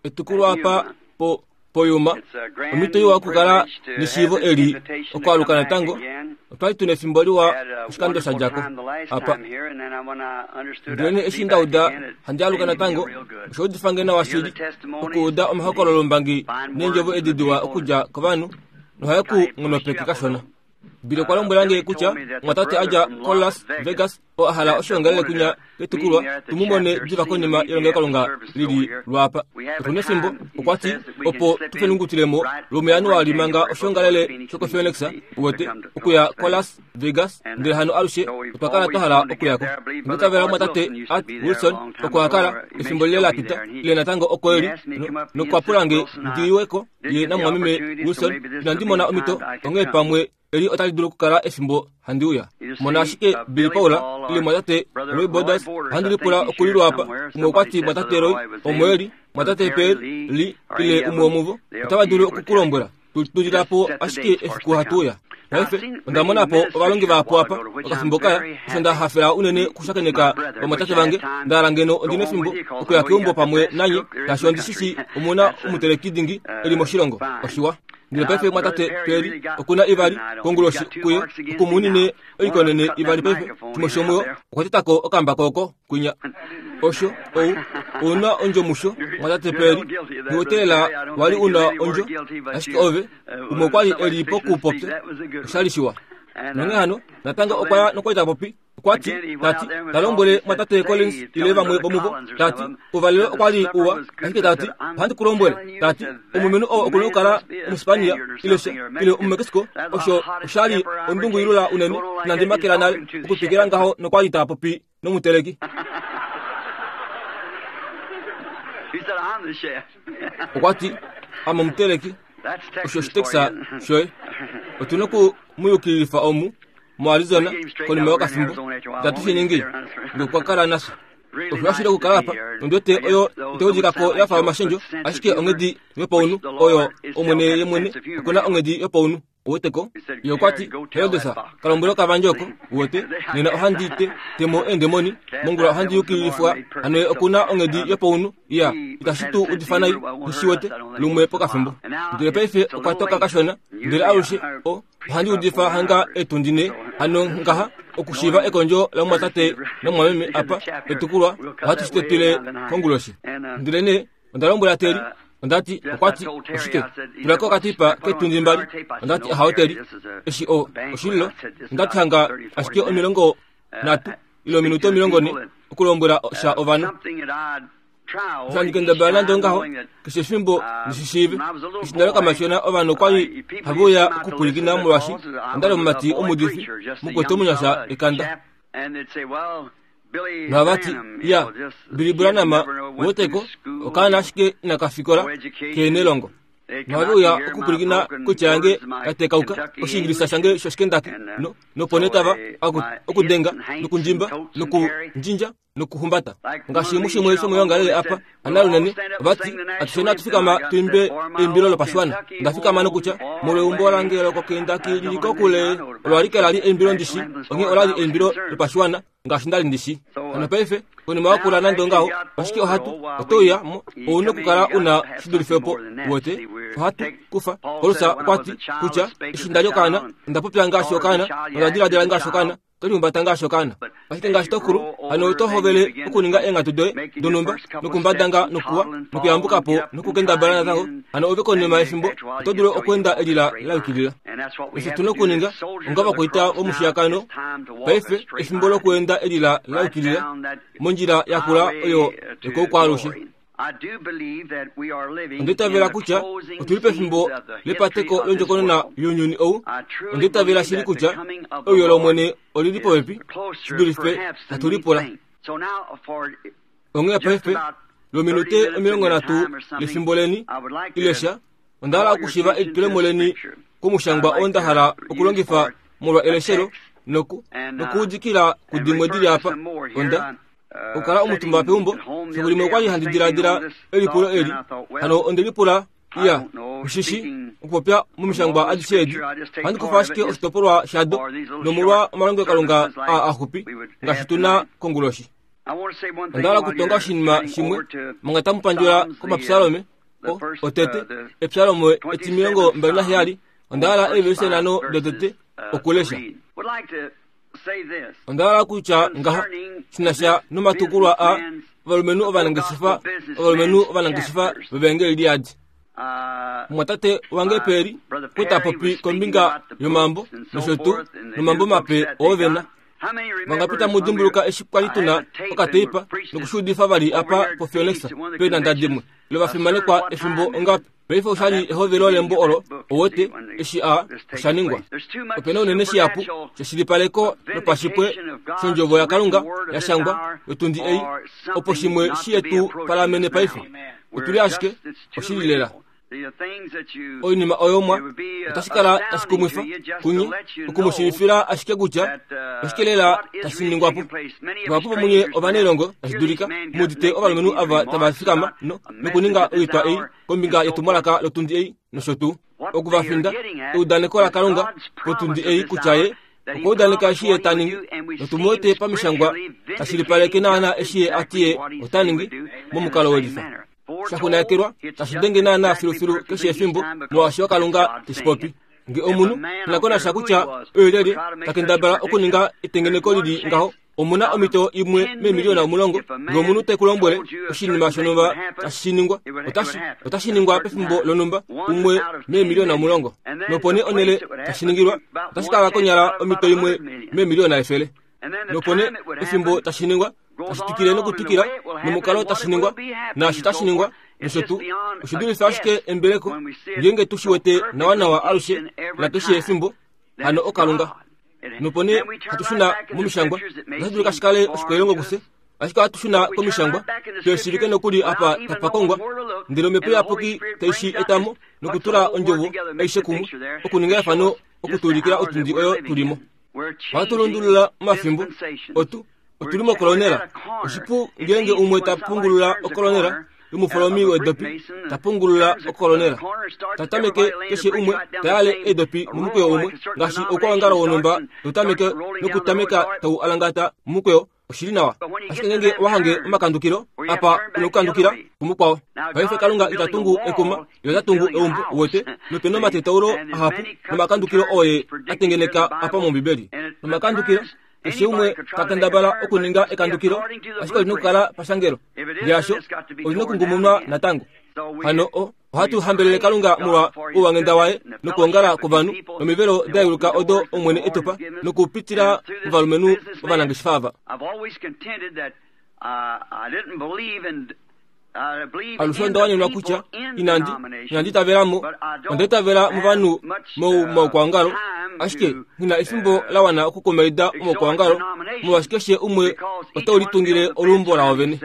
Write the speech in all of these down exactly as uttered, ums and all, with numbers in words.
Etukulwa apa po poyuma omhito iwa okukala neshiivo eli okwaaluka natango. Otwali tuna efimbo liwa oshikando sha djako apa. Ndele eshi nda uda handi aluka natango, osha udifa nawa shili okuuda omahokololombangi neendjovo edi diwa okudja kovanhu nohaye ku nghonopeke kashona. Billy okwa lombwela nge kutya omwatate a dja koLas Vegas oo a hala oshoongalele kwinya ketukulwa tu mu mone diva konima yelongelokalunga lili lwaapa. Otuna efimbo, okwa ti, opo tu fenungutilemo lwomuJanuali manga oshoongalele shokoPhoenix uwete okuya koLas Vegas, ndele hano alushe otwa kala twa hala okuyako. Onda itavela omwatate Art Wilson oko a kala efimbo lile la pita ile natango oko eli nokwa pula nge ndi ye namumwameme Wilson. Inandi mona omhito, onghee pamwe eli otali dulu okukala efimbo handi uya. Mona ashike Billy Paul ile mwatate Roy Borders ohandi lipula okulilwa apa. Umwe okwa ti mwatate Roy omo eli, mwatate Perry Lee ile umwe womuvo otava dulu okukulombwela. Tulila po ashike efiku hatu uya. Paife onda mona po ovalongi vahapu apa okafimbo kaya, osho nda hafela unene okushakeneka vamwatate vange. Nda hala ngeno ondina efimbo okuya keumbo pamwe nanye, shaashi ondi shi omuna omuteleki dingi eli moshilongo. Oshiwa. Ndele paife mwatate Perry okuna ivali konguloshi kuye okumunine oikonene ivali paife. Shimwe shomuyo okwa tetako okambako oko kwinya. Osho ou ouna ondjo musho mwatate Perry. Nghiwetelela wali una ondjo, ashike ove umwe okwali eli pokupopya oshali shiwa. Nonghee hano natango okwa ya nokwali ta popi. Okwa ti tati ta lombwele mwatate Collins ile vamwe vomuvo tati uvalelo okwali uwa, ashike tati ohandi ku lombwele tati omulumenhu oo okuna okukala Omuspania ile sha ile Omumexico. Osho oshali ondungu ilula unene inandi makela nale okutwikila ngaho nokwali ta popi nomuteleki. Okwa ti ame omuteleki, osho oshitexa shoye. Otuna oku mu yukililifa omu moArizona konima yokafimbo. Itatu shi ningi ngee kala nasha. Osho ashili okukala apa nondiwete oyo itaudikako yafa omashendjo, ashike onghedi yopaunhu oyo omwene ye mwene okuna onghedi yopaunhu. Uweteko ye okwa ti Herodes ka lombwele okavandje oko uwete nena ohandi te temo eendemoni mongula ohandi yukililifwa. Hano ye okuna onghedi yopaunhu iya itashi tu udifa nai nishiwete lumwe pokafimbo. Ndele paife okwa toka kashona, ndele alushe o ohandi udifa hanga etundi ne hano ngaha okushiiva ekondjo lamumwatate namumwameme apa etukulwa ohatu shi tetile konguloshi. Ndele nee onda lombwela Terry, onda ti okwa ti oshike tulako okatipa ketundi mbali. Onda ti ahawe Terry, eshi o oshililo. Onda ti hanga ashike omilongo nhatu ile ominute omilongo ne okulombwela sha ovanhu. Osho kendabala nande ongaho keshe efimbo ndishishiive. Eshi ndali okamashona ovanhu okwali have uya okupwilikina molwaashi ondali omumati omuudifi mukwetu omunyasha ekanda. Nohava ti ya Billy Branham uweteko okaana ashike inaka fikola keena elongo. Nohave uya okupwilikina koitya yange ya tekauka Oshiingilisa shange shOshikendaki nopo nee tava okudenga nokundjimba nokundjindja nokuhumbata ngaashi mushimwe shomoyoongalele apa anale unene. Ovati atusheni hatu fikama tuimbe eimbilo lopashiwana. Onda fikama nokutya molweumbo lange lokoKendaki lili kokule. Olo alike lali eimbilo ndishi, onghee olali eimbilo lopashiwana ngaashi ndali ndishi. Hano paife konima yakula nande ongaho, ashike ohatu oto uya mo ouna okukala una shidulife po uwete. Ohatu kufa Paulus okwa ti kutya eshi ndali okaana onda popya ngaashi okaana nonda diladila ngaashi okaana tolihumbata ngaashi okaana. Ashike ngaashi tokulu hano oto hovele okuninga eenghatu doye donhumba nokumbadanga nokuwa nokuyambuka po nokukendabala natango. Hano ove konima yefimbo oto dulu okweenda elila la yukilila. Osho tuna okuninga onga vakwaita vomushiyakano paife efimbo lokuenda elila la yukilila mondjila yakula oyo yokoukwaalushe. Onda itavela kutya otuli pefimbo lepateko londjokonona younyuni ou. Onda itavela shili kutya euyo lOmwene olili popepi shi dulife hatu lipula. Onghee paife lwominute omilongo nhatu lefimbo leni ile sha, onda hala okushiva elitulemo leni komushangwa oo nda hala okulongifa molwa eleshelo noku nokuudikila kudimwe dili apa. Onda okukala omutumba peumbo fiku limwe okwali handi diladila elipulo eli. Hano onde lipula iya ushishi okupopya momishangwa adishe edi ohandi kufa ashike oshitopolwa shado nomolwa omalongelokalunga aa axupi ngaashi tuna konguloshi. Onda hala okutonga oshinima shimwe manga tamu pandjula komapsalome otete epsalome etimilongo mbali naheyali. Onda hala eevelise nhano dotete okulesha. Onda hala kutya ngaha shinasha nomatukulwa a ovalumenhu ovanangeshefa ovalumenhu ovanangeshefa vevangeli liyadi. Mumwatate wange Peri okwa popi kombinga yomambo nosho tuu nomambo mape oo vena. Vangapi tamu dimbuluka eshi kwali tuna okateipa nokushuudifa vali apa poFionexa peenanda dimwe lovafimanekwa efimbo ongapi? Paife oshali ehovelo lembo olo owete eshi a oshaningwa. Opena unene shihapu sheshilipaleko lopashipwe shondjovo yaKalunga yashangwa yotundi ei opo shimwe shiyetu palamene paife. Otuli ashike oshili lela. Oinima oyo mwa otashi kala tashi kumwifa kunye okumushivifila ashike kutya oshike lela tashi ningwapo. Vahapu vomunye ovanailongo tashi dulika mudite ovalumenhu ava tava fikama no nokuninga oitwa ei kombinga yetumwalaka lotundi ei nosho tuu okuvafinda eudaneko laKalunga potundi ei kutya ye okwa udaneka eshi ye ta ningi notumuwete pamishangwa tashilipaleke naana eshi ye ati ye ota ningi momukalo welifa. Shaxunakelwa tashi denge naana filufilu keshe efimbo molwaashi Kalunga teshi popi. Nge omunhu nakonasha kutya oyo takendabala okuninga etengeneko lili ngaho omuna omito imwe meemiliona omulongo. Nge omunhu te ku lombwele oshinima shonhumba tashi ningwa otashi otashi ningwa pefimbo lonhumba umwe meemiliona omulongo. Nopo nee onhele tashi ningilwa otashi kala konyala omito imwe meemiliona efele. Nopo nee efimbo tashi ningwa tashi twikile nokutwikila nomukalo tashi ningwa naashi tashi ningwa nosho tuu oshidulifa ashike embeleko ngeenge tu shi wete nawanawa alushe nakeshe efimbo hano oKalunga. Nopo nee hatu shuna momishangwa otashi dulika shi kale oshikwailongo kufye ashike ohatu shuna komishangwa tuyeshivike nokuli apa tapakongwa ndele omhepo iyapuki taishi etamo nokutula ondjovo aishe kumwe okuninga efano okutuulikila otundi oyo tulimo. Ohatu lundulula omafimbo otu otuli mokolonela. Oshipu ngeenge umwe ta pungulula okolonela yomufolomi wedopi ta pungulula okolonela tatameke keshe umwe tayale edopi momukweyo umwe ngaashi oukwawangalo wonhumba totameke nokutameka tau alangata momukweyo oshili nawa. Ashike ngeenge owahange omakandukilo apa unokukandukila kumukwao. Paife Kalunga ita tungu ekuma ile ota tungu eumbo uwete nopena omatetaulo ahapu nomakandukilo oye atengeneka apa mOmbibeli. Nomakandukilo keshe umwe takendabala okuninga ekandukilo ashike olina okukala pashangelo ngeasho olina okungumunwa natango. Hano o ohatu hambelele Kalunga molwa ouwanghenda waye nokuongala kwovanhu nomivelo da odo Omwene etupa nokupitila movalumenhu ovanangeshefa ava. Alushe onda wanenwa kutya inandi inandi itavelamo onda itavela movanhu momaukwaongalo ashike ngina efimbo la wana okukomaida omaukwaongalo molwaashi keshe umwe otau litungile olumbo lawo vene.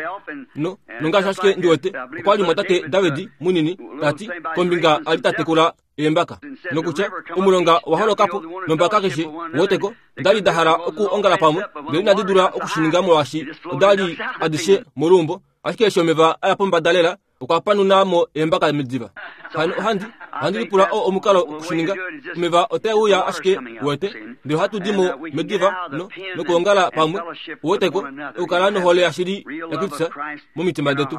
No nongaashi ashike ndiwete okwali mwatate David munini tati kombinga ali tatekula eembaka nokutya omulonga waholokapo nombaka keshe woteko ondali da hala okuongala pamwe ndele inadi dula okushininga molwaashi odali adishe molumbo ashike eshi omeva aya pombada lela okwa panunamo eembaka mediva. Hano ohandi ohandi lipula o omukalo okushininga omeva otauya ashike wete ndele ohatu dimo mediva no nokuongala pamwe woteko okukala nohole yashili yaKristus momitima detu.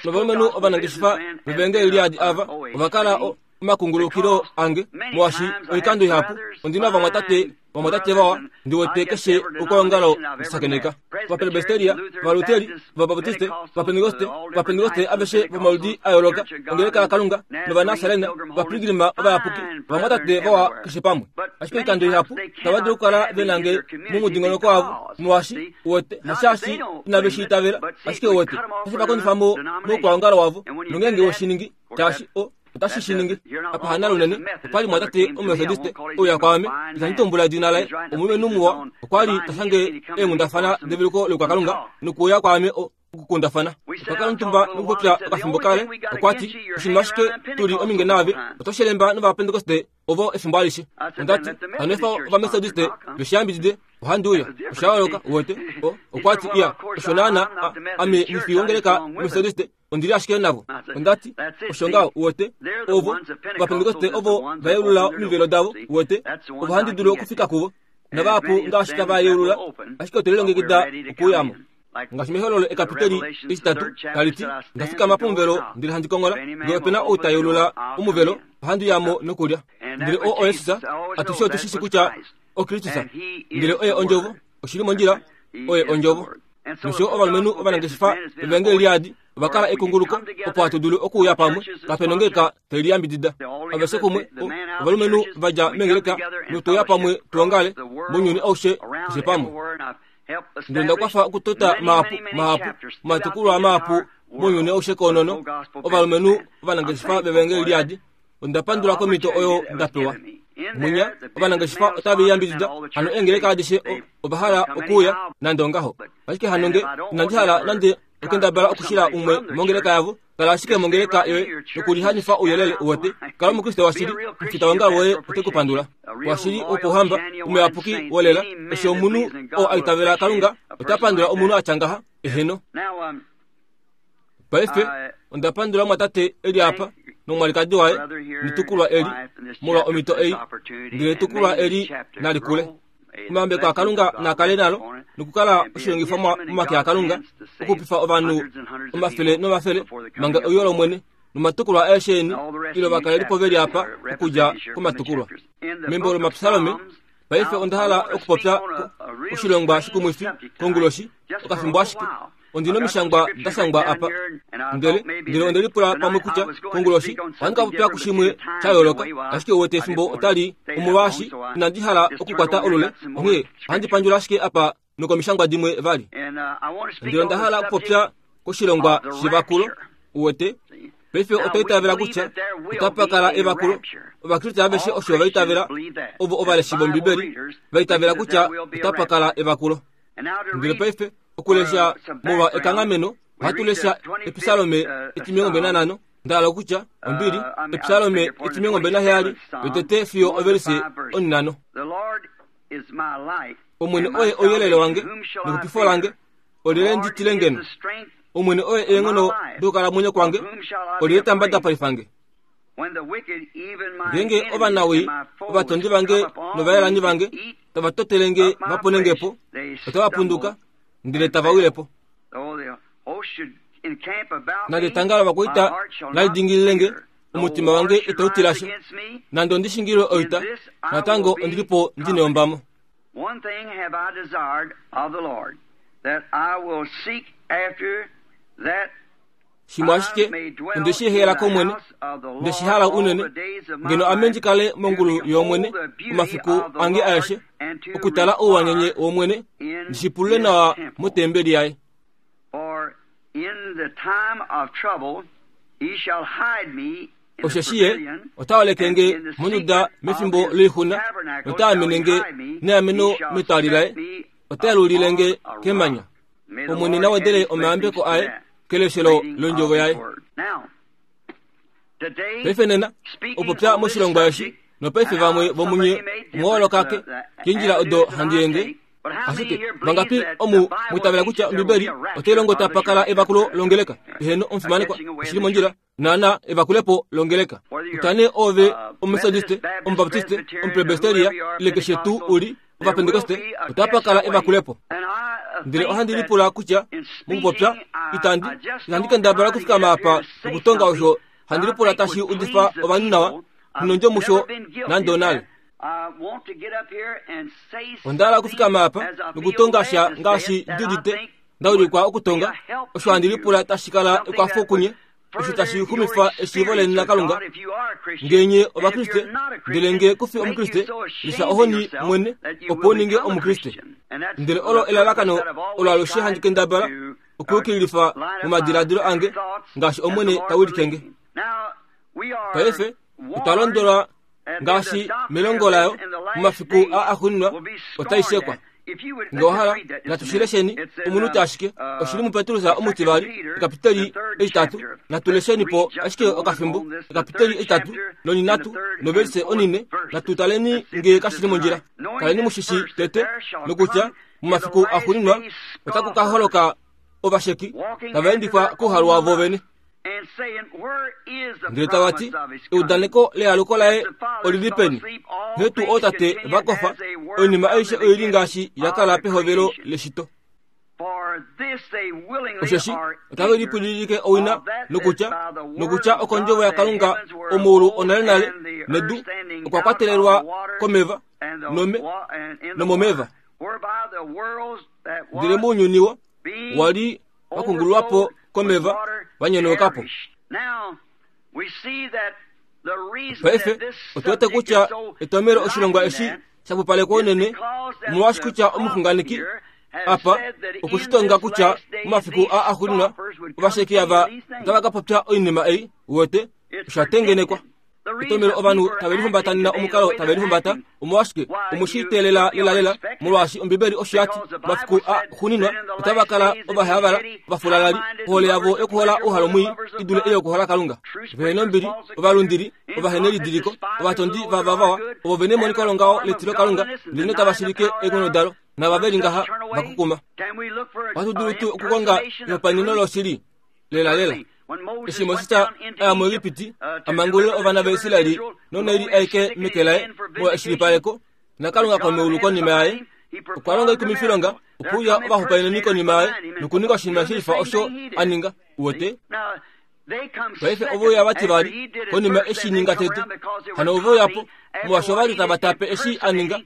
Novalumenhu ovanangeshefa vevangeli liyadi ava ovakala omakungulukilo ange molwaashi oikando ihapu ondina vamwatate vamwatate vawa ndiwete keshe okwaongalo ndisakeneka vapresbiteria valuteri vabaptiste vapentekoste vapentekoste aveshe vomaludi a yooloka ongeleka yaKalunga novanasarena vapiligrima ovayapuki vamwatate vawa keshe pamwe. Ashike oikando ihapu tava dulu okukala venange momudingonoko wavo molwaashi uwete hashaashi inave shi itavela ashike uwete tashi vakondifamo moukwaongalo wavo nongeenge woshiningi shaashi o otashi shiningi apa hana lunene okwali mwatate omumethodiste ouya kwaame itandi tumbula edina laye omulumenhu muwa okwali tashange eenghundafana develuko loukwakalunga nokuuya kwaame okukundafana. Otwakala omutumba nokupopya okafimbo kale okwati oshinima ashike tuli ominge naave otoshelemba novapentekoste ovo efimbo alishe. Ondati hano efa ovamethodiste veshiyambidide ohandi uya osha yooloka uwete okwati iya osho naana ame nifi wongeleka methodiste ondili ashike navo. Ondati osho ngaho uwete ovo ovapentekoste ovo vayeulula omivelo davo uwete ovo handi dulu okufika kuvo navahapu ngaashi tava yeulula ashike otwelilongekida okuuyamo. Ngaashi mehololo ekapiteli etitatu taliti, ndafikama pomuvelo ndele handi kongola, ngee opena ou ta yeulula omuvelo, ohandi uyamo nokulya. Ndele oo oye Jesus, atushe otu shi kutya oKristus, ndele oye ondjovo, oshili mondjila, oye ondjovo. Nosho ovalumenhu ovanangeshefa vevangeli liadi ova kala ekunguluko opo hatu dulu okuuya pamwe, kapena ongeleka tai liyambidida. Aveshe kumwe ovalumenhu va dja meengeleka notuuya pamwe tuongale mounyuni aushe keshe pamwe. Ndele nda kwafa okutota mahapu mahapu omatukulwa mahapu mounyuni aushe koonono ovalumenhu ovanangeshefa vevangeli liadi. Onda pandula komhito oyo nda pewa. Munya ovanangeshefa otava yambidida hano eengeleka adishe ova hala okuuya nande ongaho. Ashike hano nge inandi hala nande okendabala okushila umwe mongeleka yavo, kala ashike mongeleka yoye nokulihanifa ouyelele uwete. Kala omukriste washili, omufita wongalo woye ote ku pandula. Washili wopohamba, omuyapuki wolela, eshi omunhu oo a itavela Kalunga ota pandula omunhu atya ngaha, eheno. Paife onda pandula mwatate eli apa nomwalikadi waye netukulwa eli molwa omhito ei, ndele etukulwa eli nali kule. Omayambeko aKalunga nakale nalo nokukala oshilongifwa momake aKalunga okupifa ovanhu omafele nomafele manga euyo lOmwene nomatukulwa aeshe eni ilo vakalelipo veli apa okudja komatukulwa. Membo lOmapsalome paife onda hala okupopya oshilongwa shikumwifi konguloshi okafimbo ashike. Ondina omishangwa da shangwa apa, ndele ndele onde lipula pamwe kutya konguloshi ohandi ka popya kushimwe sha yooloka, ashike uwete efimbo otali omolwaashi inandi hala okukwata olule, onghee ohandi pandjula ashike apa nokomishangwa dimwe vali. Ndele onda hala okupopya koshilongwa shevakulo uwete. Paife otwa itavela kutya otapa kala evakulo. Ovakriste aveshe osho va itavela, ovo ovaleshi vOmbibeli va itavela kutya otapa kala evakulo. Ndele paife okulesha molwa ekanghameno, ohatu lesha Episalome etimilongo mbali nanhano, nda hala okutya ombili, Episalome etimilongo mbali naheyali, yotete fiyo ovelise onhinhano. Omwene oye ouyelele wange nexupifo lange, olyelye ndi tile ngeno? Omwene oye eenghono dokukalamwenyo kwange, olyelye ta mbadapalifa nge? Ngeenge ovanawii, ovatondi vange novayelani vange tava totele nge va pone nge po, otava punduka ndele tava wile po. Nande etanga lovakwaita nali dingilile nge, omutima wange itau tila sha. Nande ondi shingilwe oita, natango ondili po ndi neombamo. One thing have I desired of the Lord, that I will seek after, that Shimwe ashike onde shi hela kOmwene, nde shi hala unene, ngeno ame ndi kale mongulu yOmwene omafiku ange aeshe, okutala ouwanyenye wOmwene, ndi shipulule nawa motembeli yaye. For in the time of trouble he shall hide me in the Osheshi ye pavilion, ota holeke and nge in the monduda secret of mefimbo his loixuna, tabernacle nota amene shall he nge hide me, neameno he shall metwali set laye, me ota yelulile nge upon a rock. kemanya. May the Omwene Lord na add wedele his omayambeko blessings to aye that keleshelo reading of londjovo his yaye. word. Now, today, Paife nena speaking opopya on this moshilongwa eshi, subject, nopaife and vamwe how vomunye somebody may differ, mwoolokake the- the kendjila odo avenues that handi I ende. take, but how many Ashike here believe vangapi that the omu Bible mwitavela teaches kutya there will Ombibeli be a rapture otai longo of the tapa kala church? evakulo longeleka? Eheno omufimanekwa, Catching away oshili the mondjila church. naana evakulepo longeleka. Whether you're Kutya nee ove uh, omumethodiste, Methodist, Baptist, omubaptiste, Presbyterian, or omupresbyteria, whoever you are, ile keshe tuu Pentecostal, uli there will ovapentekoste, be a otapa catch kala away. evakulepo. And I uh, Ndele think ohandi that lipula kutya in mokupopya speaking, I, itandi I just itandi don't kendabala try to okufikama get up here apa to say okutonga something osho that handi I lipula think tashi would udifa please the ovanhu nawa people. I've nondjo musho never been guilty nande of onale. that. I want to get up here and say Onda hala something okufikama apa as I feel nokutonga led sha to say ngaashi it that ndi I udite think ndaulikwa would be okutonga a help osho to handi you. lipula tashi kala Something ekwafo that kunye would osho tashi further your xumifa eshiivo leni experience with laKalunga. God if you are a Christian. Ngenye And if ovakriste you're not a ndele Christian, nge kufi make you omukriste so lisa ashamed of ohoni yourself mwene that you opo will uninge become a omukriste. Christian. And that's Ndele the olo purpose elalakano that I've olo always alushe handi tried kendabala to uh, okuyukililifa line up my momadiladilo ange thoughts ngaashi as the Omwene Lord ta would wilike lead nge. me. Now, we are Paife otwa warned londolwa and then the ngaashi doctrine melongo of this layo in the last momafiku days a axuuninwa will be otai scorned shekwa. at. If you would, Nge let's just ohala read that just a natu minute. shilesheni It's in omunute uh, ashike oshili uh, muPetrus Second omutivali Peter, the ekapiteli third etitatu chapter. natu Let's lesheni read po just a ashike moment okafimbo on this, the ekapiteli third etitatu chapter and the nonhinatu third and novelise fourth onine verses. natu taleni Let's see if nge this kashili isn't mondjila. right. Knowing Kaleni this mushishi first, that tete there shall nokutya come in the momafiku last axuuninwa days otaku ka scoffers, holoka ovasheki walking tava after endifwa their kouhalu own wavo lust, vene. and saying, Where is the Ndele tava ti promise of his coming? eudaneko lealuko laye Since the fathers olili fell peni? asleep, all Nghee tuu things ootate continue va kofa as they were oinima from aishe the oili beginning ngaashi ya of kala the pehovelo creation. leshito. For Osheshi otave lipwililike owina nokutya nokutya okondjovo yaKalunga omuulu onalenale nedu okwa kwatelelwa komeva nome nomomeva. Ndele mounyuni wo wali wakungululwapo komeva wanyonaukapo. Paife otuwete kutya etomelo oshilongwa eshi shapupalekwa unene omolwaashi kutya omuxunganeki apa okushitonga kutya momafiku a axuuninwa ovasheki ava otava ka popya oinima ei uwete oshatengenekwa. Etomelo ovanhu tave lihumbatanina omukalo tave lihumbata omolwashike omushiteelela lelalela molwaashi Ombibeli osho yati momafiku a xuuninwa otava kala ovahayavala ovafulalali ohole yavo yokuhola ouhalo mwii i dule ei yokuhola Kalunga. Vehena ombili, ovalundili, ovahenelidiliko, ovatondi vavavawa, ovo vene emoniko longaho letilo Kalunga ndele notava shilike eenghono dalo nava veli ngaha vakukuma. Ohatu dulu tuu okukonga ehopaeneno loshili lelalela. Eshi Moses aya muEgipiti a mangulule ovana vaIsraeli nonaili aike meke laye molwa eshilipaleko naKalunga komeulu konima yaye okwa longa oikumifilonga okuuya ovahopaeneni konima yaye nokuninga oshinima shilifa osho a ninga uwete. Paife oveuya vati vali konima eshi ninga tete hano oveuyapo molwaashi ovali tava tape eshi a ninga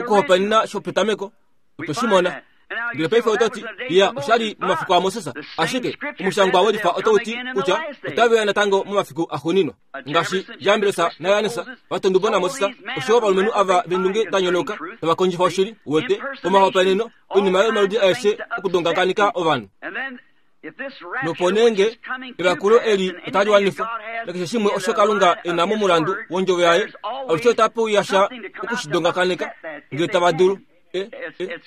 okuhopaenena shopetameko otwe shi mona. Ndele paife ototi ya oshali momafiku aMoses ashike omushangwa welifa otauti kutya otaveya natango momafiku axuuninwa ngaashi Jambres naJannes vatondubo naMoses oshowo ovalumenhu ava vendunge da nyonauka tava kondjifa oshili uwete omahopaeneno oinima yomaludi aeshe okudongakaneka ovanhu. Nopo nenge evakulo eli otali wanifwa nakeshe shimwe osho Kalunga e na momulandu wondjovo yaye alushe otape uya sha okushidongakaneka ngele tava dulu.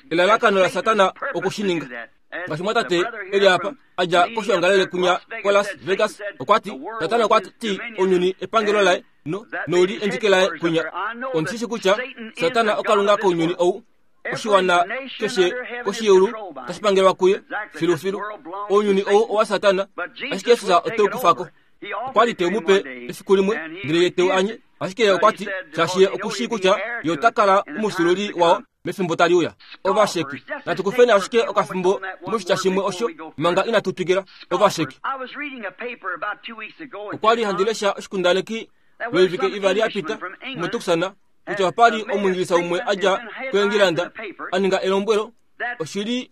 Elalakano la Satana okushininga. Ngaashi mwatate eli apa adja koshoongalele kunya koLas Vegas okwa ti Satana okwa ti ounyuni epangelo laye no nouli endike laye kunya. Ondishishi kutya Satana okalunga kounyuni ou oshiwana keshe koshiyeulu tashi pangelwa kuye filufilu. Ounyuni ou owa Satana ashike Jesus ote kufako. Okwa li te mu pe efiku limwe ndele ye teu anye ashike ye okwa ti shaashi ye okushii kutya ye ota kala omusululi wao mefimbo tali uya. Ovasheki natu kufeni ashike okafimbo moshitya shimwe osho manga inatu twikila. Ovasheki. Okwa li handi lesha oshikundaneki loivike ivali ya pita muTucson kutya opali omwingilisa umwe adja koEngilanda a ninga elombwelo oshili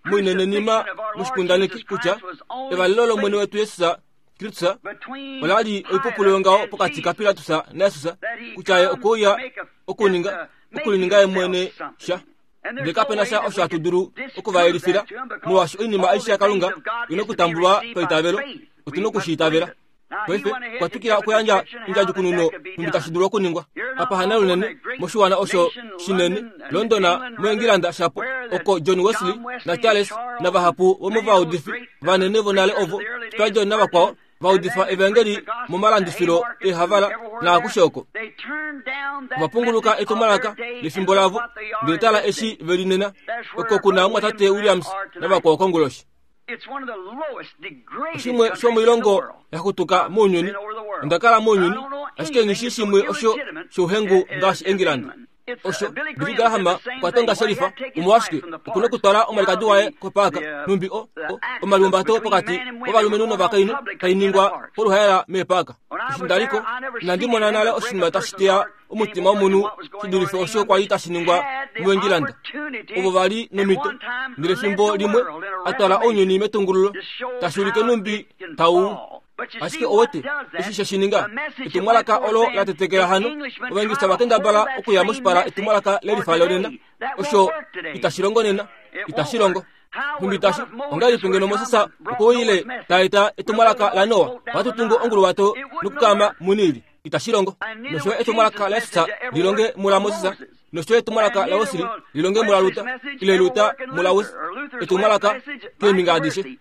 moinenenima moshikundaneki kutya evalelo lOmwene wetu Jesus Kristus olali oipupulo yongaho pokati kaPilatus naJesus kutya ye okouya okuninga okulininga ye mwene sha. Ndele kapena sha osho hatu dulu okuvayelifila molwaashi oinima aishe yaKalunga ina okutambulwa paitavelo otuna okushiitavela. Paife okwa twikila okuyandja ondjadjukununo nhumbi tashi dulu okuningwa. Apa hana lunene moshiwana osho shinene London moEngilanda shapo oko John Wesley naCharles navahapu vomovaudifi vanene vonale ovo Spurgeon navakwao vaudifa evangeli momalandifilo eehavala naakushe oko. Ovapunguluka etumwalaka lefimbo lavo ndele tala eshi veli nena oko kuna omwatate Williams navakwao konguloshi. Oshimwe shomoilongo yaxutuka mounyuni. Onda kala mounyuni ashike nghishi shimwe osho shouhengu ngaashi Engilanda. Osho Billy Graham okwa tonga shelifa omolwashike okuna okutwala omwalikadi waye kopaaka nhumbi o omalihumbato pokati kovalumenhu novakainhu tainingwa poluhaela meepaaka. Eshi ndaliko inandi mona nale oshinima tashi teya omutima womunhu shi dulife osho kwali tashi ningwa muEngilanda. Ovo vali nomito ndele fimbo limwe a twala ounyuni metungululo tashi ulike nhumbi tau ashike owete eshi she shininga etumwalaka olo la tetekela hano ovaingilisa vakendabala okuya moshipala etumwalaka lelifa lonena osho itashi longo nena itashi longo. Nhumbi tashi ongahelipi ngeno Moses okwoile taeta etumwalaka la Noa ohatu tungu onguluwato nokukama muNili itashi longo. Nosho etumwalaka laJesus lilonge mula Moses nosho etumwalaka la Wesley lilonge mula Luther ile Luther mula Wesley etumwalaka keembinga adishe.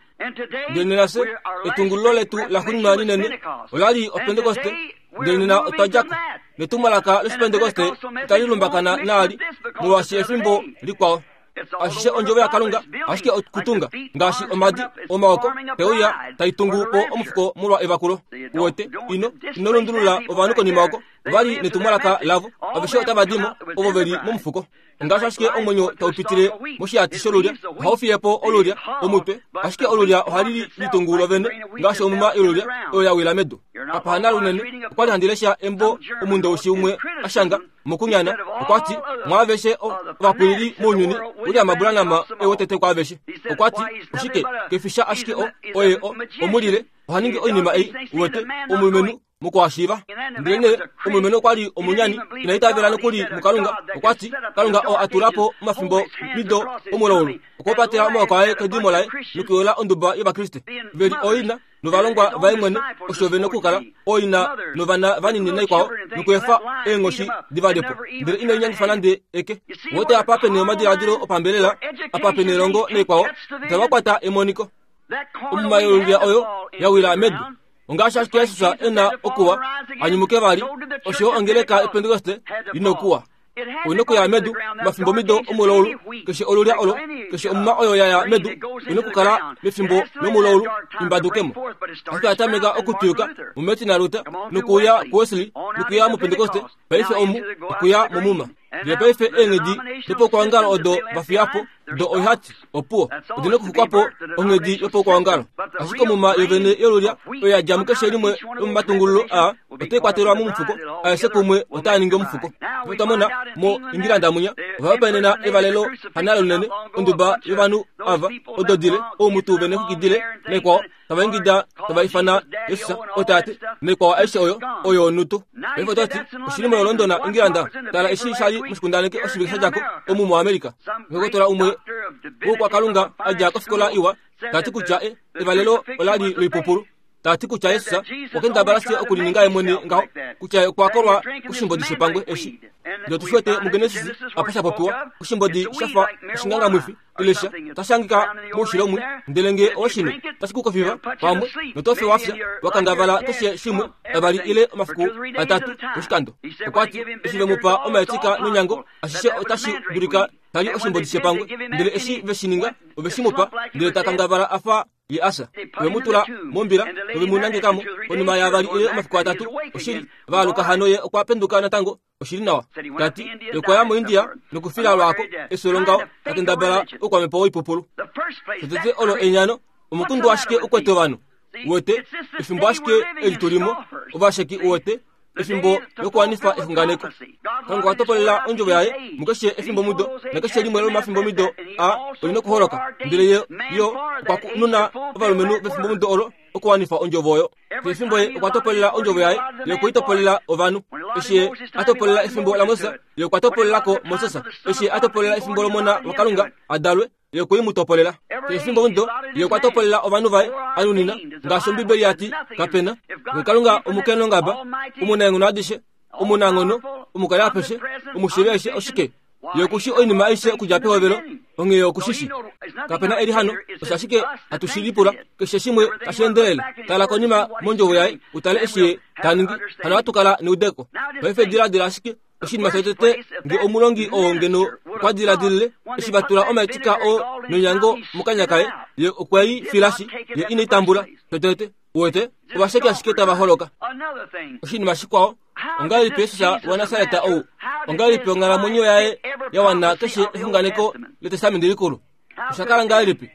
Ndele nena fye etungululo letu la xuuninwa linene olali oPentekoste ndele nena otwa djako netumwalaka loshipentekoste itali lumbakana naali molwaashi efimbo likwao. Ashishe ondjovo yaKalunga ashike okutunga ngaashi omadi omaoko teuya taitungu po omufuko molwa evakulo. Uwete ino ino lundulula ovanhu konima oko ovali netumwalaka lavo aveshe otava dimo ovo veli momufuko. Ngaashi ashike omwenyo taupitile moshihati sholulya ohau fiye po olulya omutwe, ashike olulya ohali litungu lovene ngaashi omuma yolulya oyo ya wila medu. Apa hana lunene okwali handi lesha embo omundoushi umwe ashanga mokunyana okwati mwaaveshe ovapwilili mounyuni William Branham ewetete kwaaveshe. Okwati oshike kefisha ashike o oye o omulile ohaningi oinima ei uwete omulumenhu mokuhashiiva. Ndele omulumenhu okwali omunyani ina itavela nokuli muKalunga. Okwati Kalunga oo atula po omafimbo mido omulaulu okwapatela omaoko aye kedimo laye nokuyola onduba yOvakriste veli oina novalongwa vaye mwene osho vene okukala oina novana vanini naikwao nokuefa eenghoshi divalepo. Ndele ina inyangifa nande eke. Wote apa pene omadiladilo opambelela apa pene elongo naikwao itava emoniko. Omuma yolulya oyo yawila medu. Ongaashi ashike Jesus ena okuwa anyumuke vali osho ongeleka ePentekoste inokuwa oinokuya medu mafimbo mido omulaulu keshe olulya olo keshe omuma oyo yaya medu inokukala mefimbo lomulaulu imbadukemo. Ashike atameka okutuyuka muMartin Luther nokuya kuWesley nokuya muPentekoste paife omu okuya momuma. Ndele paife eenghedi dopokuongalo odo vafiyapo do oihati opuwo odina okufukwapo onghedi yopokuongalo. Ashike omuma yovene yolulya oyo yadja mukeshe limwe lomomatungululo a otai kwatelwa momufuko aeshe kumwe otaa ningi omufuko. Otwamona mo Ingilanda munya ovahopaenena evalelo hanalo lunene onduba yovanhu ava ododile oumutu vene xukidile naikwao tava ingida tava ifana Jesus otate naikwao aishe oyo oyo onutu. Paife otati oshili mo London Ingilanda tala eshi shali moshikundaneke oshivike shadjako omu muAmerika. Ndokotola umwe wokwakalunga adja kofikola iwa tati kutya e evalelo olali loipupulu. Tati kutya Jesus okendabala se okulininga yemwene ngaho kutya okwakolwa kushimbodi shepangwe eshi. Ndele tushwete muGenesis apa shapopiwa kushimbodi shafa oshingangamwifi ilesha tashangika moushilo ndele nge oshino tashikukofiva pamwe notofe wafya wakangavala keshe shimwe avali ile omafiku atatu oshikando. Okwati eshi vemupa omaetika nonyango ashishe otashi dulika tali oshimbodi shepangwe ndele eshi veshininga oveshimupa ndele takangavala afa ye asa vemutula mombila novemunangekamo konima yavali ile omafiku atatu oshili vaaluka hano ye okwapenduka natango oshili nawa. Tati yokwaya moIndia nokufila lwako efyo ngaho takendabala okwamepo oipupulu. Tete olo enyano omukundu ashike ukwete ovanhu uwete efimbo ashike eli tulimo ovasheki uwete efimbo lokuwanifa exunganeko. Kalunga okwa topolela ondjovo yaye mukeshe efimbo mudo nakeshe limwe lomafimbo mido a olina okuholoka. Ndele ye yo okwa nuna ovalumenhu vefimbo mudo olo okuwanifa ondjovo oyo. Efimbo ye okwa topolela ondjovo yaye ye okwe i topolela ovanhu. Eshi ye a topolela efimbo laMoses ye okwa topolelako Moses. Eshi ye a topolela efimbo lomona waKalunga adalwe ye okwe i mu topolela. Efimbo mudo ye okwa topolela ovanhu vaye anunina ngaashi Ombibeli yati kapena. Kalunga omukenongaba omunaenghono adishe omunanghono omukali apeshe omushivi aishe oshike ye okushi oinima aishe okudja pehovelo onghee okushishi. Kapena eli hano osho ashike hatushilipula keshe shimwe tashi endelele. Tala konima mondjovo yaye utale eshi ye taningi hano hatukala neudeko. Paife diladila ashike oshinima shotete nge omulongi oo ngeno okwa diladilile eshi vatula omaetika oo nonyango mokanya kaye ye okwe i filashi ye ine itambula shotete uwete ovasheki ashike tava holoka. Oshinima shikwao ongahelipi Jesus waNasareta ou ongahelipi onghalamwenyo yaye yawana keshe exunganeko letestamenti likulu? Oshakala ngahelipi?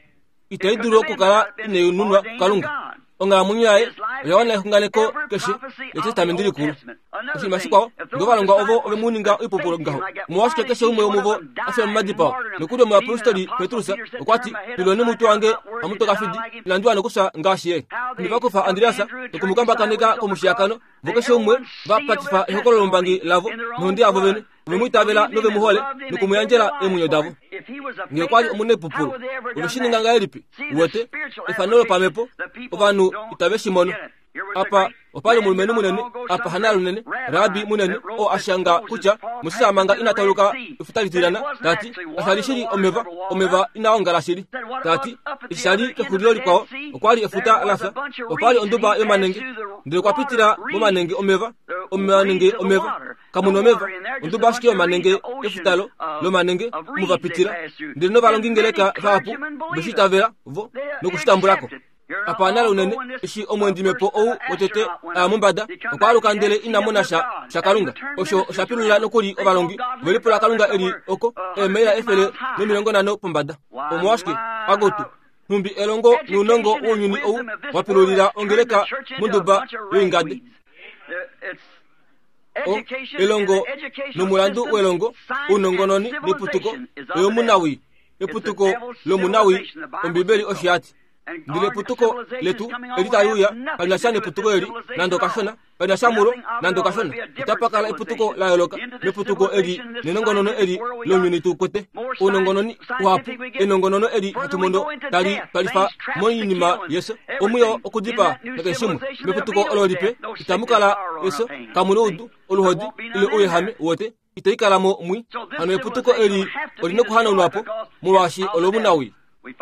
Itai dulu okukala inai kuKalunga. Onghalamwenyo yaye oyawana exunganeko keshe letestamenti likulu. Oshinima shikwao nge ovalongwa ovo ove mu ninga oipupulu ngaho omolwashike keshe umwe womuvo afya momadipao? Nokuli omuyapostoli Petrus okwati pilweni omutwe wange hamutokafidi inandi wana okufya ngaashi ye. Nivakufa Andreas nokumukambakaneka komushiyakano vo keshe umwe vapatifa ehokololo lombangi lavo nohonde yavo vene ovemuitavela novemuhole nokumuyandjela eemwenyo davo. Nge okwali omunepupulu oveshininga ngahelipi? Uwete efano lopamhepo ovanhu itave shi mono. Apa opali omulumenhu munene apa hana lunene rabi munene oo ashanga kutya Moses manga ina tauluka efuta litilana tati kasali shili omeva omeva inaongala shili. Tati eshi shali kexulilo likwao okwali efuta lafya opali onduba yomanenge ndele okwapitila momanenge omeva omanenge omeva Kamuna omeva onduba ashike yomanenge efutalo lomanenge muvapitila ndele novalongingeleka vahapu veshitavela vo nokushitambulako. Apa nale unene eshi omwendimepo ou wotete aya mombada okwaaluka ndele ina mona sha sha Kalunga. Osho oshapilula nokuli ovalongi velipula Kalunga eli oko eemaila efele nomilongo nhano pombada. Omolwashike akutu nhumbi elongo nounongo wounyuni ou wapilulila ongeleka monduba yoingade. O elongo nomulandu welongo ounongononi neputuko oyomunawi eputuko lomunawi Ombibeli osho yati. Ndele eputuko letu eli taliuya kalina sha neputuko eli nande okashona kalina sha mulo nande okashona. Otapakala eputuko la yooloka meputuko eli nenongonono eli lounyuni tukwete. Ounongononi uhapu enongonono eli hatu mono tali twalifa moinima yeso omwiyo okudipaa nakeshe shimwe. Meputuko olo lipe itamukala eso kamuna oudu oluhodi ile ouyehame wote itaikalamo mwi. Hano eputuko eli olina okuhanaunwapo molwaashi olomunawi.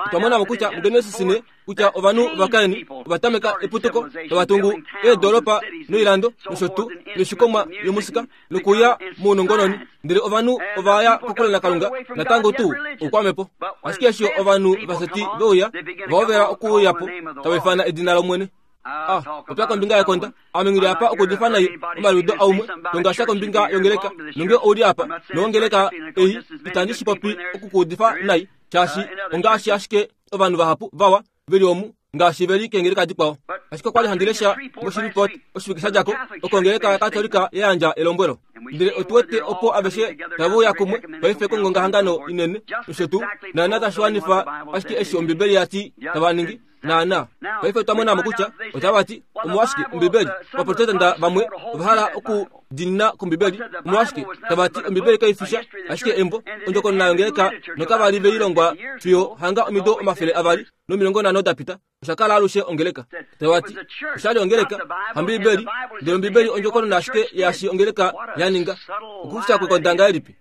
Otwamonamo kutya muGenesis ne kutya ovanhu vaKaini ovatameka eputuko tavatungu eedolopa noilando nosho tuu noishikomwa yomusika nokuya mounongononi ndele ovanhu ovaya kokule naKalunga natango tuu oukwamepo. Ashike eshi ovanhu vaseti veuya vahovela okuuyapo tava ifana edina lOmwene. Ah, popya kombinga yekonda. Ame ngili apa okudifa nai omaliudo aumwe tongasha kombinga yongeleka nonge ouli apa nongeleka ei itandi shi popi okukuudifa nai shaashi ongaashi ashike ovanhu vahapu vawa veli omu ngaashi veli keengeleka dikwao. Ashike okwali handi lesha moshiripot oshivike shadjako okongeleka yaKatolika ya yandja elombwelo. Ndele otu wete opo aveshe tave uya kumwe paife kongongahangano inene nosho tuu naana tashi wanifa ashike eshi Ombibeli yati tava ningi naana. Paife otwa monamo kutya otava ti omolwashike Ombibeli Ovaprotestanta vamwe ova hala okudinina kOmbibeli. Omolwashike tava ti Ombibeli kaifisha ashike embo ondjokonona yongeleka nokavali veilongwa fiyo hanga omido omafele avali nomilongo nhano dapita. Osha kala alushe ongeleka. Tava ti oshali ongeleka hambibeli ndele Ombibeli ondjokonona ashike yaashi ongeleka ya ninga. Okufya kwekonda ngahelipi?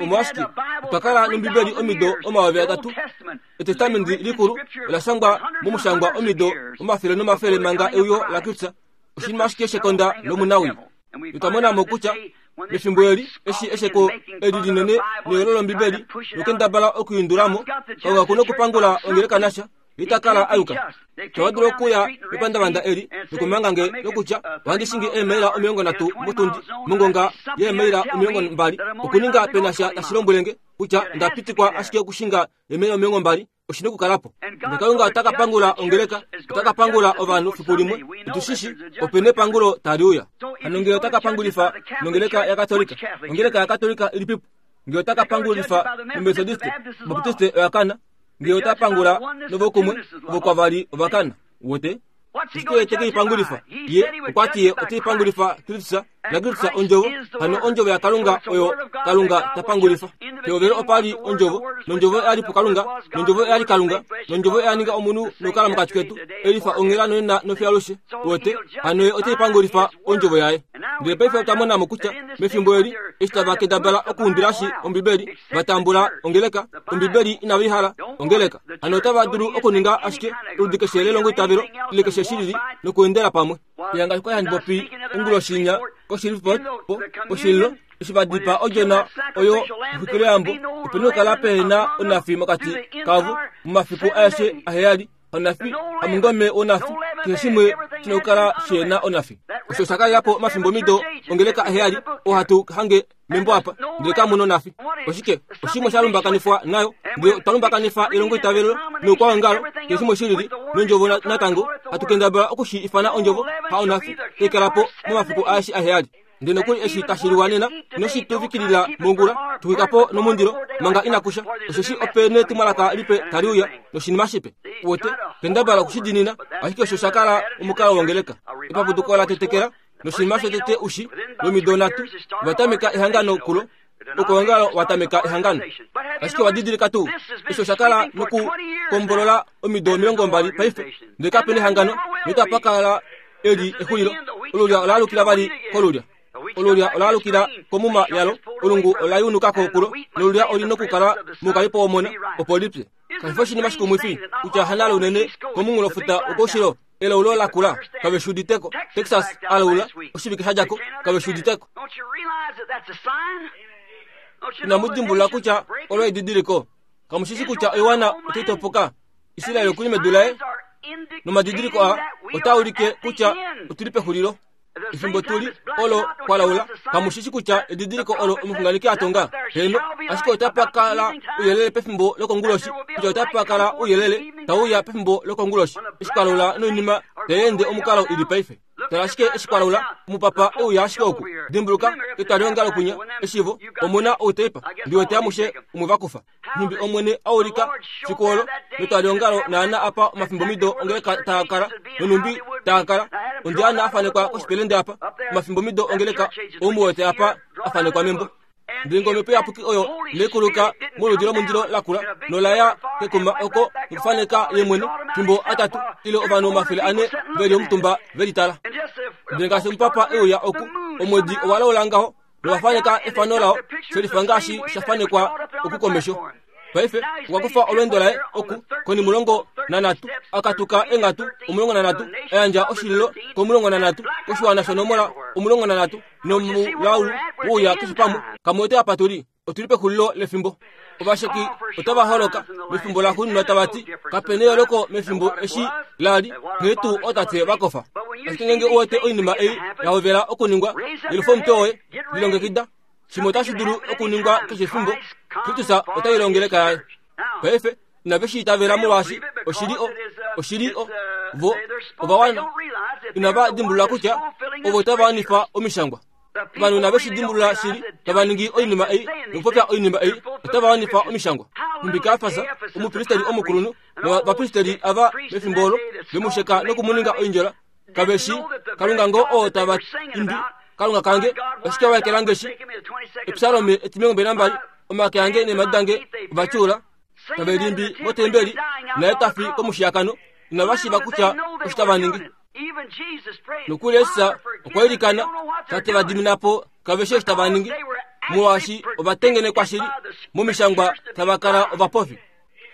Omolwashike otwa kala nOmbibeli omido omayovi atatu. Etestamenti likulu ola shangwa momushangwa omido omafele nomafele manga euyo laKristus. Oshinima ashike shekonda lomunawi. Otwa monamo kutya mefimbo eli eshi esheko eli linene neyolo lOmbibeli nokendabala okuyundulamo Kalunga kuna okupangula ongeleka nasha itakala ayuka. Tava dulu okuya mepandavanda eli nokumanga nge nokutya ohandi shingi eemaila omilongo nhatu motundi mongonga yeemaila omilongo mbali okuninga penasha tashi lombwelenge kutya ndapitikwa ashike okushinga eemaila omilongo mbali oshina okukalapo. Ndele Kalunga ota ka pangula ongeleka, ota ka pangula ovanhu fiku limwe. Otushishi opena epangulo tali uya. Hano ngee ota ka pangulifa nongeleka yaKatolika, ongeleka yaKatolika ilipipo? Ngee ota ka pangulifa noMethodiste, Baptiste oyakana. Ngee ota pangula novokumwe vokwavali ovakana wote. Ashike teke ipangulifa ye okwati ye ote ipangulifa Kristus naKristus ondjovo. Hano ondjovo yaKalunga oyo Kalunga ta pangulifa. Pehovelo opali ondjovo nondjovo oyali puKalunga nondjovo oyali Kalunga nondjovo oya ninga omunhu nokukala mokati ketu elifa onghela nonena nofiyo wote. Hano ye ote ipangulifa ondjovo yaye. Ndele paife otwa monamo kutya mefimbo eli eshi tava kendabala okuundilashi Ombibeli vatambula ongeleka Ombibeli inava ihala ongeleka. Hano otava dulu okuninga ashike oludi keshe lelongo itavelo ile keshe shilili nokuendela pamwe. Yanga kwa handi popi onguloshinya koshiripot po poshililo eshi vadipa odjona oyo exwikiloyambo opena okukala pehena onafi mokati kavo momafiku aeshe aheyali. Onafi hamungome wonafi keshe shimwe shina okukala shena onafi. Osho osha kalelapo omafimbo mido ongeleka aheyali oo hatu hange membo apa ndele kamuna onafi. Oshike oshimwe sha lumbakanifwa nayo ndele otwa lumbakanifa elongo itavelo noukwaongalo keshe shimwe shilili nondjovo natango hatu kendabala okushi ifana ondjovo ha onafi taikalapo momafiku aeshe aheyali. Ndele nokuli eshi tashi liwa nena noshituvikilila mongula tuwikapo nomundilo manga inakusha osheshi opena etumwalaka lipe tali uya noshinima shipe. Wote kendabala okushidinina ashike osho sha kala omukalo wongeleka. Epapuduko la tetekela noshinima shotete ushi lomido nhatu vatameka ehangano kulo okoongalo watameka ehangano. Ashike wadidilika tuu osho sha kala nokukombolola omido omilongo mbali paife ndele kapena ehangano notapakala eli exulilo. Olulya olaalukila vali kolulya. Olulya olaalukila komuma yalo. Olungu olayunukako kulo nolulya olina okukala moukalipo womona opo lipye. Kashi fi oshinima shikumwifi kutya hanale unene komunghulofuta wokoushilo Elaulo lakula kave shi uditeko. Texas alaula oshivike sha djako kave shi uditeko. Inamu dimbulula kutya olo edidiliko. Kamushishi kutya oiwana otai topoka. Israel okuli medu laye nomadidiliko a otaa ulike kutya otuli pexulilo. Efimbo tuli olo kwalaula kamushishi kutya edidiliko olo omuxunganeki a tonga. Heno, ashike otapa kala ouyelele pefimbo lokonguloshi, kutya otapa kala ouyelele tauya pefimbo lokonguloshi. Eshi kwalaula noinima tayeende omukalo ili paife. Tala ashike eshi kwalaula omupapa euya ashike oku. Dimbuluka etwalihongalo kunya eshivo omuna outeipa ndiwete amushe umwe vakufa. Nhumbi Omwene aulika fiku olo metwalihongalo naana apa omafimbomido ongeleka taakala nonhumbi taakala. Ondiana afanekwa koshipelende apa omafimbomido ongeleka oumuwete apa afanekwa membo. Ndele omhepo iyapuki oyo nekuluka moludi lomundilo lakula nolaya kekuma oko nokufaneka ye mwene fimbo atatu ile ovanhu omafele ane veli omutumba velitala. Ndele ngaashi omupapa euya oku omwedi owalaula ngaho nowafaneka efano lao shelifa ngaashi shafanekwa oku komesho. Paife okwa kufa olweendo laye oku konimulongo nanhatu akatuka enghatu omulongo nanhatu ayandja oshililo komulongo nanhatu koshiwana shonomola omulongo nanhatu nomulaulu wouya keshe pamwe. Kamuwete apa tuli otuli pexulilo lefimbo. Ovasheki otava holoka mefimbo laxuuninwa tava ti kapena eyooloko mefimbo eshi lali nghee tuu ootate vakofa. Ashike ngeenge uwete oinima ei yahovela okuningwa, yelufa omutwe woye, lilongekida. Shimwe otashi dulu okuningwa keshe efimbo. Kristus otai ongeleka yaye. Paife inave shi itavela molwaashi oshili o oshili o vo ovawana inava dimbulula kutya ovo tava wanifa omishangwa. Ovanhu inave shi dimbulula shili tava ningi oinima ei nokupopya oinima ei otava wanifa omishangwa. Nhumbi Kaiafas omupristeli omukulunhu novapristeli ava mefimbo olo vemusheka nokumuninga oindjola kave shi Kalunga ngoo oo tava imbi Kalunga kange oshike waekelange shi. Epsalome etimilongo mbali nambali omake ange neemhadi dange ovatyuula tave limbi motembeli naye tafi komushiyakano inava shiiva kutya osho tava ningi. Nokuli Jesus okwa ilikana tate va dimina po kave shi eshi tava ningi molwaashi ovatengenekwa shili momishangwa tava kala ovapofi.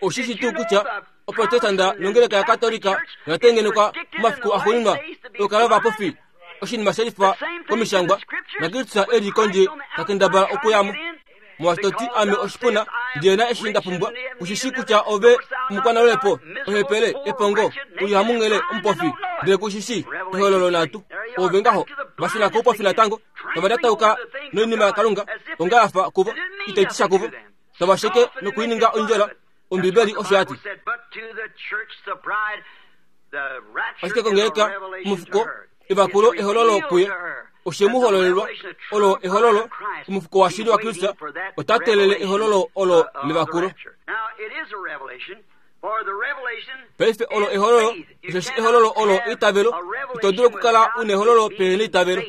Oshishi tuu kutya oprotestanda nongeleka yaKatolika oyatengenekwa momafiku axuuninwa okukala ovapofi oshinima shelifa komishangwa naKristus eli kondje takendabala okuyamo. Molwaashi toti ame oshipuna ndihena eshi nda pumbwa, kushishi kutya ove omukwanalwepo, ohepele, epongo, uli hamunghele, omupofi, ndele kushishi ehololo nhatu. Ove ngaho vashuna koupofi natango tava lyatauka noinima yaKalunga onga yafa kuvo itai ti sha kuvo, tava sheke nokuininga oindjola. Ombibeli osho yati. Ashike kongeleka omufuko evakulo ehololo kuye oshe mu hololelwa olo ehololo omufuko washili wa Kristus ota telele ehololo olo levakulo. Paife olo ehololo osheshi ehololo olo eitavelo. Ito dulu okukala una ehololo pehena eitavelo.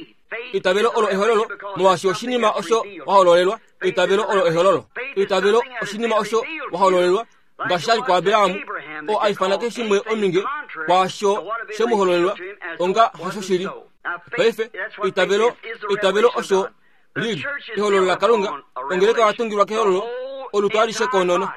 Eitavelo olo ehololo molwaashi oshinima osho wahololelwa. Eitavelo olo ehololo. Eitavelo oshinima osho wahololelwa ngaashi shali kuAbraham oo a ifana keshe shimwe ominge kwaasho shemuhololelwa onga hasho shili. Paife eitavelo eitavelo osho lili ehololo laKalunga. Ongeleka yatungilwa kehololo olutu alishe koonono.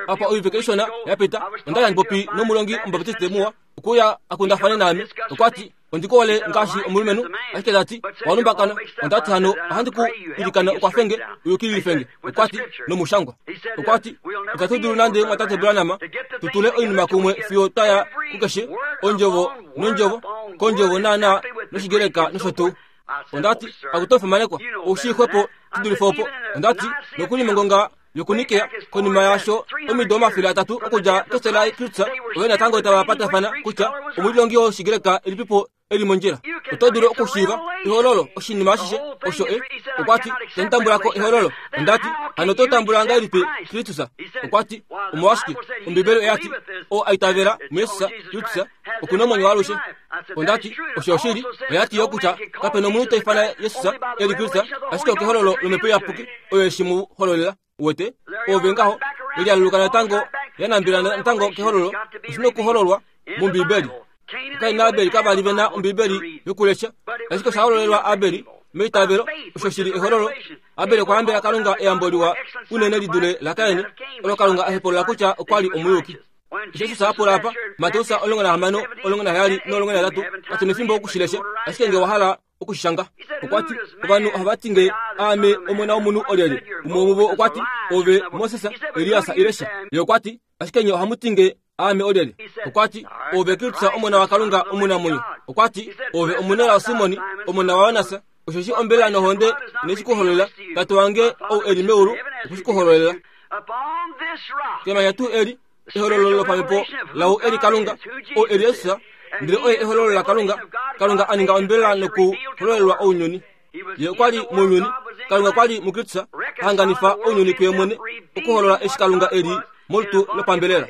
Apa oivike ishona yapita onda handi popi nomulongi omubaptiste muwa okuya akundafane naame. Okwati ondikuhole ngaashi omulumenhu, ashike tati walumbakana. Ondati hano ohandi ku ilikana ukwafenge uyukililifenge. Okwati nomushangwa. Okwati itatu dulu nande mwatate Branham tutule oinima kumwe fiyo twaya kukeshe ondjovo nondjovo kondjovo naana noshigeleka nosho tuu. Ondati akutofimanekwa oushixwepo tudulife opo. Ondati nokuli mongonga yokunikea konima yasho omido omafele atatu okudja kesela Kristus ove natango tava patafana kutya omulilongi woshigreka elipipo eli mondjila. Oto dulu okushiiva ehololo oshinima ashishe osho e. Okwati tentambulako ehololo. Ondati hano to tambula ngahelipi Kristus? Okwati omolwashike Ombibeli oyati oo aitavela muJesus Kristus okuna omwenyo waalushe. Ondati osho oshili oyati yo kutya kapena omunhu ta ifana Jesus eli Kristus ashike okehololo lomhepo iyapuki oyo eshi mu hololela. Uwete ove ngaho elialuluka natango yanambila natango kehololo oshina okuhololwa mombibeli. Kain naAbeli kavali vena ombibeli yokulesha, ashike osha hololelwa Abeli meitavelo osho shili ehololo. Abeli okwa yambela Kalunga eyambo liwa unene li dule laKain, olo Kalunga a hepolola kutya okwali omuyuki. Jesus apula apa Mateus omulongo nahamano omulongo naheyali nomulongo nahetatu katuna efimbo okushilesha ashike nge wahala okushishanga. Okwati ovanhu ohava ti nge aame omona womunhu olyelye. Umwe womuvo okwati ove Moses, Elias ile sha. Ye okwati ashike nye ohamu ti nge aame olyelye. Okwati ove Kristus omona waKalunga omunamwenyo. Okwati ove omunelao Simoni omona waYonas. Osheshi ombelela nohonde ineshikuhololela, Tate wange ou eli meulu okweshikuhololela. Kemanya tuu eli ehololo lopamhepo lau eli Kalunga ou eli Jesus, ndele oye ehololo laKalunga. Kalunga a ninga ombelela nokuhololelwa ounyuni. Ye okwa li mounyuni, Kalunga kwa li muKristus, ahanganifa ounyuni kuye mwene, okuholola eshi Kalunga eli molutu lopambelela.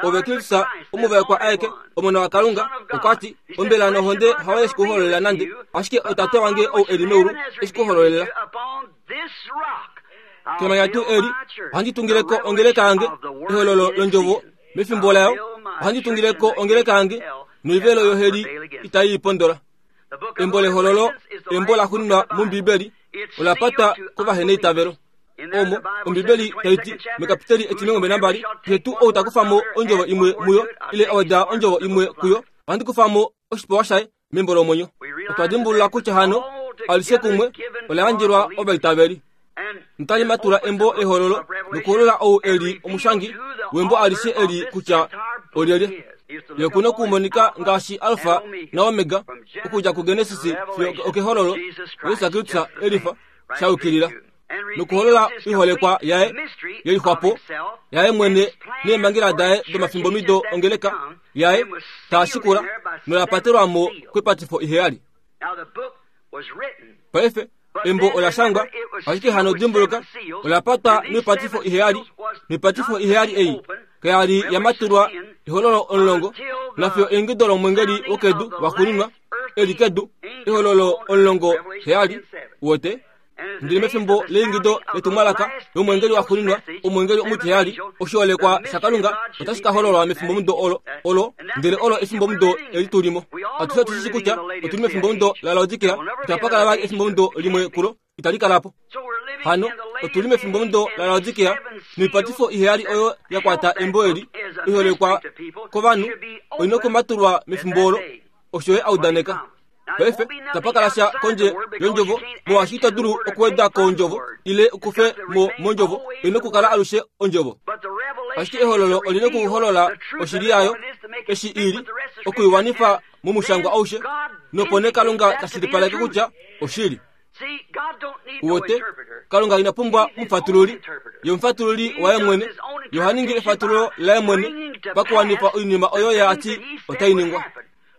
Ove Kristus omuvaekwa aeke omona waKalunga. Okwati ombelela nohonde hayo eshikuhololela nande, ashike otate wange ou eli meulu eshikuhololela. Kemanya tuu eli ohandi tungileko ongeleka yange ehololo londjovo mefimbo layo. Ohandi tungileko ongeleka yange noivelo yoheli itai ipondola. Embo lehololo embo la xuninwa mOmbibeli ola patwa kovaheneitavelo. Omo Ombibeli taiti mekapiteli etimilongo mbali nambali keshe tuu ou takufamo ondjovo imwe muyo ile aweda ondjovo imwe kuyo, ohandi kufamo oshipewa shaye membo lomwenyo. Otwa dimbulula kutya hano alishe kumwe ola yandjelwa ovaitaveli. Notali matula embo lehololo nokuholola ou eli omushangi wembo alishe eli kutya olyelye. Ye kuna okumonika ngaashi Alfa na Omega okudja kuGenesis fiyo okehololo Jesus Kristus elifa shayukilila nokuholola oiholekwa yaye yelixwapo yaye mwene neemhangela daye domafimbomido ongeleka yaye taashikula nola patelwamo kwepatifo iheyali. Paife embo ola shangwa, ashike hano dimbuluka ola patwa noipatifo iheyali. Noipatifo iheyali ei kayali yamatulwa ehololo omulongo nafiyo eingido lomwengeli wokedu waxuuninwa eli kedu ehololo omulongo heyali wote. Ndele mefimbo leingido letumwalaka lomwengeli waxuuninwa omwengeli omutiheyali oshiholekwa shaKalunga otashi ka hololwa mefimbomudo olo olo ndele olo efimbomudo eli tulimo. Atushe otushi kutya otuli mefimbomudo laLaodikea, itapa kala vali efimbomudo limwe kulo itali kalapo. Hano otuli mefimbomudo laLaodikea noipatifo iheyali oyo ya kwata embo eli iholekwa kovanhu oina okumatulwa mefimbo olo osho ye audaneka. Paife itapa kala sha kondje yondjovo molwaashi ito dulu okuweda ko ondjovo ile okufe mo mondjovo, oina okukala alushe ondjovo. Ashike ehololo olina okuholola oshili yayo eshi ili okuiwanifa momushangwa aushe, nopo nee Kalunga tashilipaleke kutya oshili. Uwote Kalunga ina pumbwa omufatululi, ye omufatululi waye mwene. Ye oha ningi efatululo laye mwene pakuwanifa oinima oyo ye ati otai ningwa.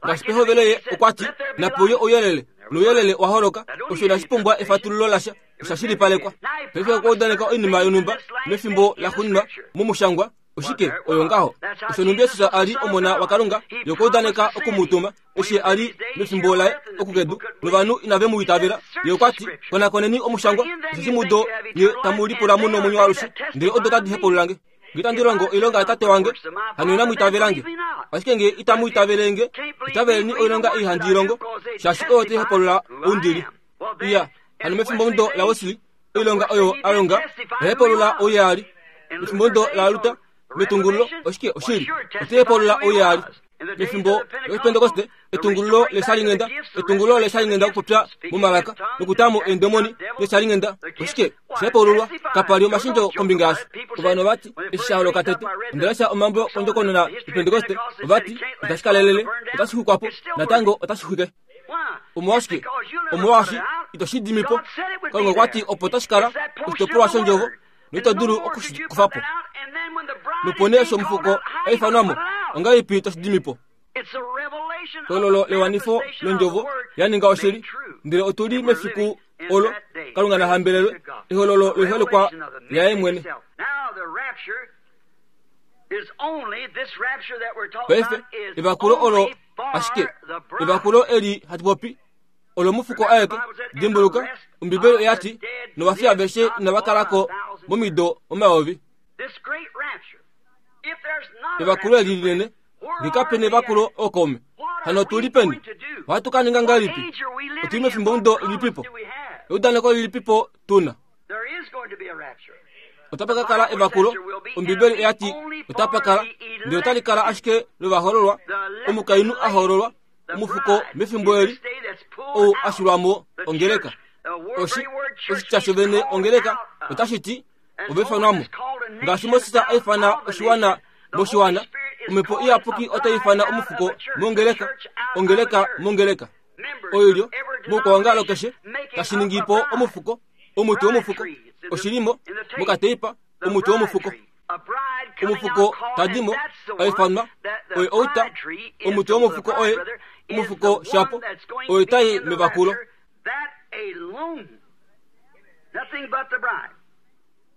Ngaashi pehovelo ye okwati nape uye ouyelele, nouyelele wa holoka. Osho inashi pumbwa efatululo lasha, osha shilipalekwa. Paife okwa udaneka oinima yonhumba mefimbo laxuuninwa momushangwa. Oshike oyo ngaho? Osho nhumbi Jesus a li omona waKalunga, ye okwa udaneka okumutuma eshi a li mefimbo laye okukedu, novanhu inave mu itavela. Ye okwati konakoneni omushangwa, osheshi mudo nye tamu lipula mu nomwenyo waalushe, ndele odo tadi hepululange. Nge itandi longo oilonga yaTate wange, hano inamu itavelange. Ashike nge itamu itavelenge, itaveleni oilonga ei handi i longo, shaashi oyo tai hepulula ou ndi li. Iya, hano mefimbomudo laWesley, oilonga oyo a longa oya hepulula ou ye a li. Mefimbomudo laLuther, metungululo, oshike oshili, otai hepulula ou ye a li. Mefimbo lOshipentekoste, etungululo leshalinghenda, etungululo leshalinghenda okupopya momalaka nokutamo eendemoni neshalinghenda, oshike osha hepululwa. Kapa li omashendjo kombinga yasho. Ovanhu ovati eshi sha holoka tete, onda lesha omambo kondjokonona yoPentekoste, ovati itashi kalelele, otashi xwikwa po natango otashi xwike. Omolwashike? Omolwaashi ito shi dimi po. Kalunga okwati opo tashi kala oshitopolwa shondjovo noito dulu okushi kufa po. Nopo nee osho omufuko a ifanwa mo, ongahelipi toshi dimi po? Ehololo lewanifo londjovo ya ninga oshili, ndele otu li mefiku olo Kalunga na hambelelwe, ehololo loiholekwa yaye mwene. Paife evakulo olo ashike evakulo eli hatu popi olomufuko aeke. Dimbuluka Ombibeli oyati novafi aveshe inava kalako momido omayovi. Evakulo eli linene nge kape nevakulo ookaume, hano otu li peni? Ohatu ka ninga ngahelipi? Otuli mefimbomudo lilipipo? Eudaneko lilipipo tuna? Otapa ka kala evakulo, Ombibeli oya ti otapa kala, ndele otali kala ashike lovahoololwa, omukainhu a hoololwa, omufuko mefimbo eli, ou a shilwa mo ongeleka. Oshi, oshitya shovene ongeleka otashi ti ovefanwamo. Ngaashi Moses a ifana oshiwana moshiwana, omhepo iyapuki otai ifana omufuko mongeleka, ongeleka mongeleka. Oilyo moukwaongalo keshe tashi ningi po omufuko, omuti womufuko, oshilimo mokateipa, omuti womufuko. Omufuko tadimo aifanwa oye outa, omuti womufuko oye omufuko shapo, oye tai mevakulo.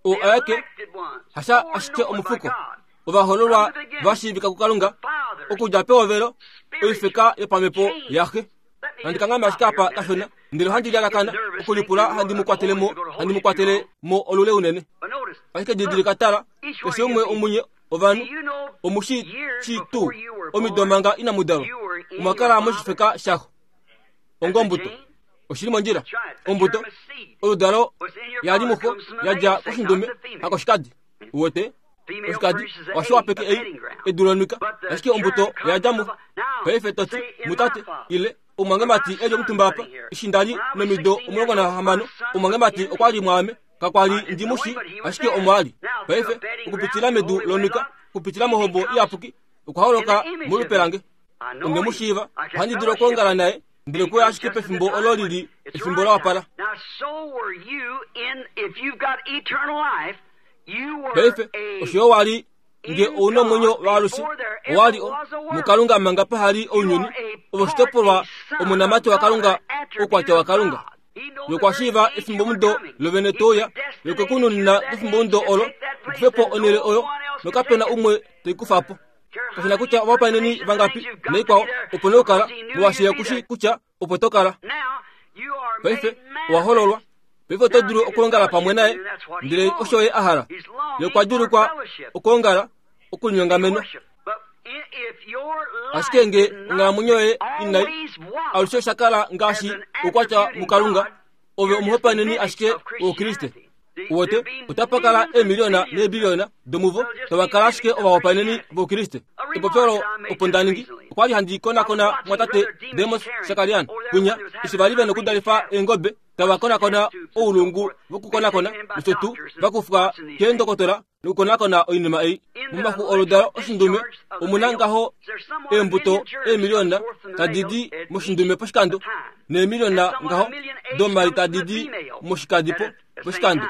O ayake hasha ashike omufuko, ovahoololwa vashiivika kuKalunga okudja pehovelo oifeka yopamhepo yaxe. Handi kangame ashike apa kashona, ndele ohandi lyalakana okulipula handi mu kwatele mo, handi mu kwatele mo olule unene. Ashike didilika tala, keshe umwe omunye ovanhu omushi shi tuu omido manga inamudalwa, omwa kala moshifeka shaxo ongombuto. Oshili mondjila, ombuto oludalo yali muxo yadja koshindume hakoshikadi. Uwete oshikadi oshiwapeke ei edu lonwika, ashike ombuto yadja muxo. Paife toti mutate ile omwangemati eli omutumba apa, eshi ndali nomido omulongo nahamano, omwangemati okwa li mwaame, kakwali ndimushi, ashike omwali. Paife okupitila medu lonwika, okupitila mohombo iyapuki, okwa holoka molupe lange. Onde mu shiiva, ohandi dulu okwoongala naye, ndele kuya ashike pefimbo olo lili efimbo la wapala. Paife osho wali nge ouna omwenyo waalushe, owali muKalunga manga pahali ounyuni, ovoshitopolwa omunamati waKalunga, oukwatya waKalunga. Nokwashiiva efimbomudo lovene touya, nokekununina kefimbomudo olo, okufepo onhele oyo, nokapena umwe teikufa po. Kashina kutya ovapaeneni vangapi naikwao, opo nokukala, molwaashi kushi kutya opo to kala. Paife owa hololwa. Paife oto dulu okuongala pamwe naye, ndele osho ye a hala. Ye okwa dulukwa okuongala, okulinyongamenwa. Ashike nge onghalamwenyo yoye inai alushe osha kala ngaashi oukwatya muKalunga, ove omuhopaeneni ashike woukriste. Uwete, otapa kala eemiliona neebiliona domuvo tava kala ashike ovahopaeneni voukriste. Epopyo olo opo nda ningi, okwa li handi konakona mwatate Demos Shakarian kwinya, eshi vali vena okudalifa eengobe, tava konakona oulungu vokukonakona, nosho tuu vakufwa keendokotola nokukonakona oinima ei. Momaxu oludalo oshindume omuna ngaho eembuto eemiliona tadi di moshindume poshikando, neemiliona ngaho domai tadi di moshikadi po poshikando.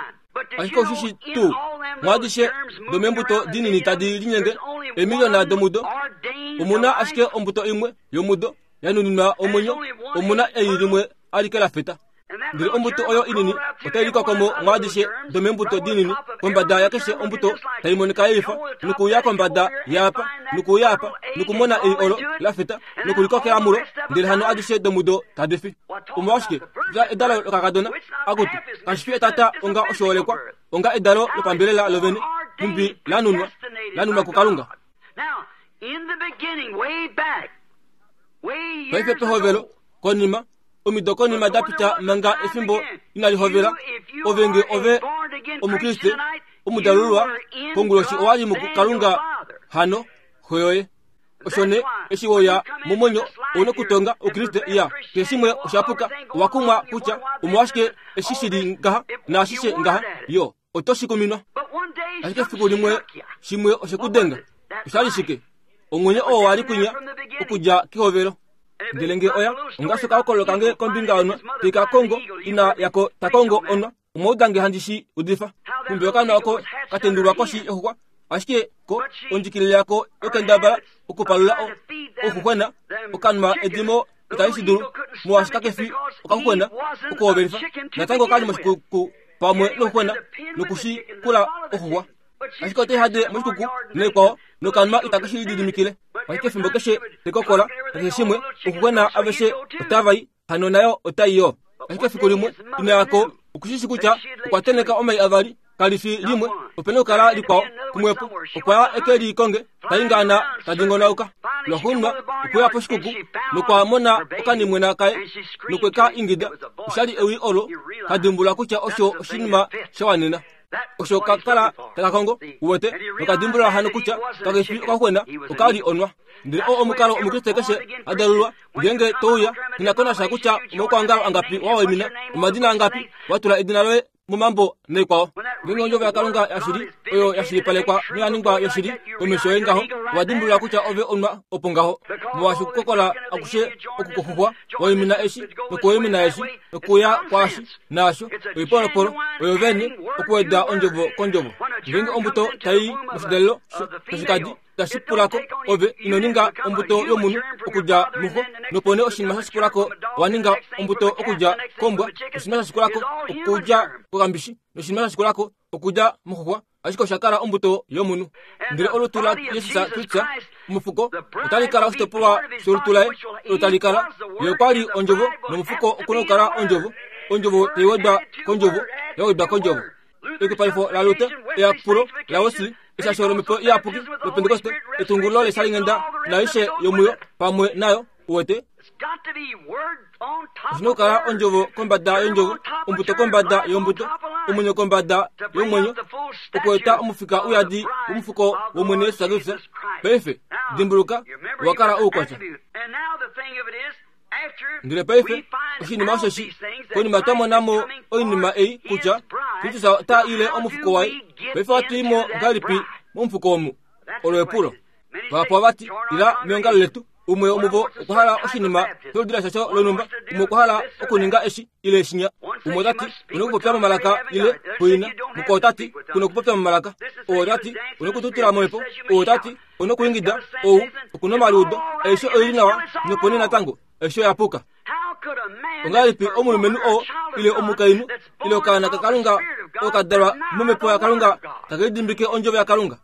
Ashike oshishi tuu mwaadishe domeembuto dinini tadi linyenge eemiliona domudo, omuna ashike ombuto imwe yomudo yanuninwa omwenyo, omuna ei limwe alike la feta. Ndele ombuto oyo inini otai likwako mwaadishe domeembuto dinini, kombada yakeshe ombuto tai monika yaifa, nokuuya kombada yaapa, nokuuya apa, nokumona ei olo la feta, nokulikokela mulo, ndele hano adishe domudo tadi fi. Omolwashike dja edalo lokakadona akutu kashi fi etata onga oshoolekwa, onga edalo lopambelela lovene, mumbi lanunwa, lanunwa kuKalunga. Paife pehovelo, konima omido konima da pita manga efimbo inali hovela, ove nge ove omukriste omudalulwa konguloshi owali muKalunga hano xo yoye. Osho ne eshi woya momwenyo ouna okutonga oukriste iya keshe shimwe oshapuka, owa kumwa kutya omolwashike eshi shili ngaha naashishe ngaha, yo oto shi kuminwa. Ashike efiku limwe shimwe oshekudenga, oshali shike? Omwenyo oo wali kwinya okudja kehovelo. Ndele nge oya ongaashi okahokololo kange kombinga yonwa teika kongo ina yako ta kongo onwa, omwaudange handi shi udifa. Kumbi okanwa oko katendulwa koshi yoxuxwa, ashike ko ondjikilile yako yokendabala okupalula ouxuxwena, okanwa edimo itali shi dulu, molwaashi kakefi okaxuxwena okuhovelifa. Natango okali moshikuku pamwe nouxuxwena nokushikula oxuxwa. Ashike otai hade moshikuku naikwao, nokanwa itake shi lididimikile. Ashike efimbo keshe tekokola keshe shimwe, ouxuxwena aveshe otava i, hano nayo otai yo. Ashike efiku limwe ina yako okushishi kutya okwa teneka omai avali, kali fi limwe, opena okukala likwao kumwepo. Okwa ya eke likonge, taingaana tadingonauka. Lwaxuuninwa okweya poshikuku nokwa mona okanimwena kaye nokweka ingida. Oshali ewi olo kadimbula kutya osho oshinima sha wanena. Osho kakala takakongo uwete nokadimbulula hano kutya kakefi okaxuxwena okali onwa. Ndele oo omukalo omukriste keshe adalulwa ngenge touya kinakonasha kutya omaukwangalo angapi wawaimina omadina angapi watula edina loye momambo naikwao. Ngenge ondjovo yaKalunga yashili oyo yashilipalekwa noyaningwa yoshili komesho yoye ngaho owadimbulula kutya ove onwa opo ngaho. Molwaashi okukokola akushe okukoxuxwa waimina eshi nokuwaimina eshi nokuya kwaashi naasho oipolopolo oyo vene okuweda ondjovo kondjovo. Ngenge ombuto tai moshidalelo shoshikadi tashi pulako ove ino ninga ombuto yomunhu okudja muxo nopo nee oshinima shashikulako owaninga ombuto okudja kombwa oshinima shashikulako okudja kokambishi noshinima shashikulako okudja moxuxwa ashike oshakala ombuto yomunhu. Ndele olutu la Jesus Kristus omufuko otali kala oshitopolwa sholutu laye olo tali kala ye okwali ondjovo nomufuko okuna okukala ondjovo ondjovo taiwedwa kondjovo yawedwa kondjovo. Ekupalifo la Luther eyapulo la Wesley eshasho lomhepo iyapuki lopentekoste etungulo leshalingenda naishe yomuyo pamwe nayo uwete. Oshina okukala ondjovo kombada yondjovo ombuto kombada yombuto omwenyo kombada yomwenyo okueta omufika uyadi womufuko womwene Yesu Kristus. Paife dimbuluka owakala oukwatya. Ndele paife oshinima osheshi konima twamonamo oinima ei kutya Kristus ota ile omufuko waye. Paife ohatuimo ngahelipi momufuko omu? Olo epulo. Vahapu ovati ila meongalo letu umwe womuvo okwa hala oshinima sholudila shasho lonhumba umwe okwa hala okuninga eshi ile eshinya umwe otati una okupopya momalaka ile kuina mukwao otati kuna okupopya momalaka ou otati una okututila momhepo ou otati una okuingida ou okuna omaliudo aishe oili nawa nopo nee natango aishe oyapuka. Ongahelipi omulumenhu oo ile omukainhu ile okaana kaKalunga okadalwa momhepo yaKalunga takelidimbike ondjovo yaKalunga?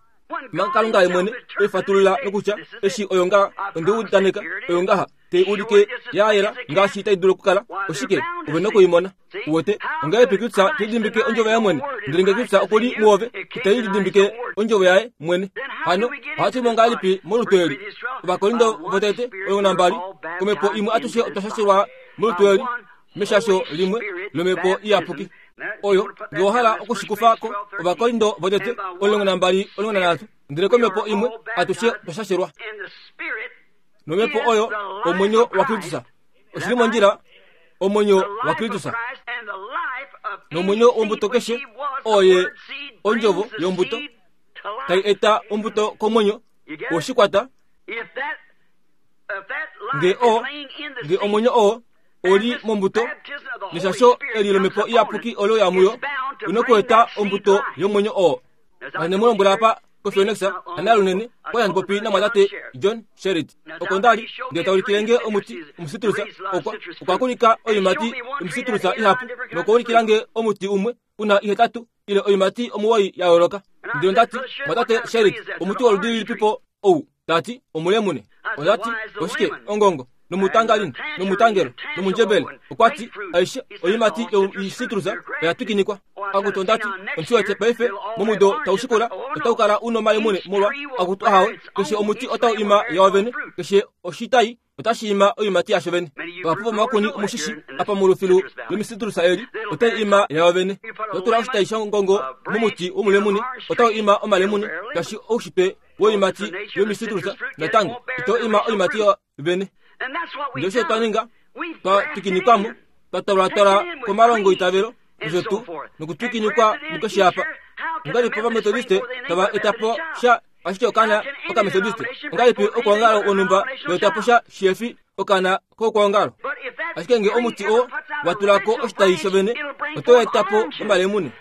Manga Kalunga ye mwene eifatulula nokutya eshi oyo ngaha ondeudaneka oyo ngaha tei ulike ya yela ngaashi tai dulu okukala oshike ove nokuimona. Uwete ongahelipi Kristus telidimbike ondjovo yaye mwene? Ndele nge Kristus okuli muove itai lidimbike ondjovo yaye mwene. Hano ohatu ngahelipi molutu eli? Ovakorinto votete omulongo nambali komhepo imwe atushe otwa shashelwa molutu eli meshasho limwe lomhepo iyapuki. Oyo nge owahala okushikufako Ovakorinto votete omulongo nambali omulongo nanhatu ndele komhepo imwe atushe otwa shashelwa nomhepo oyo omwenyo waKristus. Oshili mondjila omwenyo waKristus nomwenyo wombuto keshe oye ondjovo yombuto tai eta ombuto komwenyo woshikwata. Nge o nge omwenyo oo oli mombuto neshasho eli lomhepo iyapuki olo yamuyo ino kueta ombuto yomwenyo oo. Anemulombwela apa koPhoenix ana lunene kwa yandipopi namwatate John Sherrit oko ndali ndele taulikilenge omuti omusitrusa okwa okwakulika oiimati yomusitrusa ihapu nokuulikilange omuti umwe una ihetatu ile oiimati omuwoi ya yooloka. Ndele ndati mwatate Sherrit omuti woludi lilipipo ou? Tati omulemune. Ondati oshike ongongo nomutangalini nomutangelo nomundjebele. Okwati aishe oiimati yoisitrusa oya twikinikwa. Akutu ondati omushiwete paife momudo taushikula otaukala una omalemune molwa akutu ahawe keshe omuti otau ima yawo vene keshe oshitai otashi ima oiimati yasho vene. Vahapu vomakuni omushishi apa molufilu lomisitrusa eli otai ima yawo vene. Totula oshitai shongongo momuti womulemune otau ima omalemune ngaashi oushitwe woiimati yomisitrusa natango ito ima oiimati yawo vene. Ndele osho twaninga twa twikinikwamo twatwalwatwala komalongo itavelo osho tu nokutwikinikwa mukeshe apa. Ongahelipi Ovametodiste tava etapo sha ashike okaana Okametodiste? Ongahelipi okwoongalo wonhumba weetapo sha shihefi okaana kokwoongalo? Ashike nge omuti oo watulako oshitai shovene oto etapo omalemune.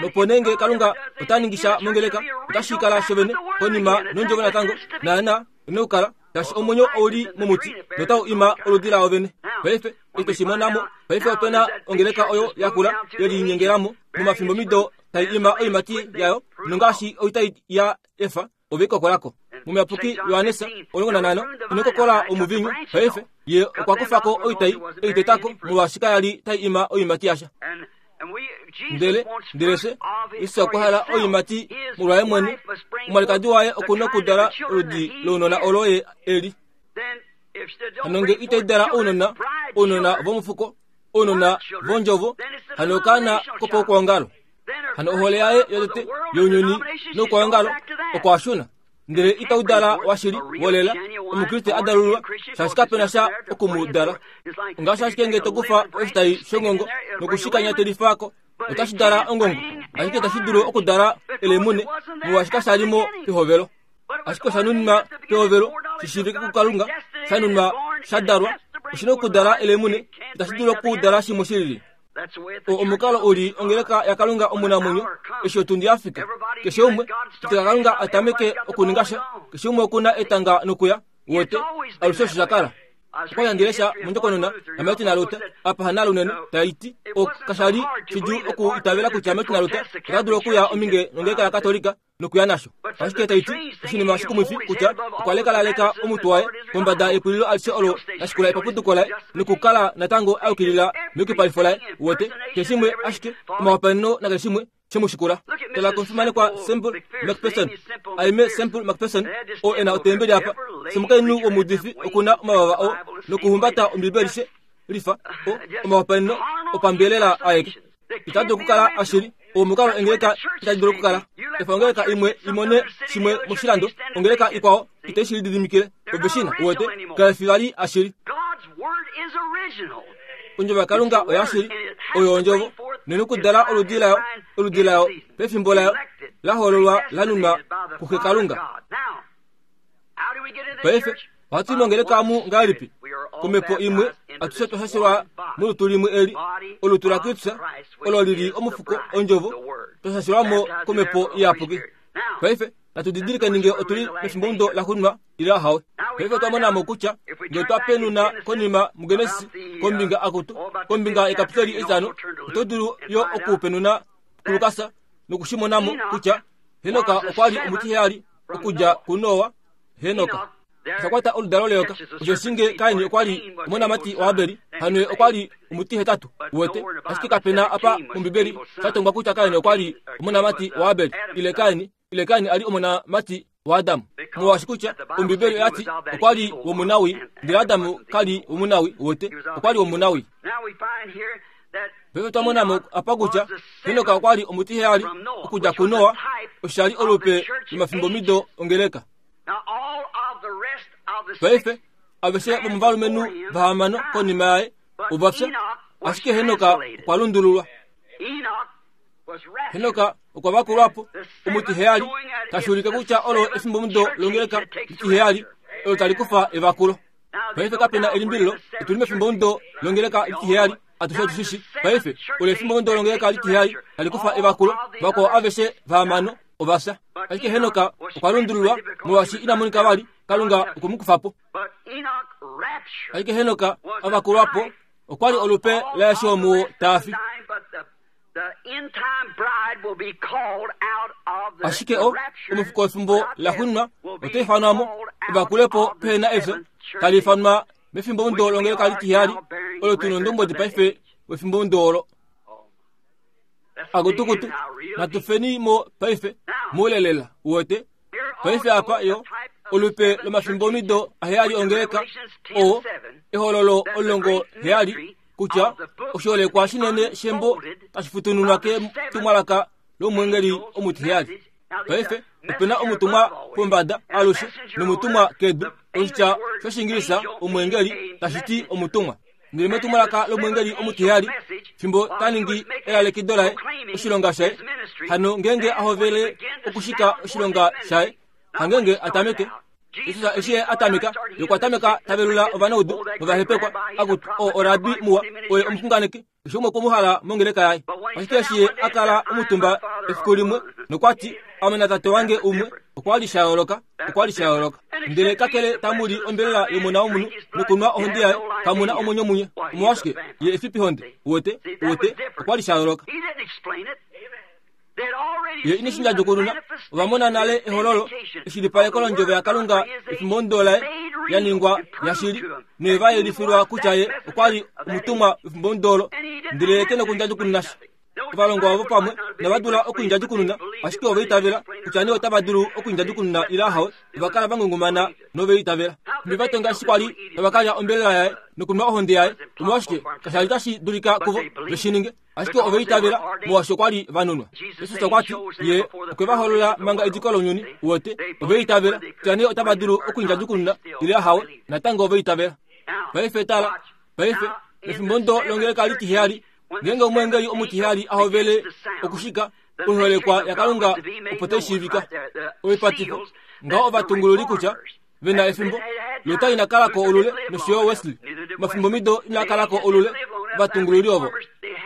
Nopo nee nge Kalunga ota ningisha mongeleka otashi kala shovene konima nondjovo natango naana ine okukala ngaashi omwenyo ouli momuti notau ima oludi lao vene. Paife eshi tweshimonamo paife opena ongeleka oyo yakula yelinyengelamo momafimbomido tai ima oiimati yayo nongaashi oitai ya efa ove ikokolako. Momuyapuki Johannes omulongo nanhano ino kokola omuvinyu paife ye okwa kufako oitai eitetako molwaashi kayali tai ima oiimati yasha. Ndele ndele fye Jesus okwa hala oiimati molwaye mwene. Omwalikadi waye okuna okudala oludi lounona olo ye eli. Hano nge itai dala ounona ounona vomufuko ounona vondjovo hano okaana kopaukwaongalo. Hano ohole yaye yotete younyuni noukwaongalo okwashuna ndele itaudala washili wolela omukriste adalulwa shaashi kapena sha okumudala. Ngaashi ashike nge tokufa oshitayi shongongo nokushikanyatelifaako otashi dala ongongo, ashike tashi dulu okudala elemune molwaashi kashalimo pehovelo. Ashike oshanunwa pehovelo shishivike kuKalunga, shanunwa shadalwa oshina okudala elemune, itashi dulu okudala shimwe shilili. Omukalo uli ongeleka yaKalunga omunamwenyo eshi otundi yafika. Keshe umwe pitika Kalunga atameke okuninga sha, keshe umwe okuna etanga nokuya wote alushe osho shakala. Okwa ndilesha mondjokonona yaMartin Luther apa hanalo unene taiti okashali shidjuu oku itavela kutya Martin Luther ota dulu okuya ominge nongeleka yaKatolika nokuya nasho. Ashike taiti oshinima shikumwifi kutya okwa lekalaleka omutu waye kombada yepulilo alishe olo lashikula epapuduko laye nokukala natango ayukilila meyukipalifo laye wote keshimwe ashike omawapaleno nakeshimwe shemushikula. Tala komufimanekwa Semple McPherson aime Semple McPherson o ena otembeli apa semukainhu womuudifi okuna omavava o nokuhumbata ombibeli she lifa o omawapaleno opambelela aeke. Itadulu okukala ashili omukalo ongeleka itadulu okukala. Efa ongeleka imwe imone shimwe moshilando, ongeleka ikwao itai shi lididimikile oveshina wote kaifi vali ashili. Ondjovo yaKalunga oyashili oyo ondjovo nenokudala oludi layo oludi layo pefimbo layo lahololwa lanunwa kuxe Kalunga. Paife ohatu mongeleka amu ngahelipi? Komhepo imwe atushe twashashilwa molutu limwe eli olutu laKristus olo lili omufuko ondjovo twashashilwamo komhepo iyapuki. Paife natu didilike ninge otuli mefimbomudo laxuuninwa ile ahawe. Paife otwa monamo kutya ngee twapenuna konima muGenesis kombinga akutu kombinga yekapitoli etitano, oto dulu yo okupenuna kuLukas nokushimonamo kutya Henoka okwa li omutiheyali okudja kuNoa. Henoka oshakwata oludalo leyoka. Osho nge Kaini okwa li omonamati waAbeli, hano okwa li omutihetatu wote. Ashike kapena apa mombibeli shatongwa kutya Kaini okwa li omonamati waAbeli ile Kaini ile Kaini ali omonamati waAdamu. Molwaashi kutya ombibeli oyati okwa li womunawi, ndele Adamu kali womunawi wote, okwa li womunawi. Paife twamonamo apa kutya Henoka okwa li omutiheyali okudja kuNoa, osha li olupe lomafimbomido ongeleka. Paife aveshe vomovalumenhu vahamano konima yaye ova fya, ashike Henoka okwa lundululwa. Henoka okwa vakulwapo omutiheyali, tashi ulike kutya olo efimbomudo longeleka litiheyali olo tali kufa evakulo. Paife kapena elimbililo, otuli mefimbomudo longeleka litiheyali atushe otushishi. Paife olo efimbomudo longeleka litiheyali tali kufa evakulo, vakwao aveshe vahamano ova fya. Ashike Henoka okwa lundululwa molwaashi ina monika vali, Kalunga okwe mu kufa po. Ashike Henoka avakulwapo okwa li olupe laeshi omuwo taafi. Ashike o omufuko wefimbo laxuuninwa ota ifanwamo evakulepo pehena efyo tali ifanwa mefimbomudo longeleka litiheyali olo tuna ondombwedi paife wefimbomudo olo. Akutukutu natufeni mo paife mulelela wote. Paife apa yo olupe lomafimbomido aheyali ongeleka o ehololo olongo heyali kutya oshoolekwa shinene shembo tashi futununwa ketumwalaka lomwengeli omutiheyali. Paife opena omutumwa pombada alushe nomutumwa kedu. Oshitya shOshingilisa omwengeli tashi ti omutumwa. Ndele metumwalaka lomwengeli omutiheyali fimbo taningi elalekido laye oshilonga shaye, hano ngenge ahovele okushika oshilonga shaye, hangenge atameke Jesus eshi atameka yokwatameka tavelula ovanaudu novahepekwa akuti o orabi muwa oye omuxunganeki eshi umwe kwomuhala mongeleka yaye. Ashike eshi akala omutumba efiku limwe nokwati ame natate wange umwe, okwa li sha yooloka, okwa li sha yooloka. Ndele kakele tamuli ombelela yomona womunhu nokunwa ohonde yaye, kamuna omwenyo munye. Omolwashike ye efipihonde wote wote okwa li sha yooloka. Ye ineshinja djokununa ovamona nale ehololo eshilipaleko londjovo yaKalunga efimbomudo laye yaningwa yashili neva yelifilwa kutya ye okwa li omutumwa wefimbomudo olo, ndele ye ke nokundja djokununa sha. Ovalongwa ovo pamwe inava dula okuindjadjukununa, ashike ova itavela kutya nee otava dulu okuindjadjukununa ile ahawe. Ova kala va ngungumana nove itavela. Nhumbi va tonga eshi kwali tava kalya ombelela yaye nokunwa ohonde yaye, omolwashike kasha li tashi dulika kuvo veshi ninge, ashike ova itavela molwaashi okwa li va nunwa. Jesus okwa ti ye okwe va holola manga ediko lounyuni wote. Ova itavela kutya nee otava dulu okuindjadjukununa ile ahawe, natango ova itavela. Paife tala, paife mefimbo ndo longeleka litiheyali, ngeenge omweengeli omutiheyali ahovele okushika oiholekwa yaKalunga opo tai shiivika. Oipatifo ngaho ovatungululi kutya vena efimbo Luther ina kalako olule nosho yo Wesley. Mafimbo mido ina kalako olule ovatungululi ovo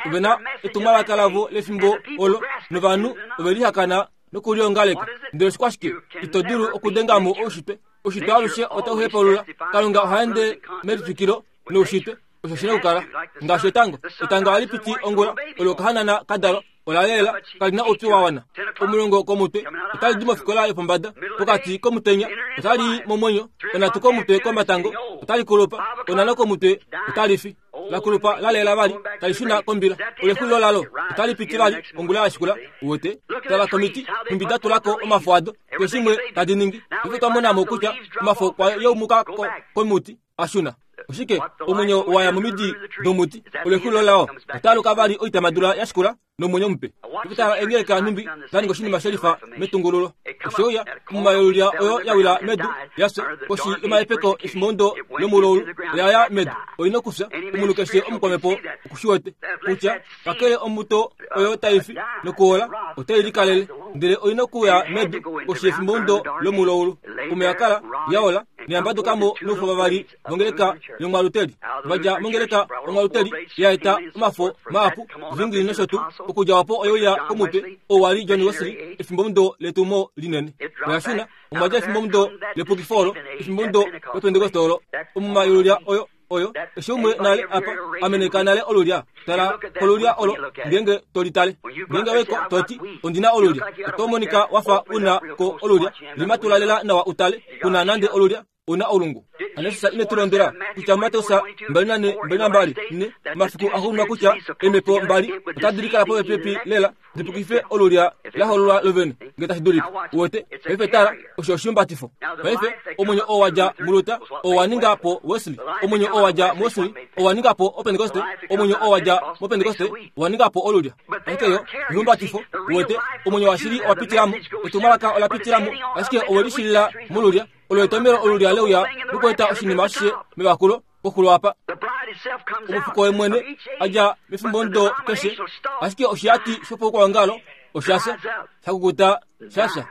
ovena etumwalaka lavo lefimbo olo novanhu ovelihakana nokuliongaleka. Ndele oshikwashike ito dulu okudengamo oushitwe. Oushitwe alushe otau hepaulula. Kalunga oha ende melitwikilo noushitwe. Osho shina okukala ngaashi etango. Etango ohali piti ongula, olo okahanana kadalwa ola lela kalina oupyu wa wana. Omulongo komutwe otali di mofikola yopombada, pokati komutenya otali momwenyo, onhatu komutwe komatango otali kulupa, onhano komutwe otali fi. La kulupa la lela vali tali shuna kombila. Olexulilo lalo otali piti vali ongula ya shikula. Uwete tala komiti nhumbi da tulako omafo ado, keshimwe tadi ningi. Paife twa monamo kutya omafo kwa yaumuka komuti a shuna. Oshike omwenyo waya momidi domuti, olexulilo lao otaaluka vali oitamadula ya shikula nomwenyo mupe. Paife tala engeleka nhumbi da ninga oshinima shelifa metungululo. Oshouya omumayolulya oyo ya wila medu yafya koshi yomahepeko efimbo ndo lomuloulu oya ya medu. Oina okufya. Omunhu keshe omukwamepo okushiwete kutya kakele ombuto oyo taifi nokuola otai likalele, ndele oina okuya medu koshi yefimbo ndo lomuloulu. Omo ya kala yaola noyambadukamo noufo vavali vongeleka yomwaluteli. Vadja mongeleka omwaluteli ya eta omafo mahapu Zwingli nosho tuu. Okudja opo oyeuya komutwe oo wali John Wesley efimbo ndo letumo linene. Oya shuna omwa dja efimbo ndo lepukifo olo, efimbo ndo lopentekoste olo. Omumayolulya oyo oyo eshi umwe nale apa ameneka nale olulya. Tala kolulya olo ngeenge tolitale. Ngeenge weko toti ondina olulya, oto monika wafa una ko olulya. Limatula lela nawa utale kuna nande olulya una olungu. Anesisa ine tulondela kutya Mateus mbali nane mbali nambali ne mafiku axuuninwa kutya emepo mbali otadi likala popepi lela dipukife olulya lahololwa lovene ngee tashi dulika. Uwete paife tala osho oshihumbatifo. Paife omwenyo oo wadja muLuther oo wa ninga po Wesley, omwenyo oo wadja muWesley oo wa ninga po Opentekoste, omwenyo oo wadja mopentekoste owa ninga po olulya. Ashike yo ihumbatifo. Uwete omwenyo washili owa pitilamo, etumwalaka ola pitilamo, ashike owe lishilila molulya. Olo etomelo olulya leuya lokueta oshinima ashishe mevakulo koxulo apa. Omufuko wemwene adja mefimbo ndo keshe, ashike oshihati shopoukwangalo oshafya shakukuta shafya.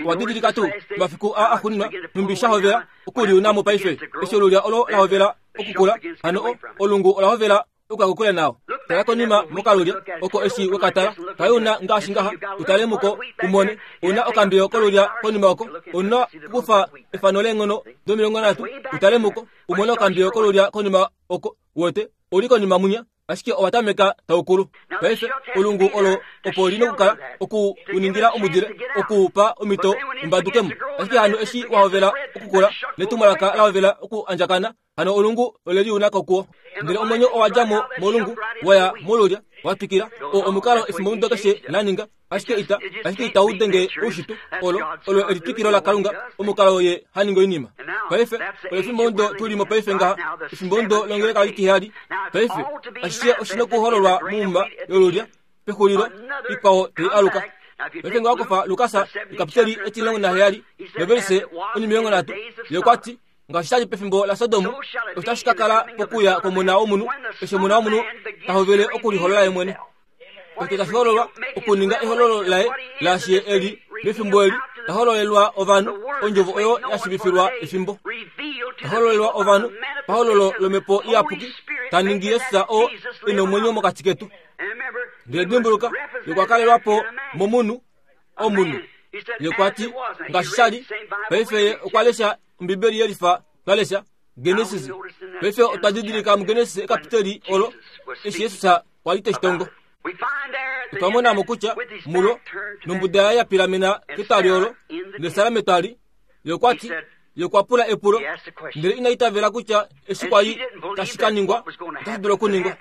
Owa didilika tuu mafiku a axuuninwa nhumbi shahovela okuliunamo paife. Eshi olulya olo lahovela okukula, hano olungu ola hovela okuya kokule nao. Tala konima mokalulya oko eshi wekatala kaiuna ngaashi ngaha, utale muko umone una okambiyo kolulya konima oko. Ona okukufa efano leenghono domilongo nhatu utale muko umone okambiyo kolulya konima oko. Wote oli konima munya, ashike owa tameka taukulu. Paife olungu olo opo lina okukala oku uningila omudile okuupa omito umbadukemo. Ashike hano eshi wahovela okukula netumwalaka lahovela oku andjakana, hano olungu ole liuna kokuwo. Ndele omwenyo owa djamo molungu waya molulya wa twikila. O omukalo efimbo ndo keshe la ninga, ashike ita ashike itau denge oushitwe olo olo elitwikilo laKalunga, omukalo ye haninga oinima. Paife olo efimbo ndo tulimo paife ngaha, efimbo ndo longeleka litiheyali. Paife ashishe oshina okuhololwa mumba yolulya pexulilo ikwao tai aluka. Paife nga wakufa Lukas ekapiteli etilongo naheyali novelise onimilongo nhatu, ye okwa ti ngaashi shali pefimbo laSodom, otashi ka kala pokuya komona womunhu, eshi omona womunhu ta hovele okuliholola ye mwene. Ote tashi hololwa okuninga ehololo laye laashi ye eli mefimbo eli ta hololelwa ovanhu ondjovo oyo ya shivifilwa efimbo. Ta hololelwa ovanhu pahololo lomhepo iyapuki, ta ningi Jesus oo e nomwenyo mokati ketu. Ndele dimbuluka, ye okwa kalelwa po momunhu omunhu. Ye okwa ti ngaashi shali paife ye okwa lesha Ombibeli yelifa twa lesha Genesis. Paife otwa didilika muGenesis ekapiteli olo eshi Jesus kwa li teshitongo. Otwa monamo kutya mulo nombuda yaye ya pilamena ketwali olo nesala metwali. Ye okwa ti ye okwa pula epulo, ndele ina itavela kutya eshi kwa li tashi ka ningwa otashi dulu okuningwa.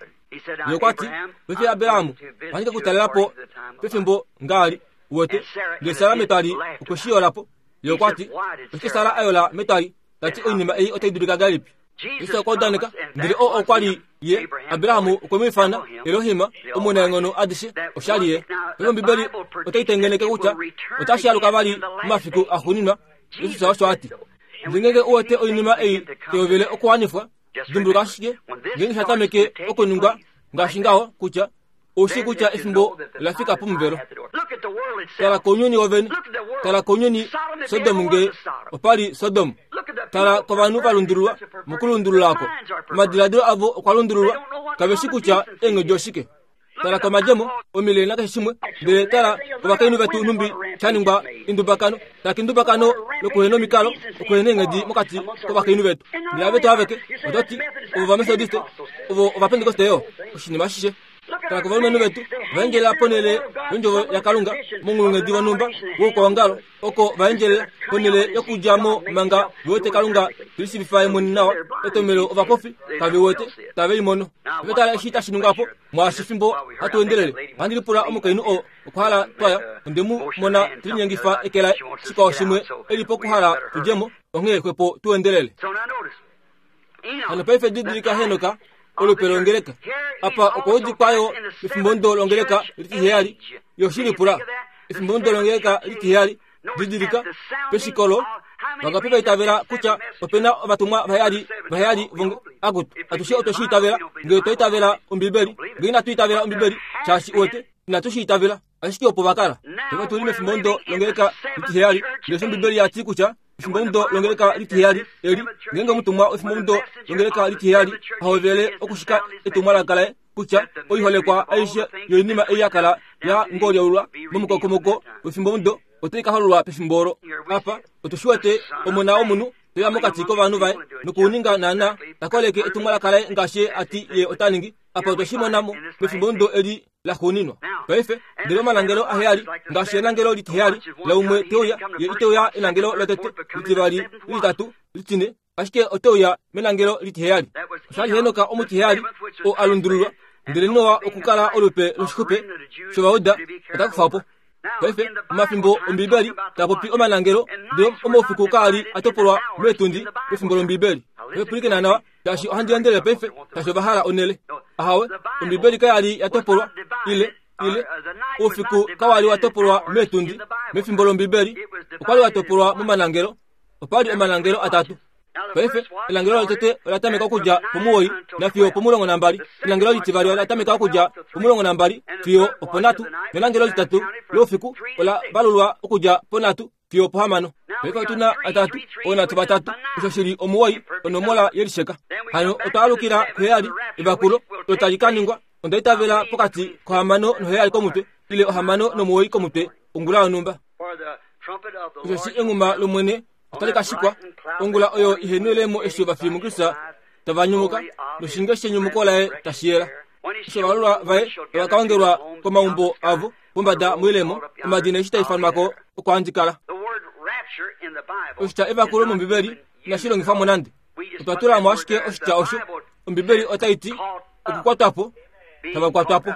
Ye okwa ti, paife Abraham, ohandi ke ku talela po pefimbo ngaali, uwete. Ndele Sara metwali okwe shi yola po. Ye okwa ti, oshike Sara a yola metwali, ta ti oinima ei otai dulika ngahelipi? Jesus okwa udaneka, ndele oo okwa li ye, Abraham okwe mu ifana Elohim, omunaenghono adishe, osha li ye. Paife Ombibeli otai tengeneke kutya otashi aluka vali momafiku axuuninwa. Jesus osho a ti. Ndele ngeenge u wete oinima ei tai okuwanifwa, dimbuluka ashike ngeenge sha tameke okuningwa ngaashi ngaho kutya oushi kutya efimbo la fika pomuvelo. Tala kounyuni wovene, tala kounyuni Sodom nge opa li Sodom. Tala kovanhu va lundululwa mokulundululako. Omadiladilo avo okwa lundululwa, kave shi kutya eenghedi oshike. Tala komadjemo, omilele nakeshe shimwe, ndele tala kovakainhu vetu nhumbi sha ningwa indubakano, tala kindubakano lokuhena omikalo, okuhena eenghedi mokati kovakainhu vetu. Ndele avetu aveke, ototi, ovo vamethodiste, ovo ovapentekoste yo, oshinima ashishe. Tala kovalumenhu vetu, vaendjelela ponhele yondjovo yaKalunga monghulunghedi vonhumba woukwaongalo, oko vaendjelela ponhele yokudja mo manga ve wete Kalunga telishiivifa ye mwene nawa, etomelo ovapofi kave wete tave i mono. Paife tala eshi tashi ningwa po, mwaashi fimbo hatu endelele. Ohandi lipula omukainhu oo okwa hala twaya, onde mu mona telinyengifa eke laye, shikwao shimwe e li pokuhala tudje mo, onghee xwepo tu endelele. Hano paife didilika Henoka, olupe longeleka. Apa okwa udikwayo pefimbo longeleka litiheyali, yoshilipula. Efimbo longeleka litiheyali, didilika, peshikolo, vangapi vaitavela kutya opena ovatumwa vaheyali, vaheyali vonge, akutu, atushe otwe shi itavela, ngee otwa itavela Ombibeli, ngee inatu itavela Ombibeli, shaashi uwete, inatu shi itavela, ashike opo va kala. Paife tuli mefimbo longeleka litiheyali, ndele Ombibeli ya ti kutya efimbo longeleka litiheyali eli, ngeenge omutumwa wefimbo longeleka litiheyali ahovele okushika etumwalaka laye kutya oiholekwa aishe yoinima ei ya kala ya ngolyaulwa momukokomoko wefimbo otai ka hololwa pefimbo olo. Apa otu shi wete omona womunhu teya mokati kovanhu vaye nokuninga naana ta koleke etumwalaka laye ngaashi a ti ye ota ningi. Apa otwe shi mona mo mefimbo eli la xuuninwa. Paife ndele omalangelo aheyali ngaashi elangelo litiheyali laumwe teuya, ye iteuya elangelo lotete, litivali, lititatu, litine, ashike oteuya melangelo litiheyali. Osha li Henoka omutiheyali oo a lundululwa, ndele Noa okukala olupe loshixupe shovauda ota kufa po. Paife omafimbo Ombibeli tapopi omalangelo, ndele omaufiku kaali a topolwa meetundi pefimbo lOmbibeli. Paife pwilikina nawa, shaashi ohandi endelele paife, shaashi ova hala onele. Ahawe, Ombibeli kayali ya topolwa, ile, ile, oufiku kawali wa topolwa meetundi mefimbo lOmbibeli, okwali wa topolwa momalangelo. Opali omalangelo atatu. Paife elangelo lotete ola tameka okudja pomuwoi nafiyo pomulongo nambali. Elangelo litivali ola tameka okudja pomulongo nambali fiyo oponhatu. Nelangelo litatu loufiku ola valulwa okudja ponhatu fiyo pohamano. Paife otuna atatu, oonhatu vatatu, osho shili omuwoi, onomola yelisheka. Hano otwa alukila kuheyali, evakulo olo tali ka ningwa. Onda itavela pokati kohamano noheyali komutwe, ile ohamano nomuwoi komutwe ongula yonhumba. Osho shi enghuma lOmwene otali ka shikwa ongula oyo ihenwelemo eshi ovafi muKristus tava nyumuka, noshinge shenyumuko laye tashi yela. Eshi ovalulwa vaye tava ka ongelwa komaumbo avo pombada moilemo, omadina eshi taifanwako oko handi kala. Oshitya evakulo mOmbibeli inashi longifwa mo nande. Otwa tula mo ashike oshitya osho. Ombibeli otai ti okukwatwa po, tava kwatwa po.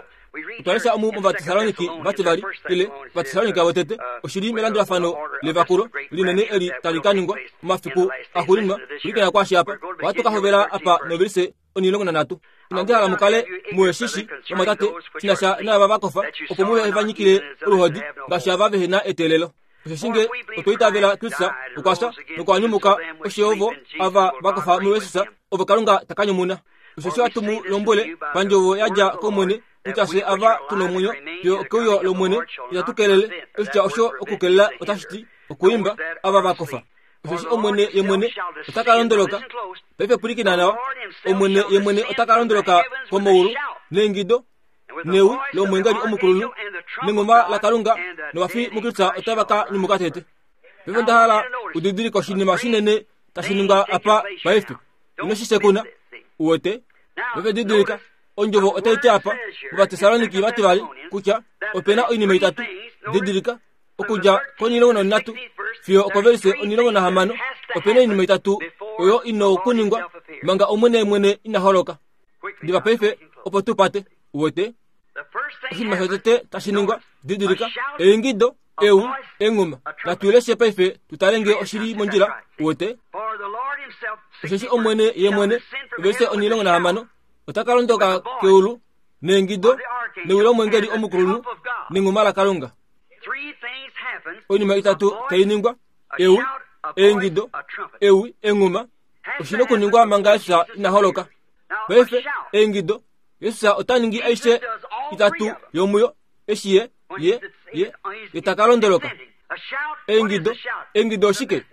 Otwa lesha omu mOvatesaloniki vativali, ile Ovatesalonika votete, oshili melandulafano levakulo linene eli tali ka ningwa momafiku axuuninwa. Pwilikina kwaashi apa, ohatu ka hovela apa novelise onilongo nanhatu. Inandi hala mukale muheshishi vamwatate shina sha naava va kofa, opo muhe va nyikile oluhodi ngaashi ava vehena eteelelo. Osheshi nge otwa itavela Kristus okwa fya nokwa nyumuka, osho ovo ava va kofa muJesus ovo Kalunga ta ka nyumuna. Osheshi ohatu mu lombwele pandjovo ya dja kOmwene kutya fye ava tuna omwenyo fiyo okeuyo lOmwene itatu kelele. Oshitya osho okukelela otashi ti okuimba ava va kofa. Osheshi Omwene ye mwene ota ka londoloka. Paife pwilikina nawa, Omwene ye mwene ota ka londoloka komaulu neingido newi lomwengeli omukulunhu nengoma laKalunga, novafi muKristus otava ka nyumuka tete. Paife onda hala udidilike oshinima shinene tashi ningwa apa paife. Ino shi sekuna, uwete? Paife didilika, ondjovo otai ti apa mOvatesaloniki vativali kutya opena oinima itatu. Didilika, okudja konilongo nonhatu fiyo okovelise onilongo nahamano, opena oinima itatu oyo ina okuningwa manga Omwene mwene ina holoka. Diva paife opo tupate uwete oshinima shotete tashi ningwa didilika eingido eu enguma natuleshe paife tutalenge oshili mondjila uwete osheshi omwene ye mwene ovese onilongo nahamano otaka londoka keulu neingido newi lomwengeli omukulunhu nenguma lakalunga oinima itatu tainingwa eu eingido ewi enguma oshina okuningwa manga Jesus ina holoka paife eingido Jesus otaningi aishe itatu yomuyo eshi ye ye ye itakalondoloka eingido eingido oshike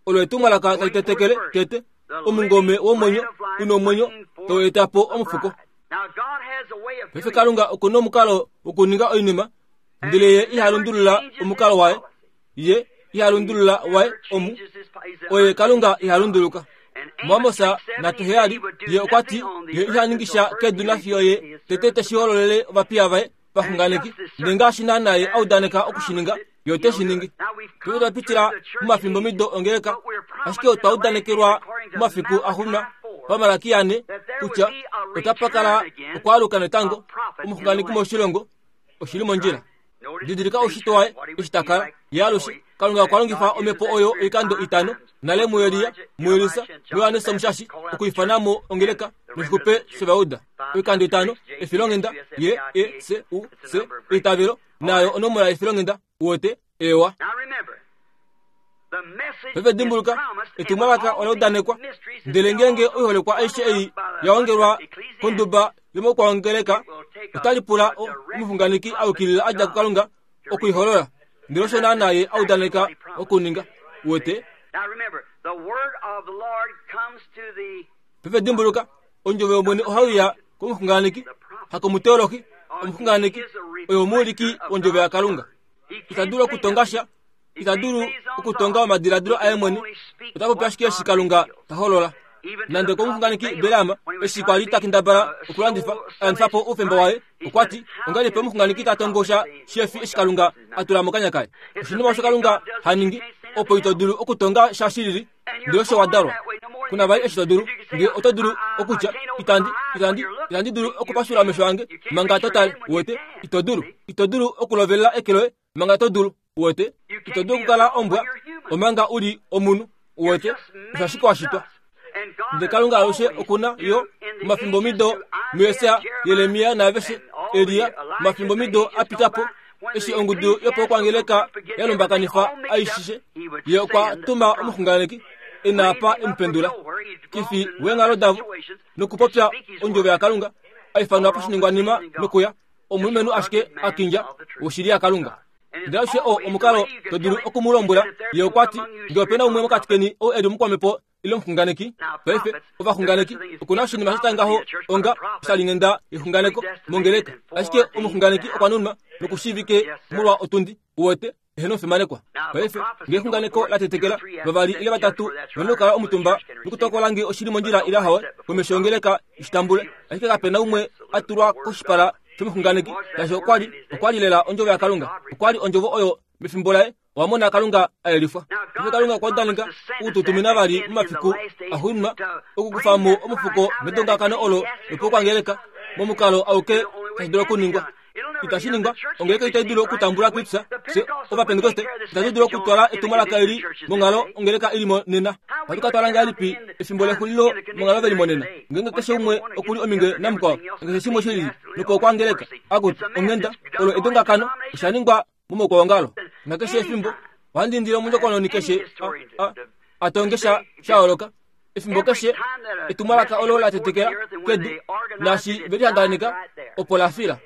olo etumwalaka talitetekele tete omungome womwenyo una omwenyo toetapo omufuko paife kalunga okuna omukalo wokuninga oinima ndele ye ihalundulula omukalo waye ye ihalundulula waye omu oye kalunga ihalunduluka muamosa natuheyali ye okwati ye ihaningisha kedu nafiyo ye tete teshihololele ovapiya vaye vaxunganeki ndele ngaashi naanaye audaneka okushininga ye oteshiningi tuve twapitila mumafimbo mido ongeleka ashike otwa udanekelwa mumafiku axuma pamalaki ane kutya otapakala okwaaluka netango omuxunganeki moshilongo oshili mondjila didilika oushitwe waye eshi takala ye alushe kalunga okwa longifa omhepo oyo oikando itano nale mueliya muelisa muyohanesa omushashi okuifanamo ongeleka noshikupe shovauda oikando itano efilonghenda ye e c u c eitavelo nayo onomola yefilonghenda uwete ewa paife dimbuluka etumwalaka ola udanekwa ndele ngeenge oiholekwa aishe ei yaongelwa konduba yomokwaongeleka otalipula omuxunganeki aukilila adja kukalunga okuiholola ndele osho naanaye audaneka okuninga uwete paife dimbuluka ondjovo yomwene ohauya komuxunganeki hakomuteolohi omuxunganeki oyo omuuliki wondjovo yakalunga itadulu okutonga sha itadulu okutonga omadiladilo aye mwene otapopi ashike eshi kalunga taholola nande komuxunganeki Balaam eshi kwali takendabala okulandifa alandifapo oufemba waye okwati ongahelipi omuxunganeki tatongo sha shefi eshi kalunga atula mokanya kaye oshinima osho kalunga haningi opo ito dulu okutonga sha shilili ndele osho wadalwa kuna vali eshi to dulu nge oto dulu okutya itandi itandi itandi dulu okupashula omesho ange manga totale uwete ito dulu ito dulu okulovelela eke loye manga to dulu uwete ito dulu okukala ombwa omanga uli omunhu uwete osho ashike washitwa ndele kalunga alushe okuna yo mumafimbo mido muyesaja Jeremia naaveshe Eliya mumafimbo mido apitapo eshi ongudu yopokwangeleka yalumbakanifa aishishe ye okwa tuma omuxunganeki enaapa emupendula kifi weenghalo davo nokupopya ondjovo yakalunga aifanwa poshiningwanima nokuya omulumenhu ashike akindja woshili yakalunga ndele alushe oo omukalo to dulu okumulombwela ye okwati nge opena umwe mokati keni ou eli omukwamhepo ile omuxunganeki paife ovaxunganeki okuna oshinima shatya ngaho onga oshalinghenda yexunganeko mongeleka ashike omuxunganeki okwa nunwa nokushiivike molwa otundi uwete ehena omufimanekwa paife nge exunganeko latetekela vavali ile vatatu vena okukala omutumba nokutokola nge oshili mondjila ile hawe komesho yongeleka ishitambule ashike kapena umwe atulwa koshipala shomuxunganeki shaashi okwali okwali lela ondjovo yakalunga okwali ondjovo oyo mefimbo laye owamona kalunga aelifwa paife kalunga okwa udaneka okututumina vali momafiku axuuninwa okukufamo omufuko medongakano olo lopokwangeleka momukalo auke tashi dulu okuningwa itashi ningwa ongeleka itai dulu okutambula Kristus fye ovapentekoste itatu dulu okutwala etumwalaka eli monghalo ongeleka ili monena ohatu ka twala ngahelipi efimbo lexulilo monghalo veli monena ngeenge keshe umwe okuli ominge namukwao keshe shimwe shilili nopokwangeleka akuti onghenda olo edongakano oshaningwa momokwaongalo nakeshe efimbo ohandi indile omundjokononi keshe atonge sha shayooloka efimbo keshe etumwalaka olo latetekela kedu naashi velihanganika opo lafila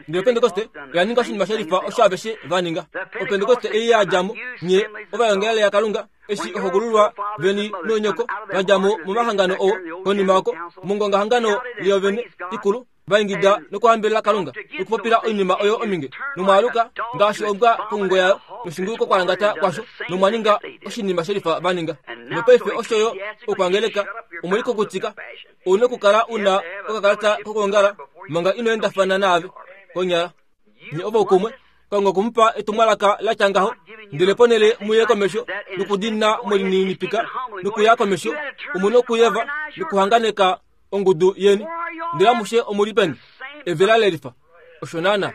ndele opentekoste oya ninga oshinima shelifa osho aveshe vaninga opentekoste ei yadjamo nye ovayongelele yakalunga eshi ohokululwa veni noonyoko vadjamo momahangano oo konima oko mongongahangano liyovene ikulu vaingida nokuhambelela kalunga nokupopila oinima oyo ominge nomwaaluka ngaashi ombwa kongungo yayo noshinguko kwalangata kwasho nomwaninga oshinima shelifa vaninga nopaife osho yo okwangeleka omwelikokutika ouna okukala una okakalata kokuongala manga inoendafana naave konyala nye ovaukumwe kalunga okumupa etumwalaka latya ngaho ndele ponele muye komesho nokudina mwelininipika nokuya komesho omuna okuyeva nokuhanganeka ongudu yeni ndele amushe omuli peni Evela lelifa osho naana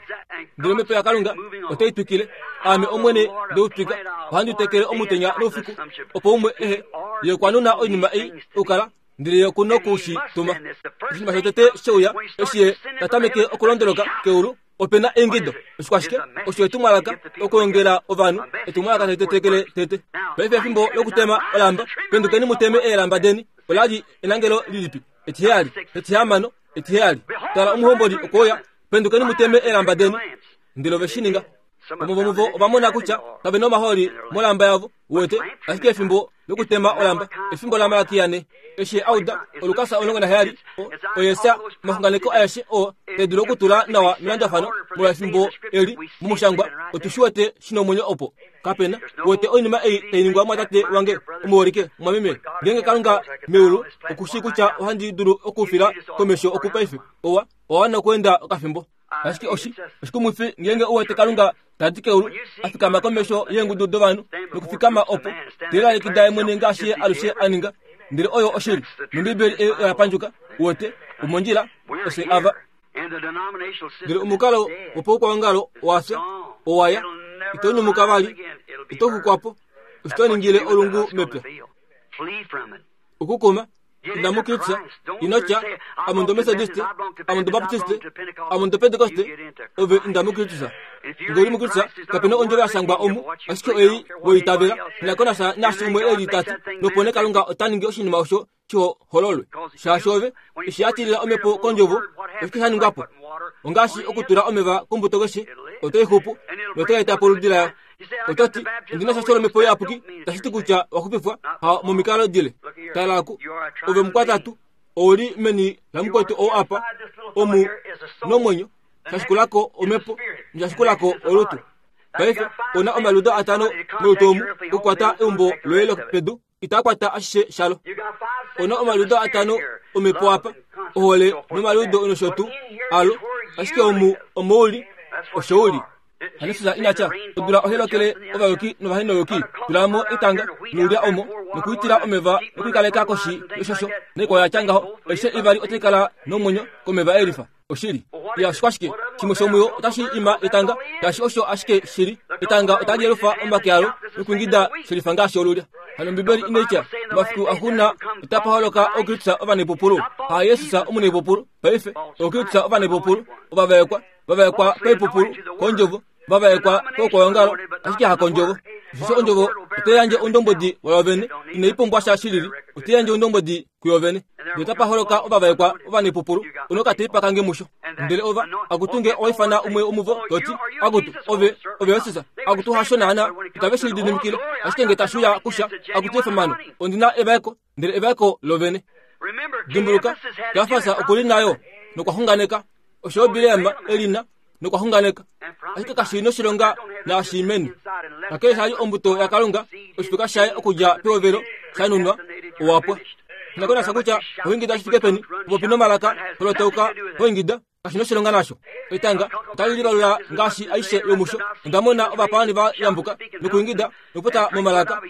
ndele omhepo yaKalunga otai twikile aame omwene ndeutwika ohandi tekele omutenya noufiku opo umwe ehe ye okwa nuna oinima ei okukala ndele ye okuna okushi tuma oshinima shotete sheuya eshi ye tatameke okulondoloka keulu opena eingido oshikwashike osho etumwalaka okuongela ovanhu etumwalaka talitetekele tete paife efimbo lokutema olamba pendukeni muteme eelamba deni olali enangelo lilipi etiheyali etihamano etiheyali tala omuhomboli okoya pendukeni muteme eelamba deni ndele ove shi ninga omuvomuvo ovamona kutya kave na omahooli molamba yavo wete ashike efimbo lokutema olamba efimbo laMalakia eshi auda olukasa omulongo naheyali oyesa omaxunganeko aeshe oo tedulu okutula nawa melandulafano molwa efimbo eli momushangwa otushi wete shina omwenyo opo kapena wete oinima ei tainingwa mwatate wange omuholike mwameme ngeenge Kalunga meulu okushi kutya ohandi dulu okufila komesho okupaife owa owa okuenda okafimbo ashike oshi oshikumwifi ngeenge uwete Kalunga tadi keulu afikama komesho yeengudu dovanhu nokufikama opo telalekida ye mwene ngaashi ye alushe aninga ndele oyo oshili nombiibeli ei oya pandjuka uwete omondjila ose ava ndele omukalo wopaukwaongalo owafya owaya itonyumuka vali itoxukwapo oshitoningile olungu mepya okukuma inamukritsa inotya amundo Methodist amundo Baptist amundo Pentecost ove indamukritsa ngoli mukritsa kapena ondjove yashangwa omu ashike ei woitavela nakonasha nashi umwe eli tati nopone Kalunga otaningi oshinima osho shihololwe shaashi ove eshi yatilila omhepo kondjovo oshike shaningwapo ongaashi okutula omeva kombuto keshe otoixupu notoetapo oludi layo ototi ondina shasho lomhepo iyapuki tashiti kutya waxupifwa ha momikalo dile talaku ove mukwatatu ouli meni lamukwetu ou apa omu nomwenyo shashikulako omhepo noshashikulako olutu paife ona omaludo atano molutu omu okukwata eumbo loye lopedu itakwata ashishe shalo ona omaludo atano omhepo apa ohole nomaludo noshotu alo ashike omu omouli oshouli hanisisa inatya odula ohelokele ovayuki novahenoyuki tulamo etanga noulya omo nokuitila omeva nokuikaleka koshi yoshosho noikwao yatya ngaho aishe ivali otaikala nomwenyo komeva elifa oshili ya oshikwashike shimwe shomuyo otashi ima etanga ngaashi osho ashike shili etanga otali yelufa omake alo nokuingida shelifa ngaashi olulya hano Ombibeli inaitya mafiku axuna otapa holoka okritsa ovanepupulu ha Yesus omunepupulu paife okritsa ovanepupulu ovavaekwa vavaekwa paipupulu kondjovo vavaekwa koukwaongalo ashike hakondjovo osho ondjovo oteyandje ondombodi wayovene inaipumbwa sha shilili oteyandje ondombodi kuyovene ndele tapa holoka ovavaekwa ovanepupulu onokateipa kange musho ndele ova akutunge owaifana umwe omuvo toti akutu ove ove Yesus akutu hasho naana itave shilididimikile ashike nge tashuya kusha akutu efamano ondina evaeko ndele evaeko lovene dimbuluka Kefas okuli nayo nokwaxunganeka osho Bileam elina nokwaxunganeka ashike kashi noshilonga naashimeni kakele shali ombuto yaKalunga oshifika shaye okudja pehovelo shanunwa owapwa nakonasha kutya oingida shifike peni popi nomalaka holotauka oingida kashi noshilonga nasho etanga otali livalula ngaashi aishe yomusho ondamona ovapaani va yambuka nokuingida nokupota momalaka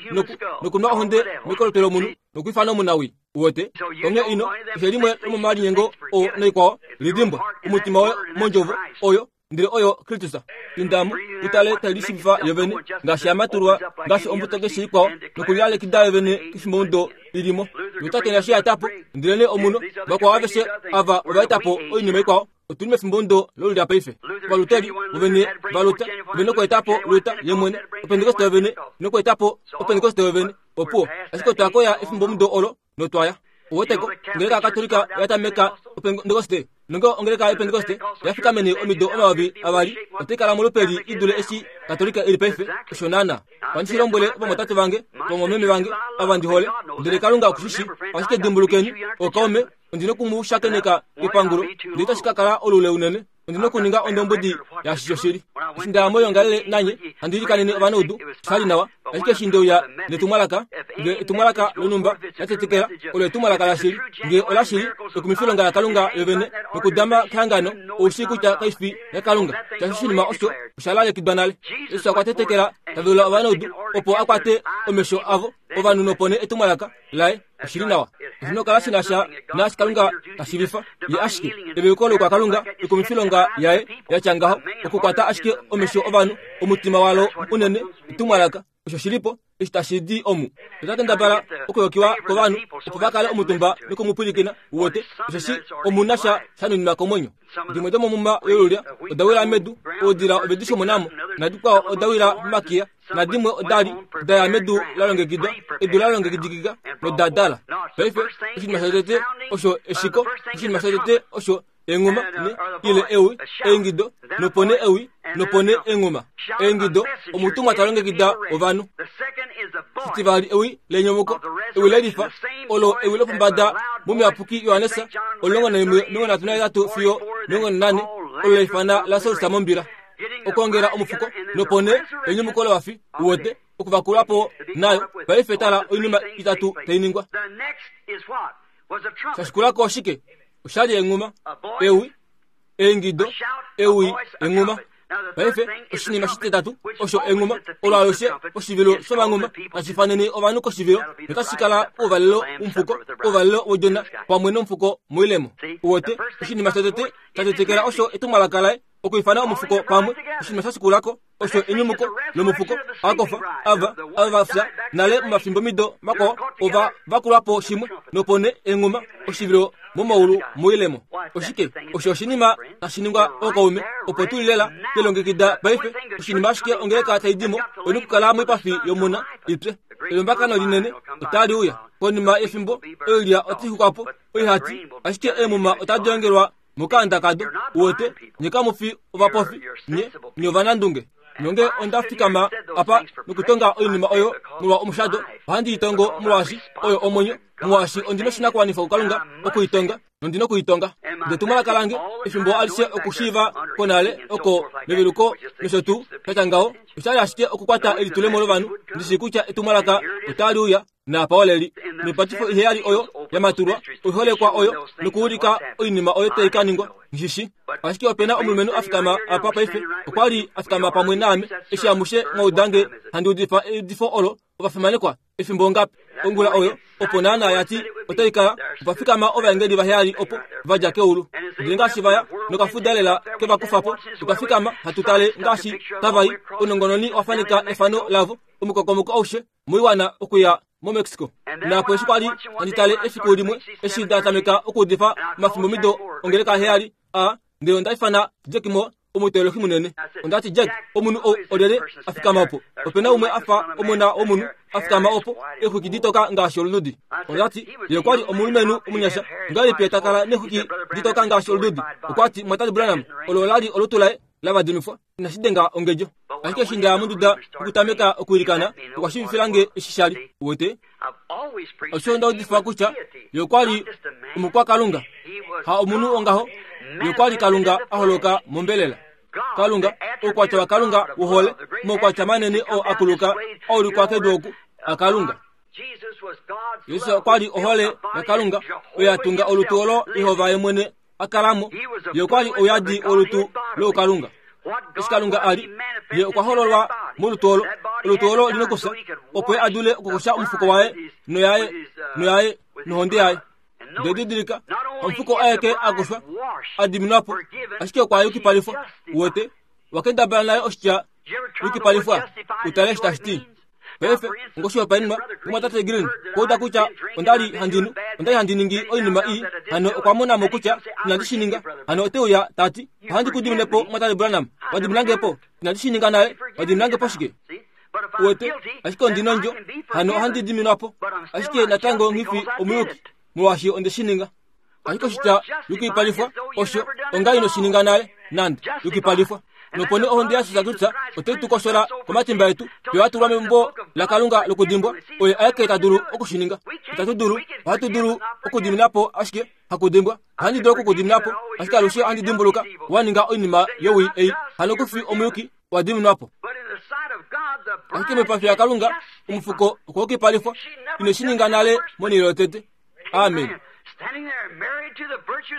nokunwa ohonde mekolotwe lomunhu nokuifana omunawi uwete onge ino keshe limwe lomomalinyengo oo noikwao lidimbwa omutima woye mondjovo oyo ndele oyo Kristus indamu utale tailishivifa yovene ngaashi yamatulwa ngaashi ombuto keshe ikwao nokulilalekida yovene kefimbomudo ilimo notatenda shi yatapo ndelene omuno vakwao aveshe ava ovaetapo oinima ikwao otuli mefimbomudo lolulya paife ovaluteli vovene valuta vene okuetapo luta yemwene opentekoste yovene nokuetapo opentekoste yovene opuwo ashike otwakoya efimbomudo olo notwaya uweteko ongeleka yakatolika yatameka opentekoste nonge ongeleka yepentekoste yafika meni omido omayovi avali otaikala molupeli idule eshi katolika ili paife osho naana pandishilombwele ovamwatate vange vamwameme vange ava ndihole ndele Kalunga okushishi ashike dimbulukeni okaume ondina okumushakeneka kepangulo ndele itashi ka kala olule unene ondina okuninga ondombwedi yaashi shoshili eshi ndaya moyongalele nanye handi ilikanene ovanaudu shali nawa Ashike eshi ndeuya netumwalaka, nge etumwalaka lonhumba latetekela, olo etumwalaka lashili, nge olashili ekumifilonga laKalunga yovene nokudama kehangano, oushii kutya kaifi yaKalunga. Shaashi oshinima osho osha lalekidwa nale. Jesus okwa tetekela tavelula ovanaudu opo a kwate omesho avo ovanhu nopone etumwalaka laye oshili nawa. Oshina okukala shi na sha naashi Kalunga ta shiivifa ye ashike eveluko lokwaKalunga ekumifilonga yaye yatya ngaho okukwata ashike omesho ovanhu omutima walo unene etumwalaka osho shilipo eshi tashi di omu. Ota kendabala okuyokiwa kovanhu opo va kale omutumba nokumupwilikina uwete osheshi omuna sha shanuninwa komwenyo. Dimwe domomuma yolulya oda wila medu, oudila ove di shomonamo, nadikwao oda wila momakiya, nadimwe odali daya medu la longekidwa, edu la longekidikika noda dala. Paife oshinima shotete osho eshiko, oshinima shotete osho enghuma ne ile ewi eingido nopone ewi nopone enghuma eingido omutumwa ta longekida ovanhu. Shitivali ewi lenyumuko, ewi lelifa olo ewi lopombada momuyapuki Johannes omulongo naimwe omilongo nhatu nahetatu fiyo omilongo nane olo leifana Lasarus mombila okwongela omufuko nopone enyumuko lovafi uwete okuvakulapo nayo. Paife tala oinima itatu tai ningwa. Shashikulako oshike? Oshali enghuma, ewi, eingido, ewi, enghuma. Paife oshinima shititatu osho enghuma olo alushe oshivilo shomanghuma tashi fanene ovanhu koshivilo notashi kala ouvalelo womufuko, ouvalelo wodjona pamwe nomufuko moilemo. Uwete oshinima shotete shatetekela osho etumwalaka laye okuifana omufuko pamwe. Oshinima shashikulako osho enyumuko lomufuko akofa ava ava vafya nale momafimbomido makwao ova vakulwapo shimwe nopone enghuma oshivilo momaulu moilemo. Oshike osho oshinima tashi ningwa ookaume opo tuli lela twelongekida paife. Oshinima ashike ongeleka tai dimo oina okukala moipafi yomuna ipye. Elombakano linene otali uya konima yefimbo, oilya otai xukwapo oihati, ashike eemuma otadi ongelwa mokanda kado. Uwete nye kamufi ovapofi, nye nye ovanandunge. Nonge onda fikama apa nokutonga oinima oyo molwa omushado, ohandi itongo molwaashi oyo omwenyo, molwaashi ondina oshinakuwanifwa kuKalunga okuitonga nondina okuitonga. Ndetumwalaka lange efimbo alishe okushiiva konale oko meveluko nosho tuu shatya ngaho oshali ashike okukwata elitulemo lovanhu. Ndishi kutya etumwalaka otali uya naapa oleli noipatifo iheyali oyo yamatulwa oiholekwa oyo nokuulika oinima oyo tai ka ningwa. Nghishi ashike opena omulumenhu a fikama apa paife, okwa li a fikama pamwe naame eshi amushe mwaudange handi udifa eudifo olo ovafimanekwa efimbo ngapi ongula oyo opo naana yati otai kala opa fikama ovaengeli vaheyali opo vadja keulu. Ndele ngaashi vaya nokafuda lela kevakufapo, tukafikama hatu tale ngaashi tavai. Ounongononi wafaneka efano lavo omukokomoko aushe moiwana okuya moMexico. Naapo eshi kwali handi tale efiku limwe eshi nda tameka okuudifa omafimbomido ongeleka heyali a ndele onda ifana Jack Moore omuteolohi munene. Ondati Jack, omunhu ou olyelye a fikama opo? Opena umwe a fa omona womunhu a fikama opo, eexwiki ditoka ngaashi olududi. Ondati ye okwali omulumenhu omunyasha, ongahelipi ta kala neexwiki ditoka ngaashi olududi? Okwati Mwatali Branham olo olali olutu laye lavadimifwa inashi denga ongedjo. Ashike eshi ndaya monduda okutameka okwiilikana, okwa shiivifilange eshi shali. Uwete osho nda udifa kutya ye okwali omukwakalunga, ha omunhu ongaho. Ye okwali Kalunga a holoka mombelela. Kalunga, oukwatya waKalunga wohole, omaukwatya manene oo akuluka aulikwa kedu oku aKalunga. Jesus okwali ohole yaKalunga oyo ya tunga olutu olo Jehova ye mwene a kalamo. Ye okwali ouyadi wolutu loukalunga. Eshi Kalunga a li, ye okwa hololwa molutu olo. Olutu olo lina okufya opo ye a dule okukosha omufuko waye noyaye noyaye nohonde yaye. Ndele didilika, omufuko aeke a koshwa a diminwapo, ashike okwa yukipalifwa. Uwete wakendabala naye oshitya yukipalifwa utale eshi tashi ti. Paife ngoshihopaenenwa omwatate Green kouda kutya ondali handinu ondali handi ningi oinima ii, hano okwa monamo kutya inandi shi ninga. Hano ote uya tati ohandi ku diminepo mwatate Branham, wadiminangepo inandi shi ninga nale, wadiminangepo shike? Uwete ashike ondina ondjo, hano ohandi diminwapo, ashike natango nghifi omuyuki molwaashi onde shi ninga. Ashike oshitya yukipalifwa osho onga ino shi ninga nale nande yukipalifwa. Nopone ohonde yaJesus Kristus otai tu koshola komatimba etu, yo atulwa membo laKalunga lokudimbwa. Oye aeke ta dulu okushininga. Itatu dulu, ohatu dulu okudiminapo ashike hakudimbwa. Ohandi dulu okukudiminapo ashike alushe ohandi dimbuluka wa ninga oinima yowii ei. Hano kufi omuyuki wa diminwapo. Ashike moipafi yaKalunga omufuko okwokipalifwa ineshininga nale monhele yotete. Amen.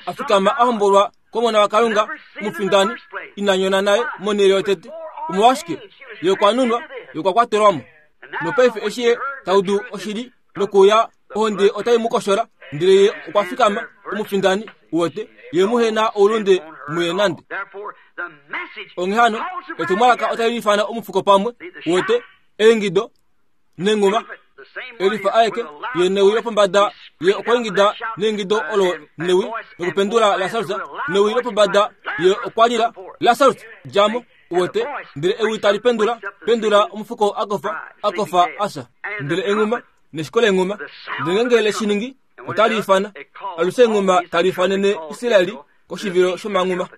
Afikama ahombolwa komona waKalunga omufindani inanyona naye monhele yotete. Omolwashike ye okwa nunwa ye okwa kwatelwamo. Nopaife eshi ye taudu oshili nokuya ohonde otai mu koshola ndele ye okwa fikama omufindani uwete ye muhena oulunde muye nande. Onghee hano etumwalaka otali lifana omufuko pamwe uwete eingido nenguma elifa aeke ye newi lopombada ye okwaingida neingido olo newi nokupendula Lasarus newi lopombada ye okwalila Lasarus djamo uwete ndele ewi tali pendula pendula omufuko akofa akofa asa ndele enguma neshiko lenguma ndele ngenge leshiningi otali ifana alushe enguma tali ifanene Israeli koshivilo shomanguma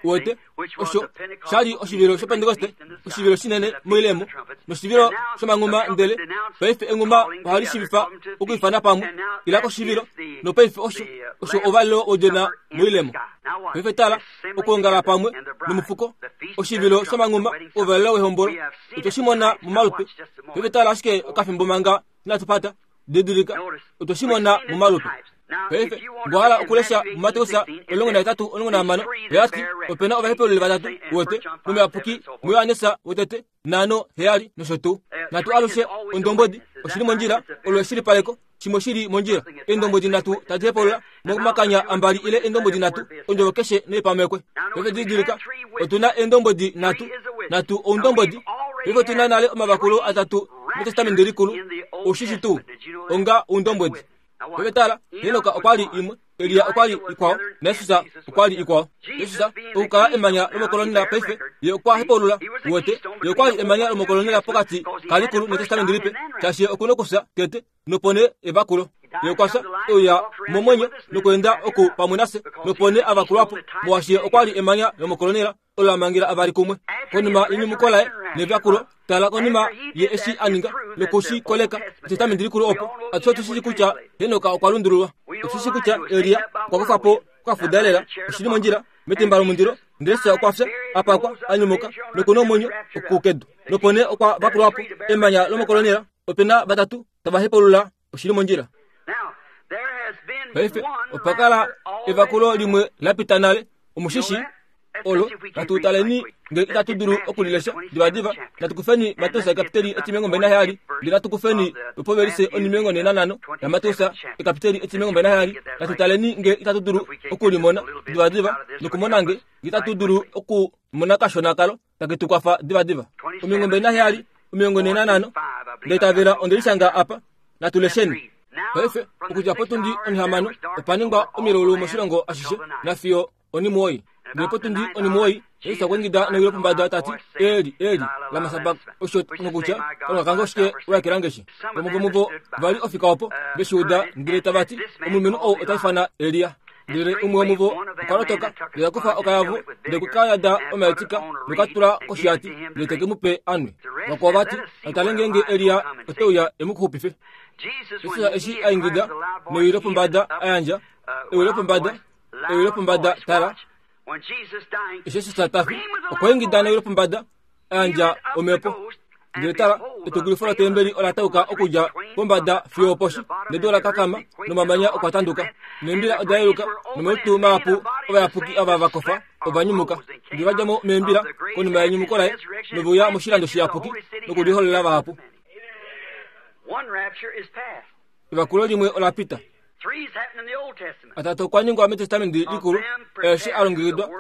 uwete osho shali oshivilo shopentekoste oshivilo shinene moilemo noshivilo shomanguma ndele paife enguma ohali shivifa okuifana pamwe ila koshivilo nopaife osho osho ovalelo wodjona moilemo. Paife tala okuongala pamwe nomufuko oshivilo shomanguma ovalelo wehombolo otweshimona momalupe. Paife tala ashike okafimbo manga inatupata didilika otweshimona momalupe. Paife ngwahala okulesha muMateus omulongo nahetatu omulongo nahamano oyati opena ovahepeluli vatatu uwete momuyapuki muYohanesa wotete nhano heyali nosho tuu. Natu alushe ondombodi oshili mondjila olo eshilipaleko shimwe shili mondjila. Eendombodi nhatu tadi hepalula momakanya ambali ile eendombodi nhatu ondjovo keshe neipamekwe. Paife didilika otuna eendombodi nhatu nhatu oundombodi. Paife otuna nale omavakulo atatu metestamenti likulu oshishi tuu onga oundombodi. Paife tala Henoka okwali imwe, Elia okwali ikwao, naJesus okwali ikwao. Jesus okukala emanya lomokolonela paife ye okwa hepalula uwete ye okwali emanya lomokolonela pokati kalikulu netestamenti lipe shaashi ye okuna okufya tete nopone evakulo. Ye okwafya euya momwenyo nokuenda oku pamwe nafye nopone avakulwapo molwaashi ye okwali emanya lomokolonela olo la mangela avali kumwe. Konima yenyumuko laye nevakulo tala konima ye eshi a ninga nokushi koleka etestamenti likulu opo atushe otushi kutya Henoka okwa lundululwa. Otushi kutya Elia okwa kufa po okafuda lela oshili mondjila metemba lomundilo ndele Jesus okwafya apakwa anyumuka nokuna omwenyo okukedu nopone okwa vakulwapo emanya lomokolonela. Opena vatatu tava hepalula oshili mondjila. Paife opakala evakulo limwe lapita nale omushishi olo natu taleni ngele itatu dulu okulilesha divadiva. Natu kufeni Mateus ekapiteli etimilongo mbali naheyali ndele natu kufeni lopovelise onimilongo nhee nanhano yaMateus ekapiteli etimilongo mbali naheyali. Natu taleni ngele itatu dulu okulimona divadiva nokumona nge itatu dulu okumona kashona kalo take tu kwafa divadiva. Omilongo mbali naheyali omilongo nhee nanhano ndaitavela ondelishanga apa natu lesheni. Paife okudja potundi onihamano opa ningwa omilaulu moshilongo ashishe nafiyo onimuwoi. Ndele potundi onimuwoi Jesus okwa ingida newi lopombada tati Eli Eli lama sabak osho nokutya Kalunga kange oshike wa ekelange shi. Vamwe vomuvo vali ofika opo veshiuda ndele tavati omulumenhu ou ota ifana Elia. Ndele umwe womuvo okwa lotoka ndele akufa okayavu ndele kukayada omaetika nokatula koshiyati ndele teke mu pe anwe. Vakwao vati natale ngeenge Elia ote uya e mu xupife. Jesus eshi a ingida newi lopombada a yandja ewi lopombada ewi lopombada tala eshi Jesus tafi okwa ingida newi lopombada a yandja omhepo. Ndele tala etukulifo lotembeli ola tauka okudja pombada fiyo oposhi nedu ola kakama nomamanya okwa tanduka neembila oda yeluka nomalutu mahapu ovayapuki ava vakofa ovanyumuka. Ndele vadja mo meembila konima yenyumuko laye noveuya moshilando shiyapuki nokuliholola vahapu. Evakulo limwe ola pita. Atatu okwa ningwa metestamenti likulu eshi a longekidwa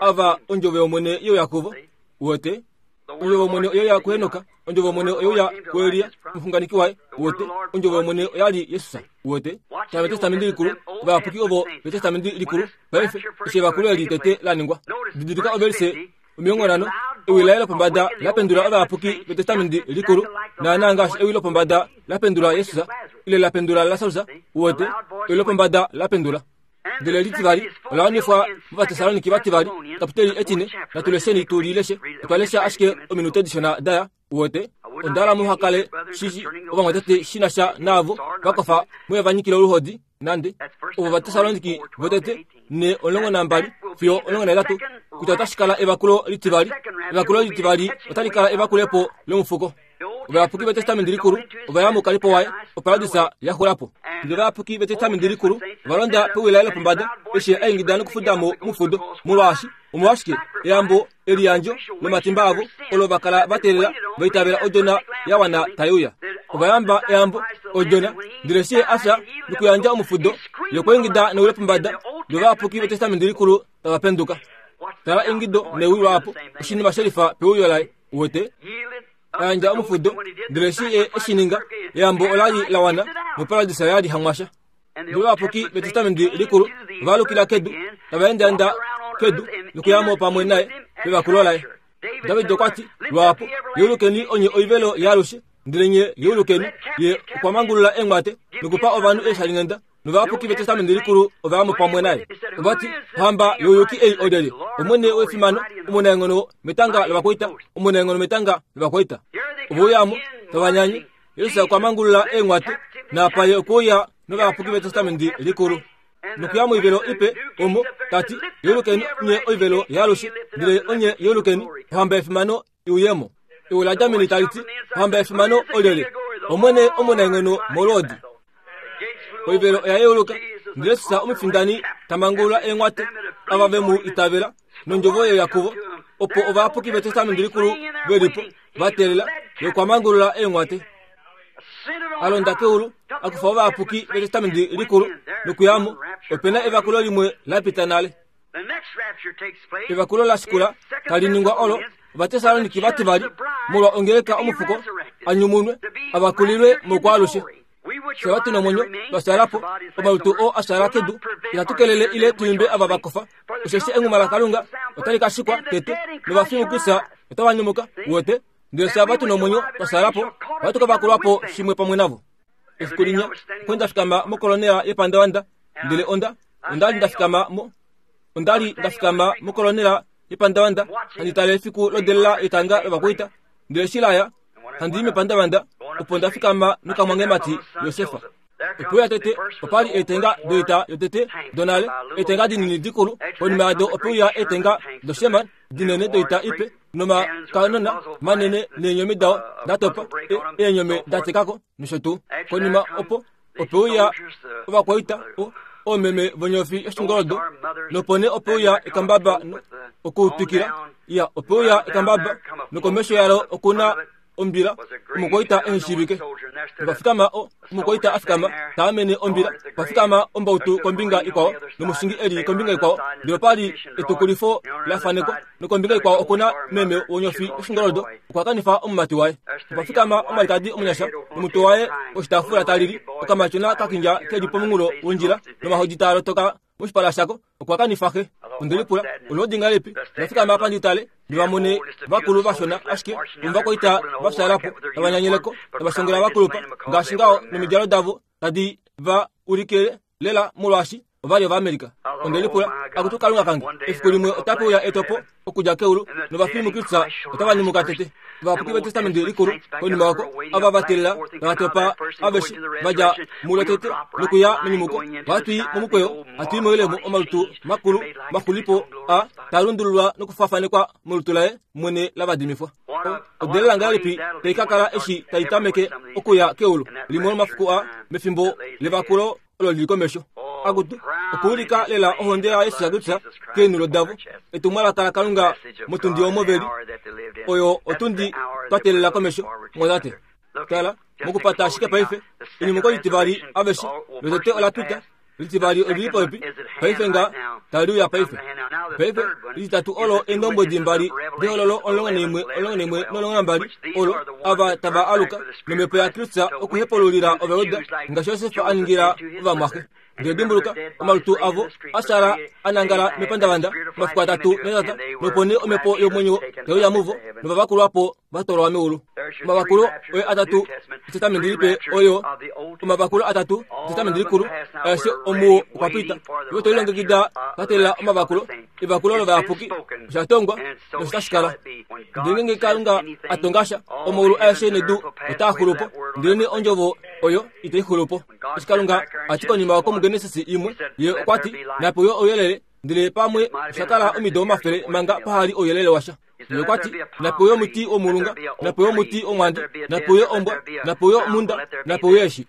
ava ondjovo yOmwene yeuya kuvo uwete ondjovo yOmwene oyeuya kuHenoka ondjovo yOmwene oyeuya kuElia omuxunganeki waye uwete ondjovo yOmwene oyali Jesus uwete. Tala metestamenti likulu ovayapuki ovo metestamenti likulu paife eshi evakulo eli tete la ningwa. Didilika ovelise omilongo nhano ewi laye lopombada lapendula ovayapuki vetestamenti likulu naana ngaashi ewi lopombada lapendula Jesus ile lapendula Lasarus uwete ewi lopombada lapendula. Ndele litivali ola wanifwa mOvatesaloniki vativali kapiteli etine natu lesheni tu lileshe otwa lesha ashike ominute dishona daya uwete ondala muhakale shishi ovamwatate shina sha naavo vakofa muye vanyikile oluhodi nande ovo Vatesaloniki votete ne omulongo nambali fiyo omulongo nahetatu kutya otashi kala evakulo litivali. Evakulo litivali otali kala evakulepo lomufuko. Ovayapuki vetestamenti likulu ova ya moukalipo waye, oparadisa yaxulapo. Ndele ovayapuki vetestamenti likulu ova londa pewila lopombada eshi aingida nokufuda mo mufudo, molwaashi omolwashike eyambo eliyandjo lomatimba avo olo vakala vateelela vaitavela odjona ya wana taiuya. Ovayamba eyambo odjona, ndele eshi afya nokuyandja omufudo yokweingida newi lopombada, ndele ovayapuki vetestamenti likulu tava penduka. Tala eingido newi lwaapo, oshinima shelifa peuyo laye. Uwete? Ayandja omufudo, ndele eshi ye eshininga, eyambo olali la wana noparadisa yali hamwasha. Ndele ovayapuki vetestamenti likulu ovaalukila kedu, tava endaenda kedu nokuyamo pamwe naye pevakulo laye. David okwa ti lwaapo, yeulukeni onye oivelo yaalushe, ndele nye yeulukeni. Ye okwa mangulula eenghwate nokupa ovanhu eeshalinghenda, novayapuki vetestamenti likulu ovayamo pamwe naye. Ovati, ohamba youyuki ei olyelye? Omwene wefimano, omunaenghono metanga lovakwaita, omunaenghono metanga lovakwaita. Ovouyamo tavanyanye. Jesus okwa mangulula eenghwate, naapa ye okuuya novayapuki vetestamenti likulu. Nokuya moivelo ipe omo tati, yeulukeni nye oivelo yaalushe, ndele onye yeulukeni, ohamba yefimano iuyemo. Ewi laJamini tali ti, ohamba yefimano olyelye? Omwene omunaenghono molwoodi. Oivelo oya yeuluka, ndele Jesus omufindani tamangulula eenghwate ava ve mu itavela nondjovo yeya kuvo, opo ovayapuki vetestamenti likulu velipo vateelela yokwa mangulula eenghwate. Alonda keulu, akufa ovayapuki vetestamenti likulu nokuyamo, opena evakulo limwe la pita nale. Evakulo la shikula tali ningwa olo Ovatesaloniki vativali molwa ongeleka omufuko anyumunwe avakulilwe mokwaalushe. Fye vatuna omwenyo twashaalapo omalutu oo ashaala kedu, itatu kelele ile tuimbe ava vakofa, osheshi enghuma laKalunga otali ka shikwa tete, novafimukisa otava nyumuka. Uwete? Ndele fye ava tuna omwenyo twashaalapo ohatu ka vakulwapo shimwe pamwe navo. Efiku linya okwe nda fikama mokolonela yepandavanda, ndele onda onda li nda fikama mo onda li nda fikama mokolonela yepandavanda handi tale efiku lodelela yetanga lovakwaita. Ndele eshi laya handi i mepandavanda, opo nda fikama nokamwangemati Josefa. Opo uya tete opa li eetenga doita yotete donale, eetenga dinini dikulu. Konima yado ope uya eetenga doSherman dinene doita ipe, nomakanona manene neenyomi dao da topa, eenyome da tekako nosho tuu. Konima opo ope uya ovakwaita oomeme vonyofi yoshingoldo, nopo nee ope uya ekambaba okuutwikila. Ya, ope uya ekambaba, nokomesho yalo okuna ombila, omukwaita eheshivike. Nopafikama o omukwaita afikama taamene ombila, pafikama ombautu kombinga ikwao nomushingi eli kombinga ikwao, ndele opa li etukulifo la fanekwa, nokombinga ikwao okuna meme wonyofi yoshingoldo, okwa kanifa omumati waye. Opafikama omwalikadi omunyasha nomutwe waye oshitaafula talili, okamatyona kakindja keli pomunghulo wondjila, nomahodi taa lotoka moshipala shako, okwa kanifa xe. Ondelipula olwoodi ngahelipi? Ndafikama apa ndi tale ndivamone vakulu vashona ashike omuvakwaita vafyalapo tavanyanyeleko tavashongela vakulupa ngaashi ngaho nomidjalo davo tadi va ulikile lela molwaashi ovali Ovaamerica. Ondelipula, akutu Kalunga kange, efiku limwe otape uya etopo okudja keulu novafimukisa otava nyumuka tete. Ovayapuki vetestamenti likulu konima oko ava va teelela tava topa aveshe va dja mulo tete nokuya menyumuko. Ohatu i momukweyo, hatu i moilemo omalutu makulu maxulipo a taa lundululwa nokufafanekwa molutu laye mwene la vadimifwa. Odelela ngahelipi tai ka kala eshi tai tameke okuya keulu limwe lomafiku a mefimbo levakulo olo lili komesho. Akutu okuulika lela ohonde yaYesus Kristus keenulo davo, etumwalaka laKalunga motundi omo veli, oyo otundi twa teelela komesho. Mwatate, tala mokupata ashike paife enyumuko litivali aveshe lotete ola pita, litivali olili popepi paife nga tali uya paife. Paife lititatu olo eendombwedi mbali dehololo omulongo naimwe omulongo naimwe nomulongo nambali olo ava tava aluka nomhepo yaKristus okuhepululila Ovajuda ngaashi Josef a ningila ovamwaxe. Ndele dimbuluka, omalutu avo ashala a nangala mepandavanda omafiku atatu netata, nopo nee omhepo yomwenyo taiuya muvo, novavakulwapo va twalwa meulu. Omavakulo oye atatu etestamenti lipe oyo omavakulo atatu etestamenti likulu aeshe omuo okwa pita. Ivo tolilongekida twa teelela omavakulo, evakulo lovayapuki, osha tongwa noshitashi kala. Ndele ngeenge Kalunga a tonga sha, omaulu aeshe nedu otaa xulu po, ndelenee ondjovo oyo itai xulu po. Eshi Kalunga a ti konima oko muGenesis imwe, ye okwa ti, nape uye ouyelele, Ndele pamwe oshakala omido omafele manga pahali ouyelele washa. Ye okwa ti, nape uye omuti womulunga, nape uye omuti womwandi, nape uye ombwa, nape uye omunda, nape uye eshi.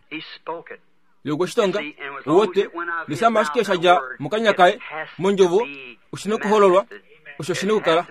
Ye okwe shi tonga, uwete, ndele ashike sha dja mokanya kaye, mondjovo, oshi nokuhololwa, osho shi nokukala.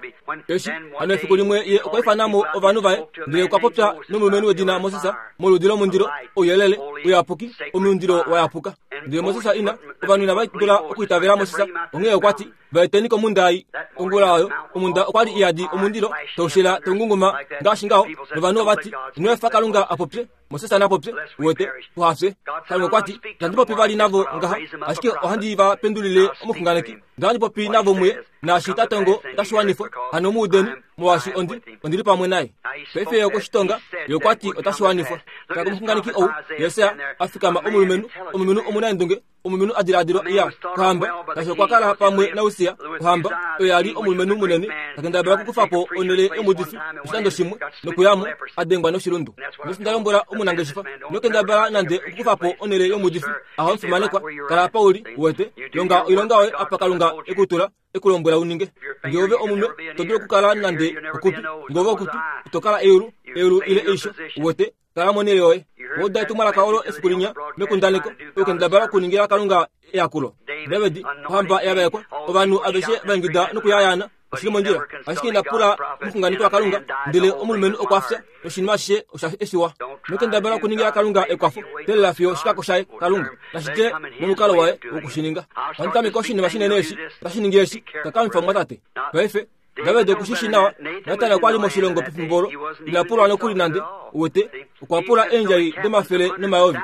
Eshi, hano efiku limwe ye okwa ifana mo ovanhu vaye, ndele okwa popya nomulumenhu wedina Moses, moludi lomundilo, ouyelele, uyapuki, omundilo wa yapuka. Ndele Moses ina, ovanhu inava dula okuitavela Moses, onghee okwa ti, vaeteni komunda ei. Ongula oyo, omunda okwa li iyadi omundilo, taushela taungunguma ngaashi ngaho, novanhu ova ti, ino efa Kalunga a popye, Moses na popye, uwete, tuhafye. Kalunga okwa ti, itandi popi vali navo ngaha, ashike ohandi va pendulile omuxunganeki. Ndele ohandi popi navo muye, naashi ta tongo otashi wanifwa, hano muudeni, molwaashi ondi, ondili pamwe naye. Paife ye okwe shi tonga, ye okwa ti otashi wanifwa. Tala komuxunganeki ou, Jesaja, a fikama omulumenhu, omulumenhu omunaendunge, omulumenhu a diladilwa ya kohamba, tashi okwa kala pamwe naUsia, ohamba, oyo ya li omulumenhu munene, ta kendabala okukufa po onhele yomuudifi oshikando shimwe, nokuyamo, a dengwa noshilundu. Noshi nda lombwela omunangeshefa, ino kendabala nande okukufa po onhele yomuudifi, aha omufimanekwa, kala apa uli, uwete, longa oilonga yoye apa Kalunga e ku tula, e ku lombwela u ninge. Ngee ove omunwe, ito dulu okukala nande okutu, ngee ove okutu, ito kala eulu, eulu ile eisho, uwete, kala monhele yoye. Oda etumwalaka olo efiku linya mekundaneko, okukendabala okuningila Kalunga eyakulo. David, ohamba ya vaekwa, ovanhu aveshe va ingida nokuyayaana, oshili mondjila, ashike ina pula omuxunganeki waKalunga, ndele omulumenhu okwa fya, noshinima ashishe osha efiwa. Nokendabala okuningila Kalunga ekwafo, teelela fiyo oshikako shaye Kalunga, nashi dje momukalo waye wokushininga. Ohandi tameke oshinima shinene eshi, otashi ningi eshi, kakamifa omumwatate. Paife, David oku shi shi nawa, Natan okwa li moshilongo pefimbo olo, ina pulwa nokuli nande, uwete, okwa pula eendjai domafele nomayovi.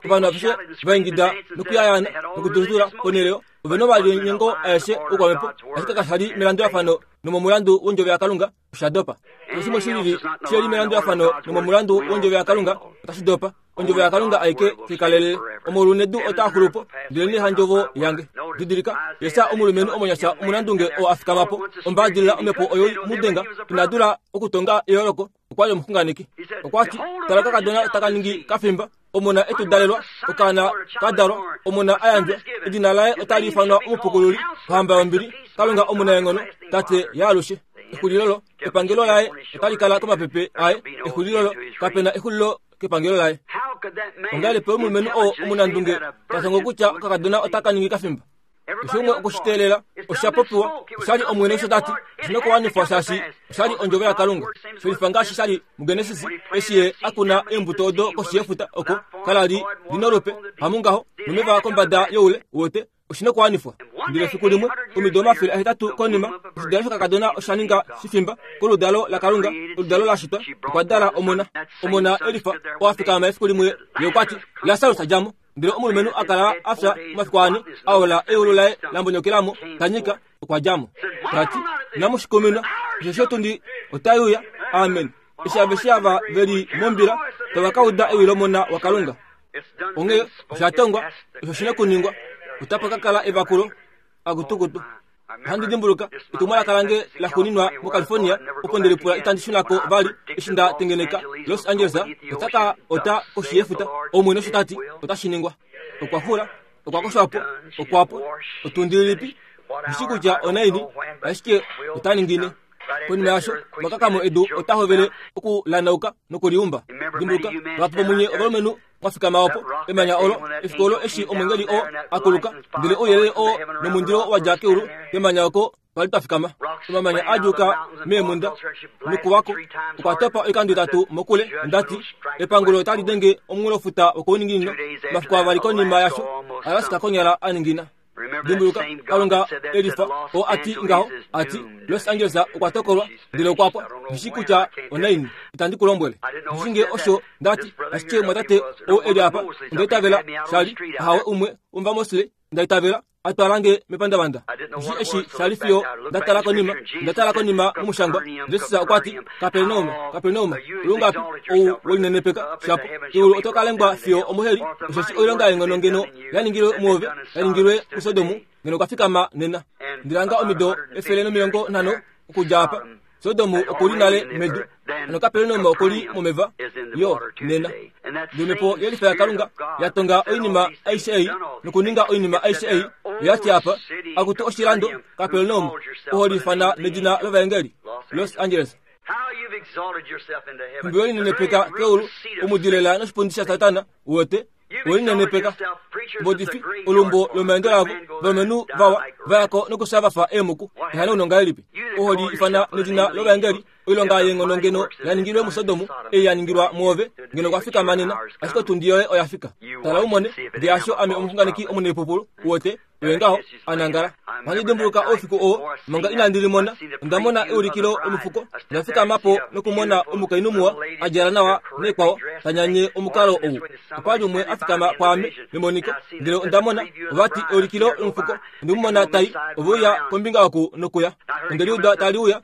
Ovanhu aveshe va ingida nokuyayaana nokududula ponhele ove nomalinyengo aeshe oukwamhepo, ashike kasha li melandulafano nomomulandu wondjovo yaKalunga, osha dopa. Keshe shimwe shi lili shi li melandulafano nomomulandu wondjovo yaKalunga, otashi dopa. Ondjovo yaKalunga aike tikalelele. Omolu nedu otaa xulu po, ndelenee handjovo yange. Didilika, Jesaja omulumenhu omonyasha omunandunge oo a fikama po, ombaadilila omhepo oyo mu denga, ina dula okutonga eyooloko, okwa li omuxunganeki. Okwa ti, tala okakadona taka ningi kafimba, omona e tu dalelwa, okaana ka dalwa, omona a yandjwa, edina laye otali ifanwa omupukululi, ohamba yombili, Kalunga omunaenghono, Tate yaalushe. Exulilo lo, epangelo laye otali kala komapepe aye, exulilo lo, kapena exulilo kepangelo laye. Ongahelipi omulumenhu oo omunandunge ta tongo kutya okakadona otaka ningi kafimba? Keshe umwe okwe shi teelela, osha popiwa, osha li Omwene osho ta ti, oshi nokuwanifwa shaashi osha li ondjovo yaKalunga. Shelifa ngaashi sha li muGenesis, eshi ye a kuna eembuto odo koshi yefuta oko kala li li nolupe, hamungaho, nomeva kombada youle, uwete, oshi nokuwanifwa. Ndele efiku limwe, omido omafele ahetatu konima, oshidalo shokakadona osha ninga shifimba koludalo laKalunga, oludalo la shitwa, okwa dala omona. Omona Elifa oo a fikama efiku limwe, ye okwa ti, Lasarus dja mo. Ndele omulumenhu a kala a fya omafiku ane, a ola eulu laye la mbonyokela mo, ta nyika, okwa dja mo. Ta ti, inamu shi kuminwa, osheshi otundi otai uya. Amen. Eshi aveshe ava ve li mombila tava ka uda ewi lOmona waKalunga. Onghee osha tongwa, osho shi nokuningwa, otapa ka kala evakulo, akutukutu. Ohandi dimbuluka etumwalaka lange la xuuninwa moCalifornia, opo nde lipula itandi shuna ko vali eshi nda tengeneka Los Angeles ota ka ota koshi yefuta. Omwene osho ta ti, otashi ningwa. Okwa xula, okwa koshwa po, okwa pwa. Otundi lilipi? Ndishi kutya onaini, ashike ota ningine. Konima yasho, omakakamo edu ota hovele okulanauka nokuliumba. Dimbuluka, vahapu vomunye ovalumenhu mwa fikama opo, emanya olo, efiku olo eshi omwengeli oo a kuluka, ndele ouyelele oo nomundilo wa dja keulu kemanya oko twali twa fikama. Omamanya a djuuka meemhunda nokuwako okwa topa oikando itatu mokule. Onda ti, epangulo otali denge omunghulofuta wokouninginino. Omafiku avali konima yasho, Alaska konyala a ningina. Dimbuluka, Kalunga Elifa oo a ti ngaho, a ti, Los Angeles okwa tokolwa, ndele okwa pwa. Ndishi kutya onaini, itandi ku lombwele. Ndishi ngee osho nda ti, ashike mwatate ou e li apa, onda itavela sha li, ahawe umwe womuvaMosley, nda itavela, a twala nge mepandavanda. Ndishi eshi sha li fiyo nda tala konima, nda tala konima momushangwa. Jesus okwa ti, Kapernaum, Kapernaum, olungapi ou welinenepeka shapo, eulu oto ka lengwa fiyo omoheli, osheshi oilonga yeenghono ngeno ya ningilwe muove, ya ningilwe muSodom, ngeno kwa fikama nena. Ndilanga omido efele nomilongo nhano okudja apa, Sodomu okuli nale medu noKapernaum okuli momeva yo nena. Nomhepo yelifa yaKalunga ya tonga oinima aishe ei nokuninga oinima aishe ei yati apa akutu oshilando Kapernaum oholifana nedina lovaengeli Los Angeles. Mbi welinenepeka keulu omudilela noshipundi sha Satana uwete welinenepeka mbodifi olumbo lomaendo lavo valumenhu vawa vayako nokufya vafa eemuku ehanauno ngahelipi oholi ifana nedina lovaengeli oilonga yeenghono ngeno yaningilwe muSodomu ei yaningilwa muove ngeno kwafikama nena ashike otundi yoye oyafika. Tala umone ndee asho ame omuxunganeki omunaipupulu uwete oye ngaho anangala. Ohandi dimbuluka oufiku oo manga inandi limona onda mona eulikilo lomufuko ndafikama po nokumona omukainhu muwa a djala nawa neekwao tanyanye omukalo ou. Okwali umwe afikama pwaame memoniko ndele onda mona ovati eulikilo lomufuko ondemumona tai oveuya kombinga oku nokuya. Ondeliuda taliuya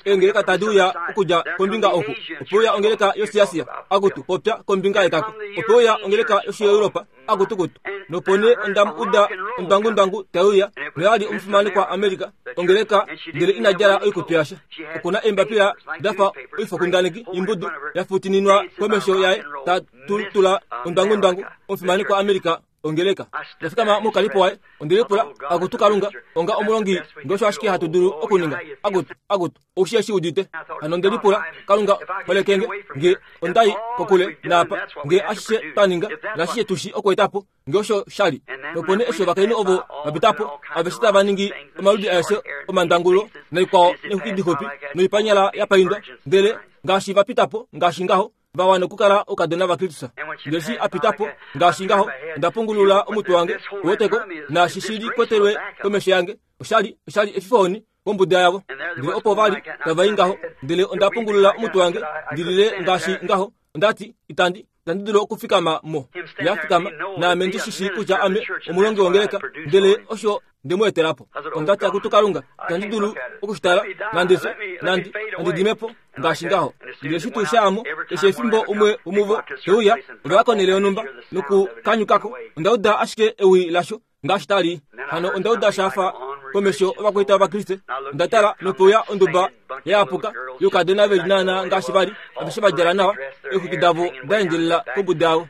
eengeleka tadiuya okudja kombinga oku opeuya ongeleka yoshiAsia akutu popya kombinga yekako opeuya ongeleka yoshiEuropa akutukutu nopone ondamuuda ondwangundwangu taiuya noyali omufimanekwa Amerika ongeleka ndele inadjala oikutu yasha. Okuna eembapila dafa oifokundaneki imbudu yafutininwa komesho yaye tatulutula ondwangundwangu omufimanekwa Amerika ongeleka. Ndafikama moukalipo waye ondelipula akutu Kalunga onga omulongi ngeosho ashike hatu dulu okuninga akutu akutu oushi eshi udite. Hano ondelipula Kalunga holekenge nge ondai kokule naapa nge ashishe twaninga nashishe tushi okuetapo ngeosho shali. Nopone eshi ovakainhu ovo vapitapo aveshe tava ningi omaludi aeshe omandangulo naikwao neexwiki dixupi noipanyala yapaindwa ndele ngaashi vapitapo ngaashi ngaho vawa nokukala oukadona vaKristus. Ndele eshi apitapo ngaashi ngaho onda pungulula omutwe wange uweteko naashi shili kwetelwe komesho yange oshali oshali efifohoni kombuda yavo. Ndele opo vali tava i ngaho ndele onda pungulula omutwe wange ndilile ngaashi ngaho ondati itandi itandi dulu okufikama mo. Yafikama naame ndi shishi kutya ame omulongi wongeleka ndele osho ndemuetelapo. Ondati akutu Kalunga itandi dulu okushitala nande fye nandi nandi dimepo ngaashi ngaho. Ndele eshi tuu shaamo keshe efimbo umwe womuvo teuya ovaya konhele yonhumba nokukanyukako ondauda ashike ewi lasho ngaashi tali. Hano ondauda shafa komesho ovakwaita vaKriste. Ondatala nopeuya onduba yayapuka youkadona veli naana ngaashi vali aveshe vadjala nawa eexwiki davo daendjelela kombuda yavo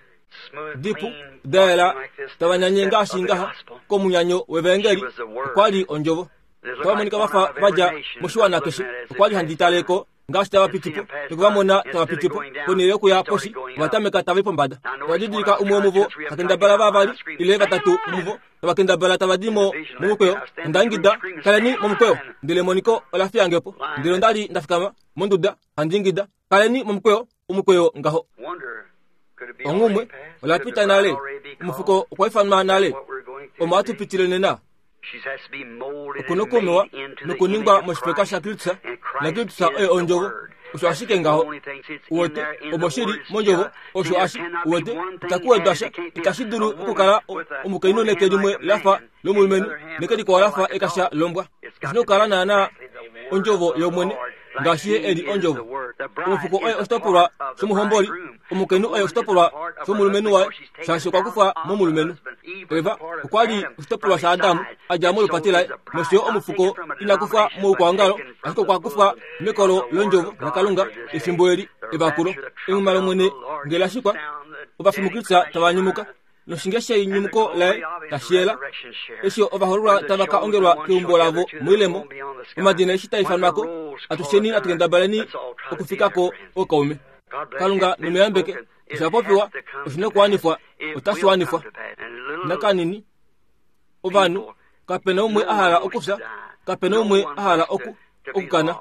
dipu dayela tava nyanye ngaashi ngaha komunyanyo wevaengeli. Okwali ondjovo otava monika vafa vadja moshiwana keshe. Okwali handi taleko ngaashi tava pitipo nokuvamona tava pitipo ponhele yokuya poshi ovatameka tava i pombada. Ovadidilika umwe womuvo takendabala vavali ile vatatu muvo tavakendabala tava di mo momukweyo. Ondaingida kaleni momukweyo ndele emoniko ola fiyangepo. Ndele ondali ndafikama monduda handi ingida kaleni momukweyo omukweyo ngaho. Onghumwe olapita nale omufuko okwa ifanwa nale omo atupitile nena. Okunokumewa nokuningwa moshifeka shaKristus naKristus oye ondjovo osho ashike ngaho uwete omo shili mondjovo osho ashi uwete itakuwedwa sha itashi dulu okukala omukainhu neke limwe lafa lomulumenhu neke likwao lafa ekasha lombwa. Oshina okukala naana ondjovo yOmwene ngaashi ye eli ondjovo. Omufuko oye oshitopolwa shomuhomboli omukainhu oye oshitopolwa shomulumenhu waye shaashi okwa kufwa momulumenhu. Eva okwali oshitopolwa shaAdamu adja molupati laye nosho yo omufuko inakufwa moukwaongalo ashike okwa kufwa mekolo londjovo laKalunga efimbo eli evakulo. Enghuma lOmwene ngele lashikwa ovafi muKristus tava nyumuka noshinge sheinyumuko laye tashiyela eshi ovahoololwa tava ka ongelwa keumbo lavo moilemo omadina eshi taifanwako atusheni atukendabaleni okufikako ookaume. Kalunga nomuyambeke osha popiwa oshina okuwanifwa otashi wanifwa. Nakanini ovanhu kapena umwe ahala okufya kapena umwe ahala oku okukana.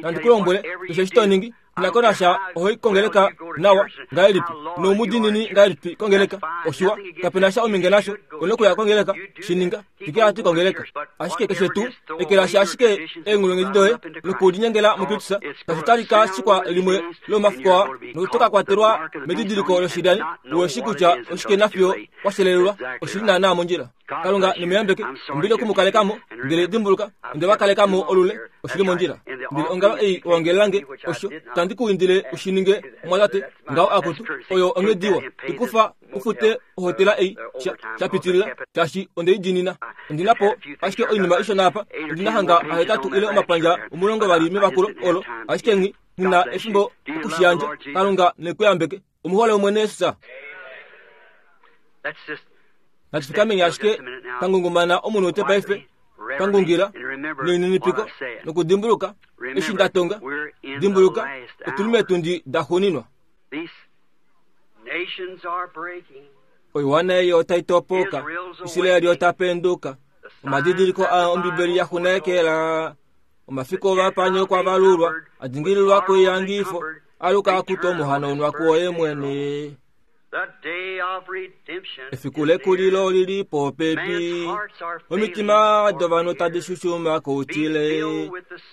Nandi kulombwele keshe eshi toningi inakonasha ohoi kongeleka nawa ngahelipi noumudinini ngahelipi kongeleka oshiwa kapena sha ominge nasho onokuya kongeleka shininga twikila hatu kongeleka ashike keshe tuu ekelashi ashike eenghulunghedi doye nokulinyengela muKristus tashi talika shikwa limwe lomafiku aa notoka kwatelwa medidiliko loshilyani uweshi kutya oshike nafiyo kwashelelelwa oshili naana mondjila. Kalunga nemuyambeke ombili okumukalekamo ndele dimbuluka onde vakalekamo olule oshili mondjila ndele ongalo ei owangelelange osho tandi kuindile ushininge omwatate ngaho akutu oyo onghediwa ikufa ufute ohotela ei shapitilila shaashi ondeidinina ondinapo ashike oinima ishona apa ondinahanga ahetatu ile omapandja omulongo vali mevakulo olo ashike nghi ngina efimbo okushiyandja. Kalunga nekuyambeke omuhole omwene Yesus. Natufikameni ashike pangungumana omunute paife pangungila neininipiko nokudimbuluka eshi ndatonga dimbuluka otuli metundi daxuuninwa. Oiwana eyi otai topoka Israeli ota penduka omadidiliko a ombibeli yaxunekela omafiku ovapanyo kwavalulwa adingililwa koiyangifo aluka akuta omuhanaunwa kuoye mwene. Efiku lekulilo lili popepi omitima dovanhu tadi shushuma koutile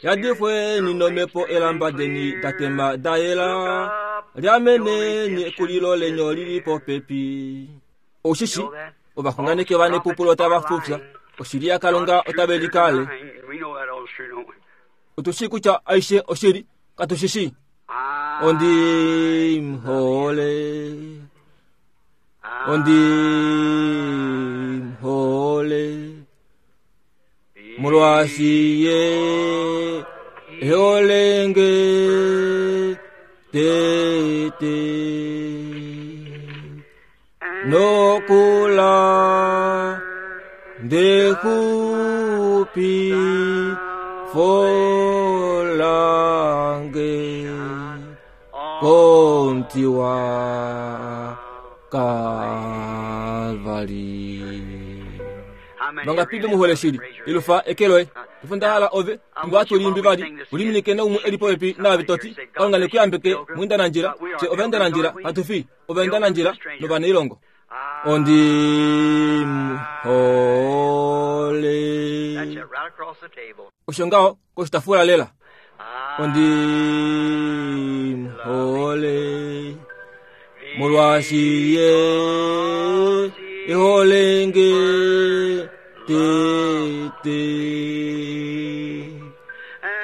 yadifweni nomhepo elamba deni datema dayela liameneni ekulilo lenyo lili popepi. Oshishi ovaxunganeki ovanepupulo tava fufya oshili yaKalunga otave likale. Otushi kutya aishe oshili katushishi. Ondi mhole ondi mhole molwashiye eholenge tete nokula ndekupi folange kontiwa Kalvari. Vangapibe muhole shili ilufa ekeloe ifundahala ove ngwatulimbi vali uliminike naumu elipoepi naavitoti Kalunga nekuyambeke mwinda na njira se ovenda na njira hatufi ovenda na njira novaneilongo. Ondi mhole osho ngaho koshitafula lela. Ondi mhole molwashiye eholenge tete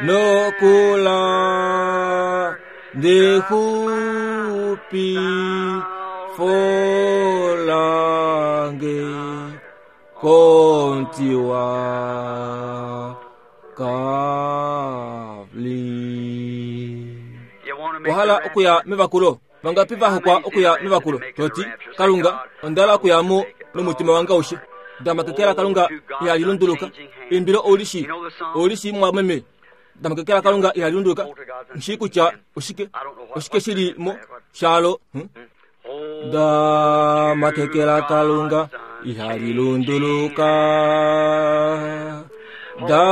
nokula ndekupi folange kontiwa kavli. Ohala okuya mevakulo vangapi vahokwa okuya mevakulo toti Kalunga ondala okuyamo nomutima wange aushe damakekela Kalunga ihalilunduluka imbilo oulishi oulishi mwameme damakekela Kalunga ihalilunduluka nshi kutya oshike oshike shili mo shalo hmm? Damakekela Kalunga ihalilunduluka da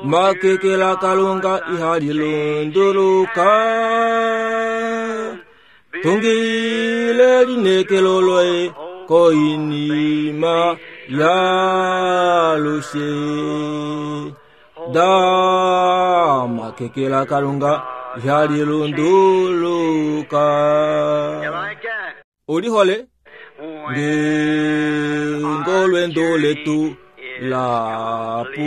makekela Kalunga ihalilunduluka tungile linekeloloe koinima yalushe da makekela Kalunga ihalilunduluka. Olihole ngolwendo letu lapu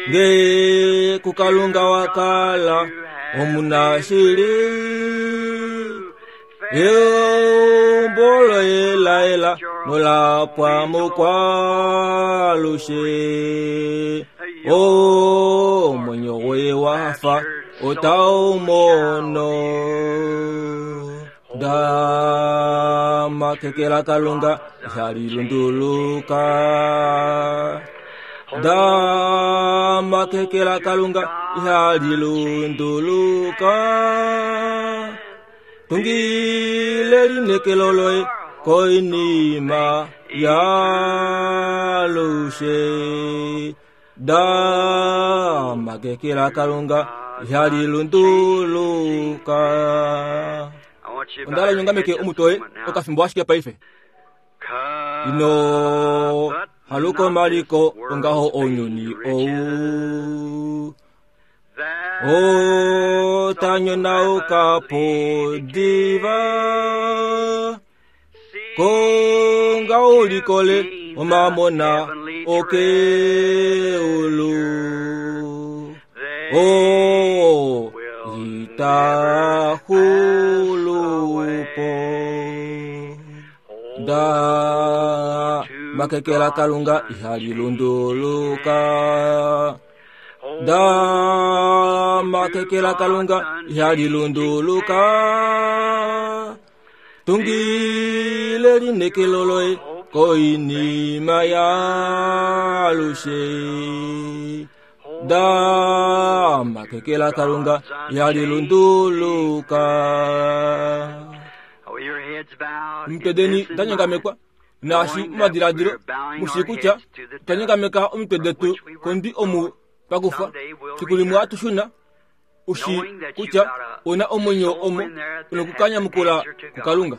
nge kukalunga wakala omunashili eombolo elaela nolapwa mokwalushe omwenyo goye wafa otaumono da makekela Kalunga ihalilunduluka da makekela Kalunga ihalilunduluka tungile linekeloloe koinima yalushe da makekela Kalunga ihalilunduluka. Ondala nyongameke omutoe okafimbo ashike paife ino haluko maliko ongaho onyuni ou o tanyona okapo diva Konga ulikole omamona okeulu. Oh, itahulupo. Da makekela Kalunga ihalilunduluka. Da makekela Kalunga ihalilunduluka. Tungile linekeloloe koinima yalushe. Da makekela Kalunga ihalilunduluka. Mtedeni danyangamekwa naashi madiladilo mushikucha twanyangameka omitwe detu kondi omu pakufa sikulimwe atushuna ushi kutya una omwenyo omo unokukanyamukula kuKalunga.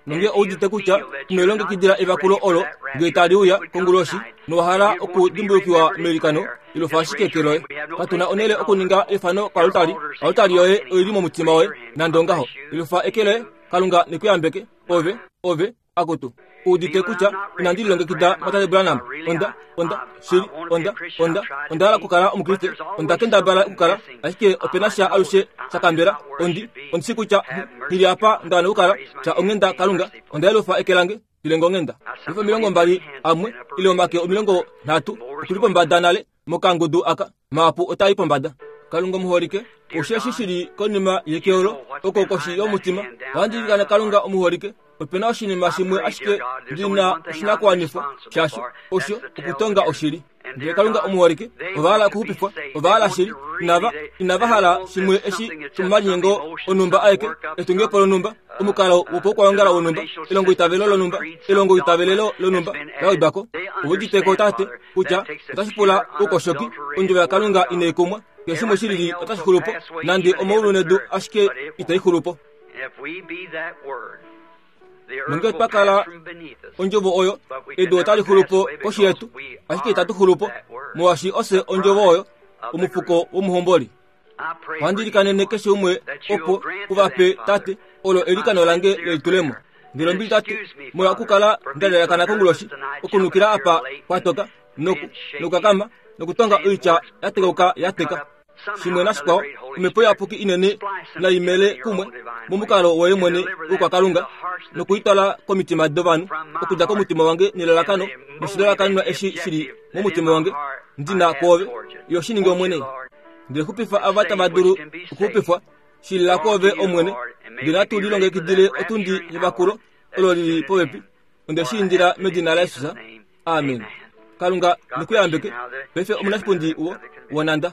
Nonge oudite kutya tumelongekidila evakulo olo ngee taliuya konguloshi nowahala okudimbulukiwa melikano ilofa ashike keloye. Katuna onele okuninga efano kwalutali, alutali yoye oili momutima woye nande ongaho. Ilofa ekeloye Kalunga nekuyambeke ove ove akutu. Udite kutya inandi lilongekida Matate Branham. Onda onda shili onda onda onda hala okukala omukriste. Onda kendabala okukala ashike opena sha alushe shakambela. Ondi ondisi kutya hili apa ndawana okukala sha onghenda Kalunga. Onda yelufa eke lange ilenga onghenda. Efa omilongo mbali amwe ile omake omilongo nhatu okuli pombada nale mokangudu aka maapu otai pombada. Kalunga omuholike osheshi shili konima yekeolo oko koshi yomutima. Ohandilikana Kalunga omuholike opena oshinima shimwe ashike ndina oshinakuwanifwa shasho osho okutonga oshili. Ndele Kalunga omuholike ovahala okuxupifwa, ovahala shili inava inava hala shimwe eshi shomomalinyengo onumba aeke etungepo lonumba omukalo wopoukwayongala wonumba elongo itavelo lonumba elongo itavelelo lonumba lawedwako. Ouditeko tate kutya otashi pula oukoshoki ondjovo yaKalunga inaikumwa keshe shimwe shilili otashi xulupo nande omaulu nedu ashike itai xulupo. Nonge twakala ondjovo oyo edu otali xulupo koshi yetu ashike itatu xulupo molwaashi ose ondjovo oyo omufuko womuhomboli. Ohandilikanene keshe umwe opo uvape tate olo elikano lange lelitulemo. Ndele ombili tate molwa okukala ndalelakana konguloshi okunukila apa kwatoka noku nokukakama nokutonga oitya yatekauka yateka. Shimwe nashikwao omhepo iyapuki inene naimele kumwe momukalo woye mwene wokwaKalunga nokuitwala komitima dovanhu okudja komutima wange nelalakano noshilalakanenwa eshi shili momutima wange ndina kwoove yo shi ninge Omwene. Ndele xupifa ava tava dulu okuxupifwa shilila kwoove Omwene. Ndele natu lilongekidile otundi yevakulo olo lili popepi. Onde shi indila medina laJesus. Amen. Kalunga nekuyambeke. Paife omunashipundi wo wonanda.